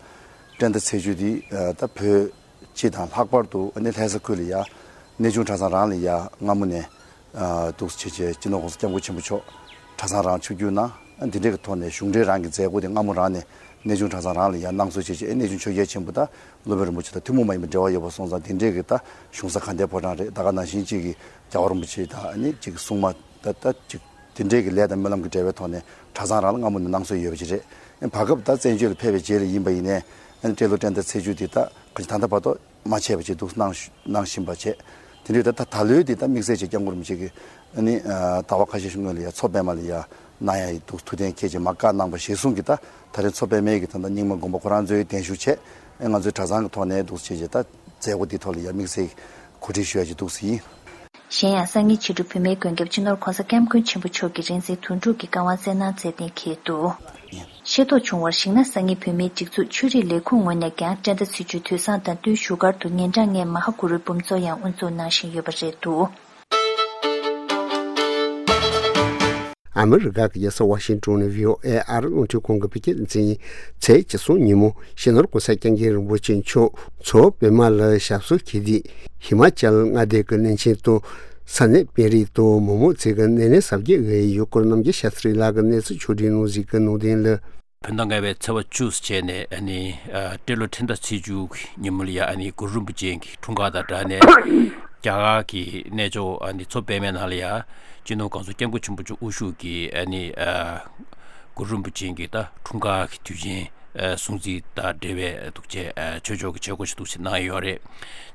བཀྲས་མཐའ་ཚེས་བཅུ་འདི་ད་བོད་སྤྱི་དང་ལྷག་པར་དུ་ཨ་ནི་ལྷ་ས་ཁུལ་ལ་ཡར་གནས་ཆུང་གྲྭ་ཚང་རང་ལ་ཡར་སྔ་མོ་ནས་ཨ་འདུག་སེ་བྱས་བྱས་སྤྱི་ནོར་༸གོང་ས་༸སྐྱབས་མགོན་ཆེན་པོ་མཆོག་གྲྭ་ཚང་རང་ཆིབས་བསྒྱུར་གནང་། ཨ་འདི་འདྲའི་གི་ཐོག་ནས་གཞུང་འབྲེལ་རང་གི་མཛད་སྒོ་དེ་སྔ་མོ་རང་ནས་གནས་ཆུང་གྲྭ་ཚང་རང་ལ་ཡར་གནང་སྲོལ་བྱས་བྱས། ཨ་གནས་ཆུང་ཆོས་རྒྱལ་ཆེན་པོ་དང་སློབ་དཔོན་རིན་པོ་ཆེ་དང་ཐུན་མོང་མ་ཡིན་པའི་འབྲེལ་བ་ཡོད་པ་སོང་ཙང་། དེ་འདྲའི་གི་ད་གཞུང་ས་ག་འདྲའི་ཕོ་བྲང་རེད། ད་ག་ནང་བཞིན་གཅིག་གི་རྒྱལ་བ་རིན་པོ་ཆེ་དང་ཨ་ནི་གཅིག་གི་སྲུང་མ་ད་ད་གཅིག་དེ་འདྲའི་གི་ལས་དང་སྨོན་ལམ་གྱི་འབྲེལ་བའི་ཐོག་ནས་གྲྭ་ཚང་རང་ལ་སྔ་མོ་ནས་གནང་སྲོལ་ཡོད་པ་ཅིག་རེད། བར་སྐབས་ད་བཙན་བྱོལ་ལ་ཕེབས་པའི་རྗེས་ལ་ཡིན་པ་ཡིན་ནའི་ཨ་ནི་སྤྲེལ་ལོ་བཀྲས་མཐའ་ཚེས་བཅུ་དེ་ད་ག་ཅིག་ད་ལྟ་བར་དུ་མ་ཆད་པ་ཅིག་འདུག་གནང་གནང་བཞིན་པ་བྱས། དེ་འདྲའི་ད་ད་ད་ལོའི་དེ་ད་དམིགས་བསལ་ཅིག་སྐྱབས་མགོན་རིན་པོ་ཆེ་གིས་ཨ་ནི་ཨ་ཟླ་བ་ཁ་ཤས་ཤིག་སྔོན་ལ་ཡར་མཚོ་པདྨ་ལ་ཡར་གནང་ཡ་ཡི་འདུག་ཐུགས་གཏན་འཁེལ་བྱས་མར་བཀའ་གནང་བ་གཞིར་བཟུང་གིས། ད་ད་རེས་མཚོ་པདྨའི་གི་ད་ལྟ་རྙིང་མ་དགོན་པ་ཁོ་རང་ཚོའི་གདན་ཞུ་བྱས། ཨ་ང་ཚོའི་གྲྭ་ཚང་གི་ཐོག་ནས་འདུག་སེ་བྱས་བྱས་ད་མཛད་སྒོ་འདིའི་ཐོག་ལ་ཡར་དམིགས་བསལ་གོ་སྒྲིག་ཞུ་ཡ་ཅིག་འདུག་སེ་ཡིན། གཞན་ཡང་སང་ཉིན་ཕྱི་དྲོ་བོད་མིའི་མགོན་སྐྱབས་སྤྱི་ནོར་༸གོང་ས་༸སྐྱབས་མགོན་ཆེན་པོ་མཆོག་གིས་རིང་བསྲེལ་དོན་གྲུབ་ཀྱི་བཀའ་དབང་སྩལ་གནང་མཛད་གཏན་འཁེལ་འདུག། ཤེས་རྟོགས་བྱུང་བར་གཞིགས་ན། སང་ཉིན་བོད་མིའི་སྒྲིག་འཛུགས་ཆོས་རིག་ལས་ཁུངས་ངོས་ནས་ཀྱང་བཀྲས་མཐའ་ཚེས་བཅུའི་དུས་བཟང་དང་བསྟུན་བཞུགས་སྒར་དུ་ཉིན་གྲངས་ལྔའི་མ་ཧཱ་གུ་རུའི་འབུམ་ཚོགས་ཡང་དབུ་འཛུགས་གནང་བཞིན་ཡོད་པ་རེད་འདུག། ཨ་མི་རི་ཀ་གི་རྒྱལ་ས་ཝ་ཤིང་ཏོན་ནས་བྷི་ཨོ་ཨེ་ཨ་རི་རླུང་འཕྲིན་ཁང་གི་བོད་སྐད་སྡེ་ཚན་ཡིན། ཚེས་བཅུ་གསུམ་ཉིན་མོ་སྤྱི་ནོར་༸གོང་ས་༸སྐྱབས་མགོན་རིན་པོ་ཆེ་མཆོག་མཚོ་པདྨ་ལ་ཞབས་སོར་འཁོད་དུས། ཧི་མ་ཅལ་མངའ་སྡེ་གི་བློན་ཆེན་དང་ ས་གནས་དཔོན་རིགས་དང་མི་མང་ཚོས་ཀྱི་སྣེ་ལེན་གཟབ་རྒྱས་འོག་ཡུལ་སྐོར་རྣམ་རྒྱལ་ཤཱ་སྟྲི་ལགས་ཀྱིས་གནས་ཚུལ་ཕྱོགས་སྒྲིག་གནང་གཟིགས་ཀྱི་གནང་དོན་ལ། བོད་ཟླ་ལྔ་པའི་ཚེས་པ་བཅུ་བྱས་ནས་ཨ་ནི་ཨ་སྤྲེལ་ལོ་ཁྲི་ཟླ་ཚེས་བཅུ་གི་ཉིན་མོ་ལ་ཡ་ཨ་ནི་གུ་རུ་རིན་པོ་ཆེ་གི་འཁྲུངས་སྐར་དང་སྦྲགས་ནས་རྒྱ་གར་གྱི་གནས་མཆོག་ཨ་ནི་མཚོ་པདྨའི་ནང་ལ་ཡ་སྤྱི་ནོར་གོང་ས་སྐྱབས་མགོན་ཆེན་པོ་མཆོག་དབུ་བཞུགས་ཀྱིས་ཨ་ནི་ཨ་གུ་རུ་རིན་པོ་ཆེ་གི་ད་འཁྲུངས་སྐར་གྱི་དུས་ཆེན་ཨ་སྲུང་བརྩི་དང་འབྲེལ་བའི་འདུག་ཆེ་ཨ་ཆོས་ཕྱོགས་ཀྱི་བྱེད་སྒོ་ཞིག་འདུག་ཆེ་གནང་ཡོད་རེད།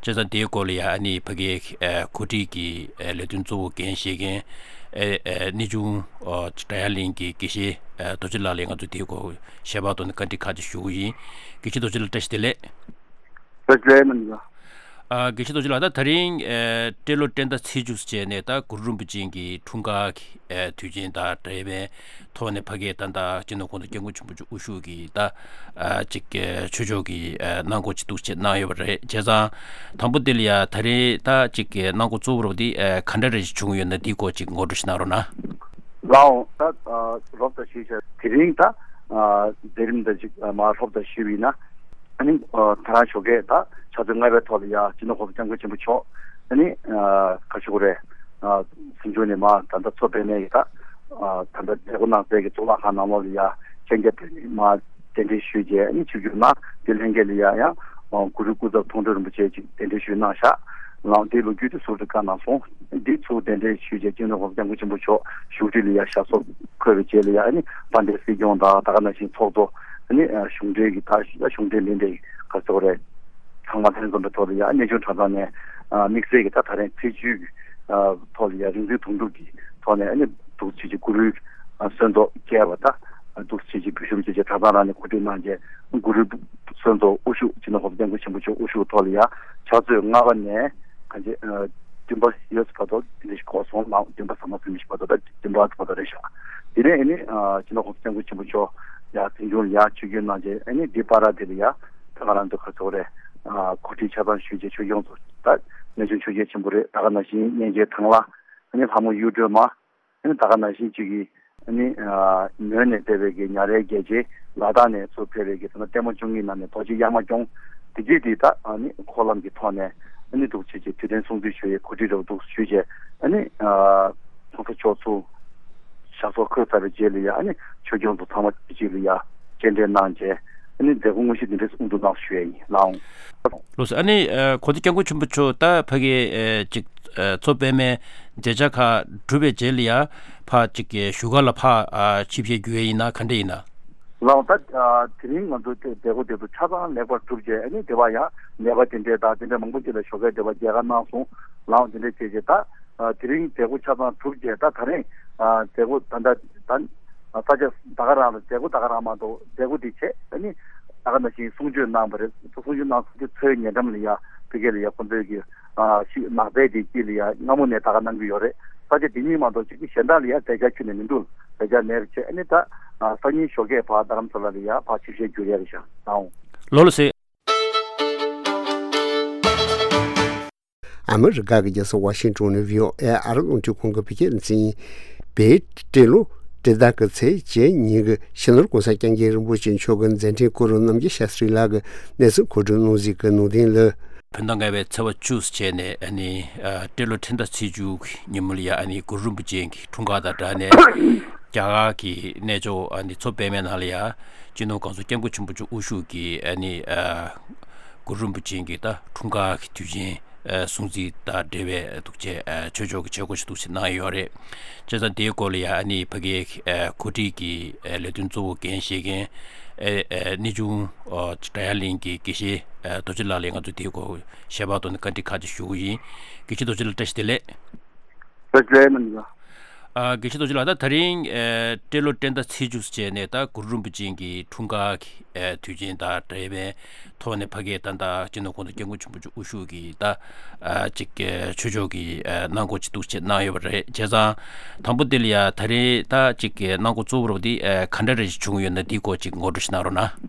བྱས་ཙང་དེའི་སྐོར་ལ་ཡ་ཨ་ནི་ཕ་གིའི་ཨ་གོ་སྒྲིག་གི་ཨ་ལས་དོན་གཙོ་བོ་འགན་བཞེས་མཁན་ཨ་ཨ་གནས་ཆུང་ཨ་སྒྲ་དབྱངས་གླིང་གི་དགེ་བཤེས་ཨ་རྡོ་རྗེ་ལགས་ལ་ང་ཚོས་དེའི་སྐོར་ཞལ་པར་ཐོག་ནས་བཀའ་འདྲི་ཁག་ཅིག་ཞུ་གི་ཡིན། དགེ་བཤེས་རྡོ་རྗེ་ལགས་བཀྲ་ཤིས་བདེ་ལེགས། བཀྲ་ཤིས་བདེ་ལེགས་ཨ། དགེ་བཤེས་རྡོ་རྗེ་ལགས། ད་ད་རིང་ཨ་སྤྲེལ་ལོ་སྤྲེལ་ཟླ་ཚེས་བཅུ་བྱས་ནས་ད་གུ་རུ་རིན་པོ་ཆེ་གི་འཁྲུངས་སྐར་གྱི་ཨ་དུས་ཆེན་དང་འབྲེལ་བའི་ཐོག་ནས་ཕ་གིའི་ད་ལྟ་སྤྱི་ནོར་གོང་ས་སྐྱབས་མགོན་ཆེན་པོ་མཆོག་དབུ་བཞུགས་ཀྱི་ད་ཨ་ཅིག་ཨ་ཆོས་ཕྱོགས་ཀྱི་ཨ་གནང་སྒོ་ཅིག་འདུག་ཅེས་གནང་ཡོད་པ་རེད། བྱས་ཙང་དང་པོ་དེ་ལ་ཡ་ད་རེས་ད་ཅིག་གནང་སྒོ་གཙོ་བོ་རུ་དེ་ཨ་ག་འདྲ་རེ་ཞིག་བྱུང་ཡོད་ན་དེའི་སྐོར་ཅིག་ངོ་སྤྲོད་ཞིག་གནང་རོགས་གནང་། ལགས་འོང་། ད་ཨ་རོབ་ཙམ་ཞུས་བྱས་དེ་རིང་ད་ཨ་མཛད་རིམ་ད་ཅིག་ཨ་མ་རོབ་ཙམ་ཞུས་པ་ཡིན་ན། ཨ་ནི་ཨ་ད་རང་ཞོགས་ཀས་ད་ཕྱག་ཚོད་ལྔ་པའི་ཐོག་ལ་ཡ་སྤྱི་ནོར་གོང་ས་སྐྱབས་མགོན་ཆེན་པོ་མཆོག་ཨ་ནི་ཨ་ག་ཞུ་དགོས་རེད། ཨ་གཟིམ་ཆུང་ནས་མར་ད་ལྟ་མཚོ་པདྨའི་གི་ད་ཨ་ད་ལྟ་མཛད་སྒོ་གནང་སའི་གི་གཙུག་ལག་ཁང་ནང་ལོགས་ལ་ཡ་མཆོད་མཇལ་ཕུལ་ནས་མར་གདན་འདྲེན་ཞུས་རྗེས་ཨ་ནི་ཆིབས་བསྒྱུར་གནང་། དེ་ལྷན་རྒྱས་ལ་ཡ་ཡང་ཨ་གུ་རུ་སྐུ་ཚབ་མཐོང་གྲོལ་རིན་པོ་ཆེ་ཅིག་གདན་འདྲེན་ཞུས་གནང་བཞག། ལགས་འོང་། དེ་ལོ་རྒྱུས་དེ་ཟུར་དུ་བཀའ་གནང་སོང་། འདི་ཚུར་གདན་འདྲེན་ཞུས་རྗེས་སྤྱི་ནོར་གོང་ས་སྐྱབས་མགོན་ཆེན་པོ་མཆོག་བཞུགས་ཁྲི་ལ་ཡ་ཞབས་སོར་འཁོད་པའི་རྗེས་ལ་ཡ་ཨ་ནི་དཔལ་ལྡན་སྲིད་སྐྱོང་དང་ད་ག་ནང་བཞིན་ཚོགས་གཙོ་ཨ་ནི་ཨ་གཞུང་འབྲེལ་གྱི་ད་གཞུང་འབྲེལ་ལས་འབྲེལ་གྱི་ག་ཚོད་རེད། ཚང་མ་ལྷན་འཛོམས་པའི་ཐོག་ལ་ཡ་གནས་ཆུང་གྲྭ་ཚང་ནས་ཨ་དམིགས་བསལ་གྱི་ད་ད་རེས་ཚེས་བཅུའི་ཨ་ཐོག་ལ་ཡ་རིག་འཛིན་དོན་གྲུབ་ཀྱི་ཐོག་ནས་ཨ་ནི་འདུག་སེ་བྱས་ཀྱི་གུ་རུའི་ཨ་གསོལ་ཚོགས་བསྐྱལ་བ་ད་འདུག་སེ་བྱས་ཀྱི་འབུལ་ཞུ་བྱས་རྗེས་གྲྭ་ཚང་རང་ནས་གོ་སྒྲིག་གནང་རྗེས་གུ་རུའི་གསོལ་ཚོགས་དབུ་བཞུགས་སྤྱི་ནོར་གོང་ས་སྐྱབས་མགོན་ཆེན་པོ་མཆོག་དབུ་བཞུགས་ཐོག་ལ་ཡ་ཕྱག་ཚོད་ལྔ་པ་ནས་གང་ཅི་ཨ་བདུན་པ་ཡོལ་བ་དོ་དེ་འདྲ་ཞིག་གོ་སོང་། ལགས་འོང་། བདུན་པ་ཟ་མ་ཟིན་མི་ཞིག་བ་དོ་ད་བདུན་པ་བ་དོ་རེད་ཤག། དེ་ནས་ཨ་ནི་ཨ་སྤྱི་ནོར་གོང་ས་སྐྱབས་མགོན་ཆེན་པོ་མཆོག་ཡ་གཟིམ་ཆུང་ལ་ཡ་ཆིབས་བསྒྱུར་གནང་རྗེས་ཨ་ནི་འདི་བར་དེ་ལ་ཡ་ད་ང་རང་ཚོ་ག་ཚོད་རེད། ཨ་གོ་སྒྲིག་ཆ་ཚང་ཞུས་རྗེས་ཆོས་སྐྱོང་ཚོ་ད་གནས་ཆུང་ཆོས་རྒྱལ་ཆེན་པོ་རེད། ད་ག་ནང་བཞིན་གཉན་ཆེན་ཐང་ལྷ། ཨ་ནི་ལྷ་མོ་གཡུ་སྒྲོན་མ། ཨ་ནི་ད་ག་ནང་བཞིན་གཅིག་གིས་ཨ་ནི་ཨ་མོན་ནས་ཕེབས་པའི་གི་ཉ་རལ་རྒྱལ་ཆེན། ལ་དྭགས་ནས་ཚུར་ཕེབས་པའི་གི་ད་ལྟ་ལྟད་མོ་བཅུ་གཉིས་ནང་ནས་རྡོ་རྗེ་གཡའ་མ་སྐྱོང་། དེ་རྗེས་དེ་ད་ཨ་ནི་འཁོར་ལམ་གྱི་ཐོག་ནས་ཨ་ནི་འདུག་སེ་བྱས་དུས་སྟོན་སྲུང་བརྩི་ཞུ་ཡས་གོ་སྒྲིག་རེ་འདུག་ཞུས་བྱས་ཨ་ནི་ཨ་གོང་ས་མཆོག་ཚུར་ཞབས་སོར་འཁོད་ཚར་བའི་རྗེས་ལ་ཡ་ཨ་ནི་ཆོས་སྐྱོང་ཚོ་ཚང་མ་གཅིག་ལ་ཡ་སྤྱན་འདྲེན་གནང་རྗེས་ཨ་ནི་མཛད་སྒོ་དངོས་གཞི་འདི་འདྲས་སུ་དབུ་འཛུགས་གནང་ཞུ་ཡས་ཡིན། ལགས་འོང་། ལགས་སོ། ཨ་ནི་ཨ་གོང་ས་སྐྱབས་མགོན་ཆེན་པོ་མཆོག་ད་ཕ་གི་ཨ་ཅིག་ཨ་མཚོ་པདྨའི་མཛད་འཆར་ཁག་གྲུབ་པའི་རྗེས་ལ་ཡ་ཕར་ཅིག་གི་བཞུགས་སྒར་ལ་ཕར་ཨ་ཆིབས་ཞལ་བསྒྱུར་ཡས་ཡིན་ན་ག་འདྲ་ཡིན་ན། ལགས་འོང་། ད་ཨ་དེ་རིང་ང་ཚོ་དེ་མཛད་སྒོ་དེ་ཚོ་ཆ་ཚང་ལེགས་པར་གྲུབ་རྗེས་ཨ་ནི་དེ་བ་ཡང་ནད་པ་དེ་འདྲས་དང་དེ་འདྲས་མང་པོ་ཅིག་ལ་ཞོགས་ཀས་དེ་བ་མཇལ་ཁ་གནང་སོང་། ལགས་འོང་། དེ་འདྲས་བྱས་རྗེས་ད་ཨ་དེ་རིང་མཛད་སྒོ་ཆ་ཚང་གྲུབ་རྗེས་ད་ད་རེས་ཨ་མཛད་སྒོ་ད་ད་ད་ཨ་ས་ཆ་ད་ག་རང་ལ་མཛད་སྒོ་ད་ག་རང་མ་གཏོགས་མཛད་སྒོ་དེ་བྱས་ཨ་ནི་ད་ག་ནང་བཞིན་གསུང་ཆོས་གནང་བ་རེད། གསུང་ཆོས་གནང་སོང་རྗེས་མཚོའི་ཉེ་འགྲམ་ལ་ཡ་ཕ་གི་ལ་ཡ་ཁོང་ཚོའི་གི་ཨ་ཤི་ནགས་ཚལ་དེ་དཀྱིལ་ལ་ཡ་སྔ་མོ་ནས་ད་ག་གནང་གི་ཡོད་རེད། ས་ཆ་དེ་གཉིས་མ་གཏོགས་ཅིག་གི་གཞན་དག་ལ་ཡ་མཛད་འཆར་ཁྱོན་ནས་མི་འདུག་མཛད་འཆར་མེད་པ་བྱས་ཨ་ནི་ད་ཨ་སང་ཉིན་ཞོགས་ཀས་ཕར་རྡ་རམ་ས་ལ་ལ་ཡ་ཕར་ཆིབས་ཞལ་བསྒྱུར་ཡ་རེད་ཤག། ལགས་འོང་། ལགས་སོ། ཨ་མི་རི་ཀ་གི་རྒྱལ་ས་ཝ་ཤིང་ཊོན་ནས་བྷི་ཨོ་ཨེ་ཨ་རི་རླུང་འཕྲིན་ཁང་གི་བོད་སྐད་སྡེ་ཚན་ཡིན། བོད་སྤྲེལ་ལོ་སྤྲེལ་ཟླ་གི་ཚེས་བཅུ་གཉིས་གི་ཕྱི་ནུབ་གོང་ས་སྐྱབས་མགོན་རིན་པོ་ཆེ་མཆོག་གི་མཛད་འཕྲིན་སྐོར་རྣམ་རྒྱལ་ཤཱ་སྟྲི་ལགས་ཀྱིས་གནས་ཚུལ་གོ་སྒྲིག་གནང་གཟིགས་ཀྱི་གནང་དོན་ལ། བོད་ཟླ་ལྔ་པའི་ཚེས་པ་བཅུ་བྱས་ནས་ཨ་ནི་ཨ་སྤྲེལ་ལོ་ཁྲི་ཟླ་ཚེས་བཅུ་གི་ཉིན་མོ་ལ་ཡ་ཨ་ནི་གུ་རུ་རིན་པོ་ཆེ་གི་འཁྲུངས་སྐར་དང་སྦྲགས་ནས་རྒྱ་གར་གྱི་གནས་མཆོག་ཨ་ནི་མཚོ་པདྨའི་ནང་ལ་ཡ་སྤྱི་ནོར་གོང་ས་སྐྱབས་མགོན་ཆེན་པོ་མཆོག་དབུ་བཞུགས་ཀྱིས་ཨ་ནི་ཨ་གུ་རུ་རིན་པོ་ཆེ་གི་ད་འཁྲུངས་སྐར་གྱི་དུས་ཆེན་ཨ་སྲུང་བརྩི་དང་འབྲེལ་བའི་འདུག་ཅེས་ཨ་ཆོས་ཕྱོགས་ཀྱི་བྱེད་སྒོ་ཞིག་འདུག་ཅེས་གནང་ཡོད་རེད། བྱས་ཙང་དེའི་སྐོར་ལ་ཡ་ཨ་ནི་ཕ་གིའི་ཨ་གོ་སྒྲིག་གི་ཨ་ལས་དོན་གཙོ་བོ་འགན་བཞེས་མཁན་ཨ་ཨ་གནས་ཆུང་ཨ་སྒྲ་དབྱངས་གླིང་གི་དགེ་བཤེས་ཨ་རྡོ་རྗེ་ལགས་ལ་ང་ཚོས་དེའི་སྐོར་ཞལ་པར་ཐོག་ནས་བཀའ་འདྲི་ཁག་ཅིག་ཞུ་གི་ཡིན། དགེ་བཤེས་རྡོ་རྗེ་ལགས་བཀྲ་ཤིས་བདེ་ལེགས། བཀྲ་ཤིས་བདེ་ལེགས་གནང་། ཨ་དགེ་བཤེས་རྡོ་རྗེ་ལགས། ད་ད་རིང་ཨ་སྤྲེལ་ལོ་སྤྲེལ་ཟླ་ཚེས་བཅུ་བྱས་ནས་ད་གུ་རུ་རིན་པོ་ཆེ་གི་འཁྲུངས་སྐར་གྱི་ཨ་དུས་ཆེན་དང་འབྲེལ་བའི་ཐོག་ནས་ཕ་གིའི་ད་ལྟ་སྤྱི་ནོར་གོང་ས་སྐྱབས་མགོན་ཆེན་པོ་མཆོག་དབུ་བཞུགས་ཀྱི་ད་ཨ་ཅིག་ཨ་ཆོས་ཕྱོགས་ཀྱི་ཨ་གནང་སྒོ་ཅིག་འདུག་ཅེས་གནང་ཡོད་པ་རེད། བྱས་ཙང་དང་པོ་དེ་ལ་ཡ་ད་རེས་ད་ཅིག་གི་གནང་སྒོ་གཙོ་བོ་རུ་དེ་ཨ་ག་འདྲ་རེ་ཞིག་བྱུང་ཡོད་ན་དེའི་སྐོར་ཅིག་ངོ་སྤྲོད་ཞིག་གནང་རོགས་གནང་།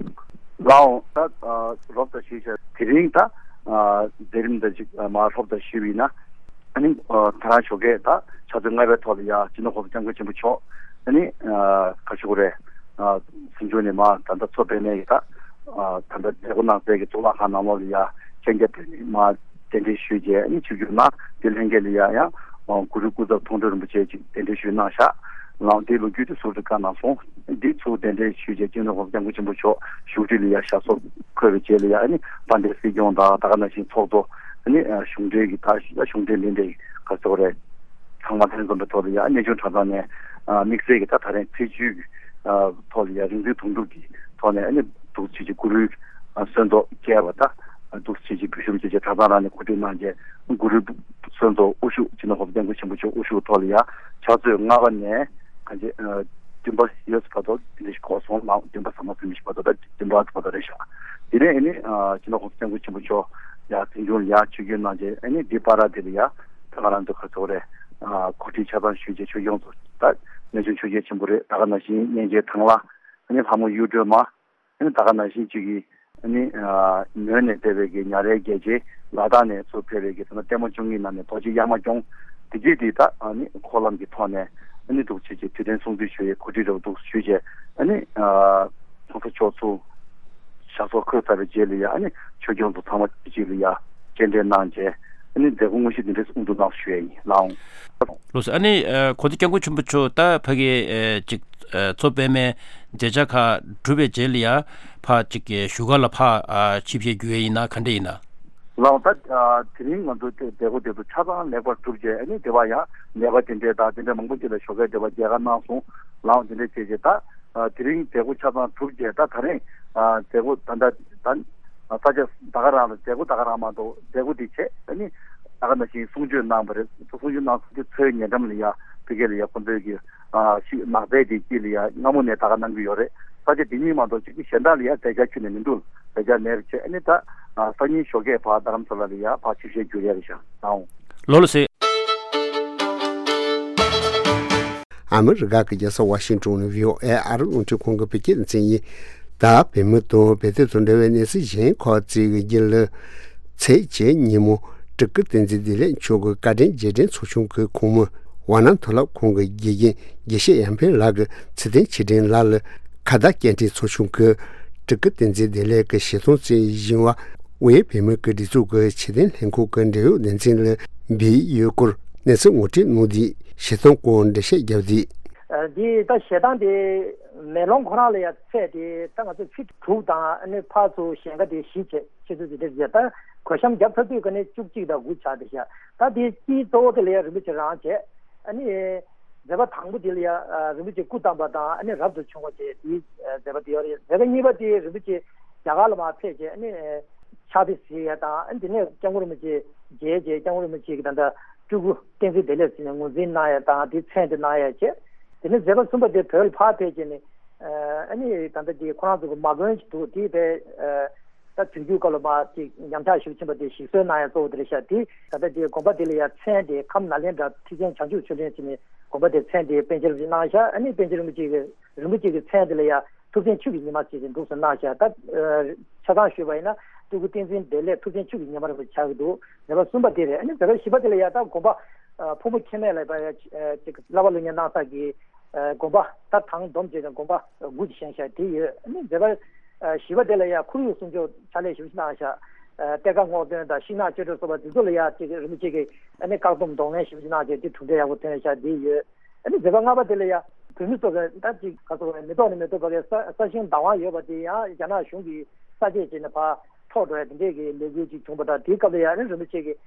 ལགས་འོང་། ད་ཨ་རོབ་ཙམ་ཞུས་བྱས་དེ་རིང་ད་ཨ་མཛད་རིམ་འདི་ཅིག་ཨ་མར་རོབ་ཙམ་ཞུས་པ་ཡིན་ན། ཨ་ནི་ཨ་ད་རང་ཞོགས་ཀས་ད་ཕྱག་ཚོད་ལྔ་པའི་ཐོག་ལ་ཡ་སྤྱི་ནོར་གོང་ས་སྐྱབས་མགོན་ཆེན་པོ་མཆོག་ཨ་ནི་ཨ་ག་ཞུ་དགོས་རེད། ཨ་གཟིམ་ཆུང་ནས་མར་ད་ལྟ་མཚོ་པདྨའི་ཡི་ད་ཨ་ད་ལྟ་མཛད་སྒོ་གནང་སའི་གི་གཙུག་ལག་ཁང་ནང་ལོགས་ལ་ཡ་མཆོད་མཇལ་ཕུལ་ནས་མར་གདན་འདྲེན་ཞུས་རྗེས་ཨ་ནི་ཆིབས་བསྒྱུར་གནང་། དེ་ལྷན་རྒྱས་ལ་ཡ་ཡང་ གུ་རུ་སྐུ་ཚབ་མཐོང་གྲོལ་རིན་པོ་ཆེ་གཅིག་གདན་འདྲེན་ཞུས་གནང་ཤག་ལའང་དེའི་ལོ་རྒྱུས་དེ་ཟུར་དུ་བཀའ་གནང་སོང་། འདི་ཚུར་གདན་འདྲེན་ཞུས་རྗེས་སྤྱི་ནོར་༸གོང་ས་༸སྐྱབས་མགོན་ཆེན་པོ་མཆོག་བཞུགས་ཁྲི་ལ་ཡ་ཞབས་སོར་འཁོད་པའི་རྗེས་ལ་ཡ་ཨ་ནི་དཔལ་ལྡན་སྲིད་སྐྱོང་དང་ད་ག་ནང་བཞིན་ཚོགས་གཙོ་ཨ་ནི་གཞུང་འབྲེལ་གྱི་ད་གཞུང་འབྲེལ་འདི་འདྲའི་ག་ཚོད་རེད། ཚང་མ་ལྷན་འཛོམས་པའི་ཐོག་ལ་ཡ་གནས་ཆུང་གྲྭ་ཚང་ནས་དམིགས་བསལ་གྱི་ད་ད་རིང་ཕེབས་བསུའི་ཐོག་ལ་ཡ་རིག་འཛིན་དོན་གྲུབ་ཀྱི་ཐོག་ནས་ཨ་ནི་འདུག་སེ་བྱས་ཀྱི་གུ་རུའི་གསོལ་ཚོགས་རྒྱས་པ་ད་འདུག་སེ་བྱས་ཀྱི་བོད་གཞུང་བཅས་ཀྱི་གྲྭ་ཚང་རང་ནས་གོ་སྒྲིག་གནང་རྗེས་གུ་རུའི་གསོལ་ཚོགས་དབུ་བཞུགས་སྤྱི་ནོར་༸གོང་ས་༸སྐྱབས་མགོན་ཆེན་པོ་མཆོག་དབུ་བཞུགས་ཐོག་ལ་ཡ་ཕྱག་ཚོད་ལྔ་པ་ནས་གང་ཅི་བདུན་པ་ཡོད་བར་དུ་འདི་འདྲ་ཞིག་གོ་སོང་ལ་བདུན་པ་ཟ་མ་ཟིན་པ་ཞིག་བར་དུ་ད་བདུན་པ་བར་དུ་རེད་ཤག་དེ་ནས་ཨ་ནི་སྤྱི་ནོར་༸གོང་ས་༸སྐྱབས་མགོན་ཆེན་པོ་མཆོག་ཡ་དེ་འབྱུང་ལ་ཡ་ཆོས་རྒྱུན་གནང་རྗེས་ཨ་ནི་འདི་པ་ར་དེ་ལ་ཡ་ད་ང་རང་ཚོ་ག་ཚོད་རེད། གོ་སྒྲིག་ཆ་ཚང་ཞུས་རྗེས་ཆོས་སྐྱོང་ཚོ་ད་གནས་ཆུང་ཆོས་རྒྱལ་ཆེན་པོ་རེད། ད་ག་ནང་བཞིན་གཉན་ཆེན་ཐང་ལྷ་ཨ་ནི་ལྷ་མོ་གཡུ་སྒྲོན་མ། ཨ་ནི་ད་ག་ནང་བཞིན་གཅིག་གིས་ཨ་ནི་མོན་ནས་ཕེབས་པའི་གི་ཉ་རལ་རྒྱལ་རྗེ། ལ་དྭགས་ནས་ཚུར་ཕེབས་པའི་གི་ད་ལྟ་ལྟད་མོ་བཅུ་གཉིས་ནང་ནས་རྡོ་རྗེ་གཡའ་མ་སྐྱོང་། དེ་རྗེས་དེ་ད་ཨ་ནི་འཁོར་ལམ་གྱི་ཐོག་ནས་ཨ་ནི་འདུག་སེ་བྱས་དུས་དྲན་སྲུང་བརྩི་ཞུ་ཡས་གོ་སྒྲིག་རེ་བ་འདུག་ཞུས་རྗེས་ཨ་ནི་༸གོང་ས་མཆོག་ཚུར་ཞབས་སོར་འཁོད་ཚར་བའི་རྗེས་ལ་ཡ་ཨ་ནི་ཆོས་སྐྱོང་ཚོ་ཚང་མ་གཅིག་ལ་ཡ་སྤྱན་འདྲེན་གནང་རྗེས་ཨ་ནི་མཛད་སྒོ་དངོས་གཞི་འདི་འདྲས་དབུ་འཛུགས་གནང་ཞུ་ཡས་ཡིན་ལགས། ལགས་སོ། ཨ་ནི་ཨ་གོང་ས་སྐྱབས་མགོན་ཆེན་པོ་མཆོག་ད་ཕ་གི་ཨ་ཅིག་ཨ་མཚོ་པདྨའི་མཛད་འཆར་ཁག་གྲུབ་པའི་རྗེས་ལ་ཡ་ཕར་ཅིག་བཞུགས་སྒར་ལ་ཕར་ཨ་ཆིབས་ཞལ་བསྒྱུར་ཡས་ཡིན་ན་ག་འདྲ་ཡིན་ན། ལགས་ད་ཨ་དེ་རིང་ང་ཚོ་དེ་མཛད་སྒོ་དེ་ཚོ་ཆ་ཚང་ལེགས་པར་གྲུབ་རྗེས་ཨ་ནི་དེ་བ་ཡང་ནད་པ་དེ་འདྲས་དང་དེ་འདྲས་མང་པོ་ཅིག་ལ་ཞོགས་ཀས་དེ་བ་མཇལ་ཁ་གནང་སོང་། ལགས་དེ་འདྲས་བྱས་རྗེས་ད་ཨ་དེ་རིང་མཛད་སྒོ་ཆ་ཚང་གྲུབ་རྗེས་ད་ད་རིང་ཨ་མཛད་སྒོ་ད་ལྟ་ད་ས་ཆ་ད་ག་རང་ལ་མཛད་སྒོ་ད་ག་རང་མ་གཏོགས་མཛད་སྒོ་དེ་བྱས་ཨ་ནི་ད་ག་ནང་བཞིན་གསུང་ཆོས་གནང་བ་རེད། གསུང་ཆོས་གནང་ཚར་དུས་མཚོའི་ཉེ་འགྲམ་ལ་ཡ་ཕ་གི་ལ་ཡ་ཁོང་ཚོའི་གི་ཨ་ཤི་ནགས་ཚལ་དེ་དཀྱིལ་ལ་ཡ་སྔ་མོ་ནས་ད་ག་གནང་གི་ཡོད་རེད། ས་ཆ་དེ་གཉིས་མ་གཏོགས་ཅིག་གི་གཞན་དག་ལ་ཡ་མཛད་འཆར་ཁྱོན་ནས་མི་འདུག་མཛད་འཆར་མེད་པ་བྱས་ཨ་ནི་ད་ཨ་སང་ཉིན་ཞོགས་ཀས་ཕར་རྡ་རམ་ས་ལ་ལ་ཡ་ཕར་ཆིབས་ཞལ་བསྒྱུར་ཡ་རེད་ཤག་ལགས། ལགས་སོ། ཨ་མི་རི་ཀ་གི་རྒྱལ་ས་ཝ་ཤིང་ཏོན་ནས་བྷི་ཨོ་ཨེ་ཨ་རི་རླུང་འཕྲིན་ཁང་གི་བོད་སྐད་སྡེ་ཚན་ཡིན། ད་བོད་མི་དང་བོད་དོན་དང་འབྲེལ་བའི་གནས་ཚུལ་གཞན་ཁག་ཅིག་གི་རྒྱུད་ལ། ཚེས་བརྒྱད་ཉིན་མོ་སྤྲུལ་སྐུ་བསྟན་འཛིན་བདེ་ལེགས་མཆོག་གི་བཀའ་དྲིན་རྗེས་དྲན་ཚོགས་ཆུང་གི་ཁོངས་མི་ཝཱ་ཎ་མཐོ་སློབ་ཁང་གི་དགེ་རྒན་དགེ་བཤེས་ཡར་འཕེལ་ལགས་ཀྱི་ཚེ་བརྟན་ཆེད་དྲན་ལ་ལ་ཁ་བརྡ་སྐད་འཕྲིན་ཚོགས་ཆུང་གིས་སྤྲུལ་སྐུ་བསྟན་འཛིན་བདེ་ལེགས་ཀྱི་ཞལ་གདམས་གསན་བཞིན་པ། དབུས་བོད་མིའི་སྒྲིག་འཛུགས་ཀྱི་ཕྱི་དོན་ལྷན་ཁང་གི་འབྲེལ་ཡོད་སྡེ་ཚན་ལ་འབུལ་ཡོད་སྐོར་གནས་ཚུལ་ངོ་སྤྲོད་གནང་དུས་ཞལ་གདམས་སྐོར་འགྲེལ་བཤད་བརྒྱབ་དུས། ཨ་འདི་ད་ཞལ་གདམས་དེ་མེ་ལོང་ཁོ་རང་ལ་ཡང་ཚད་དེ་ད་ང་ཚོ་ཚིག་དྲུག་དང་ཨ་ནི་ཕར་ཚུར་གཞན་ཁ་དེ་བཞི་བྱས་ཆེད་དུ་དེ་འདྲ་བྱས་ད་གོས་ཤམ་བརྒྱབ་ཚར་དུས་ཀ་ནས་བཅུ་གཅིག་དང་དགུ་ཆགས་བསྡད་ཤག་ད་དེ་དཀྱིལ་གཙོ་བོ་དེ་ལ་ཡང་རིན་པོ་ཆེ་རང་བྱས་ཨ་ནི། མཛད་པ་དང་པོ་དེ་ལ་ཡ་ཨ་རིན་པོ་ཆེ་སྐུ་བལྟམས་པ་དང་ཨ་ནི་རབ་ཏུ་བྱུང་བ་བཅས་དེའི་ཨ་མཛད་པ་དེ་ཡོད་རེད། མཛད་པ་གཉིས་པ་དེ་རིན་པོ་ཆེ་རྒྱ་གར་ལ་མར་ཕེབས་རྗེས་ཨ་ནི་ཨ་ཕྱག་དཔེ་གཟིགས་ཡ་དང་ཨ་ནི་དེ་ནས་སྐྱབས་མགོན་རིན་པོ་ཆེ་མཇལ་རྗེས་སྐྱབས་མགོན་རིན་པོ་ཆེ་གི་ད་ལྟ་སྤྲུལ་སྐུ་བསྟན་འཛིན་བདེ་ལེགས་ཟེར་ནས་ངོས་འཛིན་གནང་ཡ་དང་དེའི་མཚན་དེ་གནང་ཡ་བཅས། དེ་ནས་མཛད་པ་གསུམ་པ་དེ་བོད་ལ་ཕར་ཕེབས་རྗེས་ནས་ཨ་ནི་ད་ལྟ་དེ་ཁོ་རང་ཚོ་གི་མ་དགོན་ཞིག་འདུག་དེའི་ཕར་ཨ། ད་དུས་འགྱུར་སྐབས་ལ་མར་ཅིག་ཉམས་ཆག་ཞེ་པོ་ཕྱིན་པ་དེ་ཞིག་གསོ་གནང་ཡ་གཙོ་བོ་དེ་རེད་ཤག་དེ་ད་ལྟ་དེ་དགོན་པ་དེ་ལ་ཡ་མཚན་དེ་ཁམས་ནཱ་ལེནྡྲ་ཐེག་ཆེན་བྱང་ཆུབ་ཆོས་གླིང་ཟེར་ནས་དགོན་པ་དེ་མཚན་དེ་པཎ་ཆེན་རིན་པོ་ཆེ་གནང་ཤག་ཨ་ནི་པཎ་ཆེན་རིན་པོ་ཆེ་གི་རིན་པོ་ཆེ་གི་མཚན་དེ་ལ་ཡ་ཐུབ་བསྟན་ཆོས་ཀྱི་ཉི་མ་ཟེར་ཏེ་འདུག་སེ་གནང་ཤག་ད་ཆ་ཚང་ཞུས་པ་ཡིན་ན་སྤྲུལ་སྐུ་བསྟན་འཛིན་བདེ་ལེགས་ཐུབ་བསྟན་ཆོས་ཀྱི་ཉི་མ་རིན་པོ་ཆེ་ཆགས་ཀྱི་འདུག་མཛད་པ་གསུམ་པ་དེ་རེད། ཨ་ནི་མཛད་པ་བཞི་པ་དེ་ལ་ཡ་ད་དགོན་པ་ཕུར་མོ་མཁྱེན་མེད་ལ་ཡ་ཅིག་བསླབ་པ་སློབ་གཉེར་གནང་ས་གི་དགོན་པ་ད་དང་བསྡོམས་བྱས་ནས་དགོན་པ་དགུ་ཅིག་བཞེངས་ཤག་དེ་ཡོད། ཨ་ནི་མཛད་པ་བཞི་པ་དེ་ལ་ཡང་ཁོར་ཡུག་སྲུང་སྐྱོབ་ཕྱག་ལས་ཞེ་པོ་ཅིག་གནང་ཤག་གཏེར་ཁ་སྔོག་འདོན་དང་ཤིང་ནགས་གཅོད་འབྲེག་སོགས་པ་འདི་ཚོ་ལ་ཡང་ཅིག་རིན་པོ་ཆེ་གིས་ཨ་ནི་བཀག་སྡོམ་གདོང་ལེན་ཞེ་པོ་ཅིག་གནང་བྱས་དེ་གྲུབ་འབྲས་ཡག་པོ་ཐོན་ཤག་དེ་ཡོད། ཨ་ནི་མཛད་པ་ལྔ་པ་དེ་ལ་ཡང་བོད་མི་ཚོ་གི་ད་ཅིག་ག་ཚོད་རེད་མེ་ཏོག་ནས་མེ་ཏོག་བར་གྱི་ས་ས་ཞིང་བདག་དབང་ཡོད་པ་དེ་ཡང་རྒྱ་ནག་གཞུང་གིས་ས་འབྱེད་བྱས་ནས་ཕར་འཕྲོག་འགྲོ་ཡ་དེ་འདྲས་ཀྱི་ལས་འགུལ་ཅིག་བྱུང་བ་དང་དེའི་སྐབས་ལ་ཡང་ཨ་ནི་རིན་པོ་ཆེ་གིས་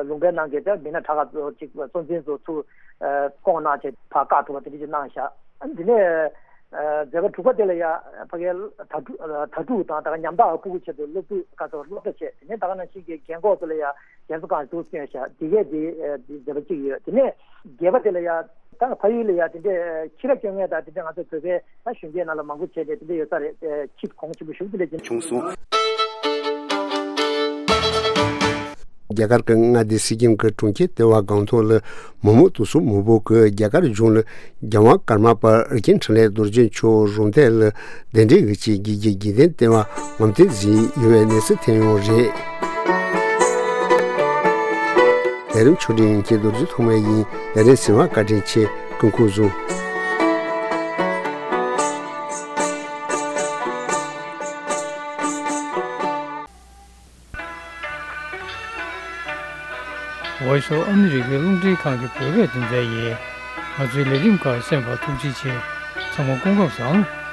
ལུང་པའི་ནང་གི་ད་མི་སྣ་གྲགས་པ་ཚོ་ཅིག་གཙོ་འཛིན་ཚོ་ཚུར་བསྐོངས་གནང་བྱས་ཕར་བཀག་ཐུབ་པ་དེ་འདྲ་ཅིག་གནང་ཤག་ཨ་ནི་དེ་ནས། ཨ་མཛད་པ་དྲུག་པ་དེ་ལ་ཡང་ཕ་གིའི་དྭ་ཕྲུག་དྭ་ཕྲུག་དང་ད་ཉམ་ཐག་ཕྲུ་གུ་ཆེད་དུ་སློབ་ཕྲུག་ཁ་ཚོ་སློབ་གྲྭ་བྱས། དེ་ནས་ད་ག་ནང་བཞིན་གྱི་རྒན་འཁོགས་ཚོ་ལ་ཡང་རྒན་གསོ་ཁང་དུ་བསྐྱོན་ཤག་དེ་གས་དེ་མཛད་པ་གཅིག་ཡོད། དེ་ནས་བརྒྱད་པ་དེ་ལ་ཡང་ད་ཕ་ཡུལ་ལ་ཡང་དེ་འདྲའི་ཁྱི་ར་སྐྱོང་མཁན་དང་དེ་འདྲ་ང་ཚོ་བོད་པའི་ད་གཞོན་སྐྱེས་ནང་ལ་མང་པོ་བྱས་ཏེ་དེ་འདྲ་ཡོད་ས་རེད། ཁྱི་གོང་ཆེན་པོ་ཞུགས་དེ་འདྲ་བྱུང་སོང་། རྒྱ་གར་གྱི་མངའ་སྡེ་སི་ཀིམ་གྱི་གྲོང་ཁྱེར་ལྟེ་བ་སྒང་ཏོག་ལ་མི་མང་དུ་སོང་མང་པོ་གིས་རྒྱ་གར་གཞུང་ལ་རྒྱལ་དབང་ཀརྨ་པ་ཨེ་ཀྱེན་འཕྲིན་ལས་རྡོ་རྗེ་མཆོག་རུམ་བཏེགས་ལ་གདན་འདྲེན་ཡོད་ཅེས་དགེ་བརྒྱུད་དགེ་ལྡན་ལྟེ་བ་ངམ་སྟོན་གཟིགས་ཡོད་པའི་གནས་ཚུལ་ཐོན་ཡོད་རེད། ལས་རིམ་ཕྱོགས་སྒྲིག་ཡོད་མཁན་རྡོ་རྗེ་ཐོགས་མེད་ཡིན། ལས་རིམ་གཟིགས་པར་བཀའ་དྲིན་ཆེ། སྐུ་ཁམས་བཟང་། Voice of America རླུང་འཕྲིན་ཁང་གི་བོད་སྐད་སྡེ་ཚན་ཡིན། ང་ཚོའི་ལས་རིམ་ཁག་གསན་པར་ཐུགས་རྗེ་ཆེ། ཚང་མ་སྐུ་ཁམས་བཟང་།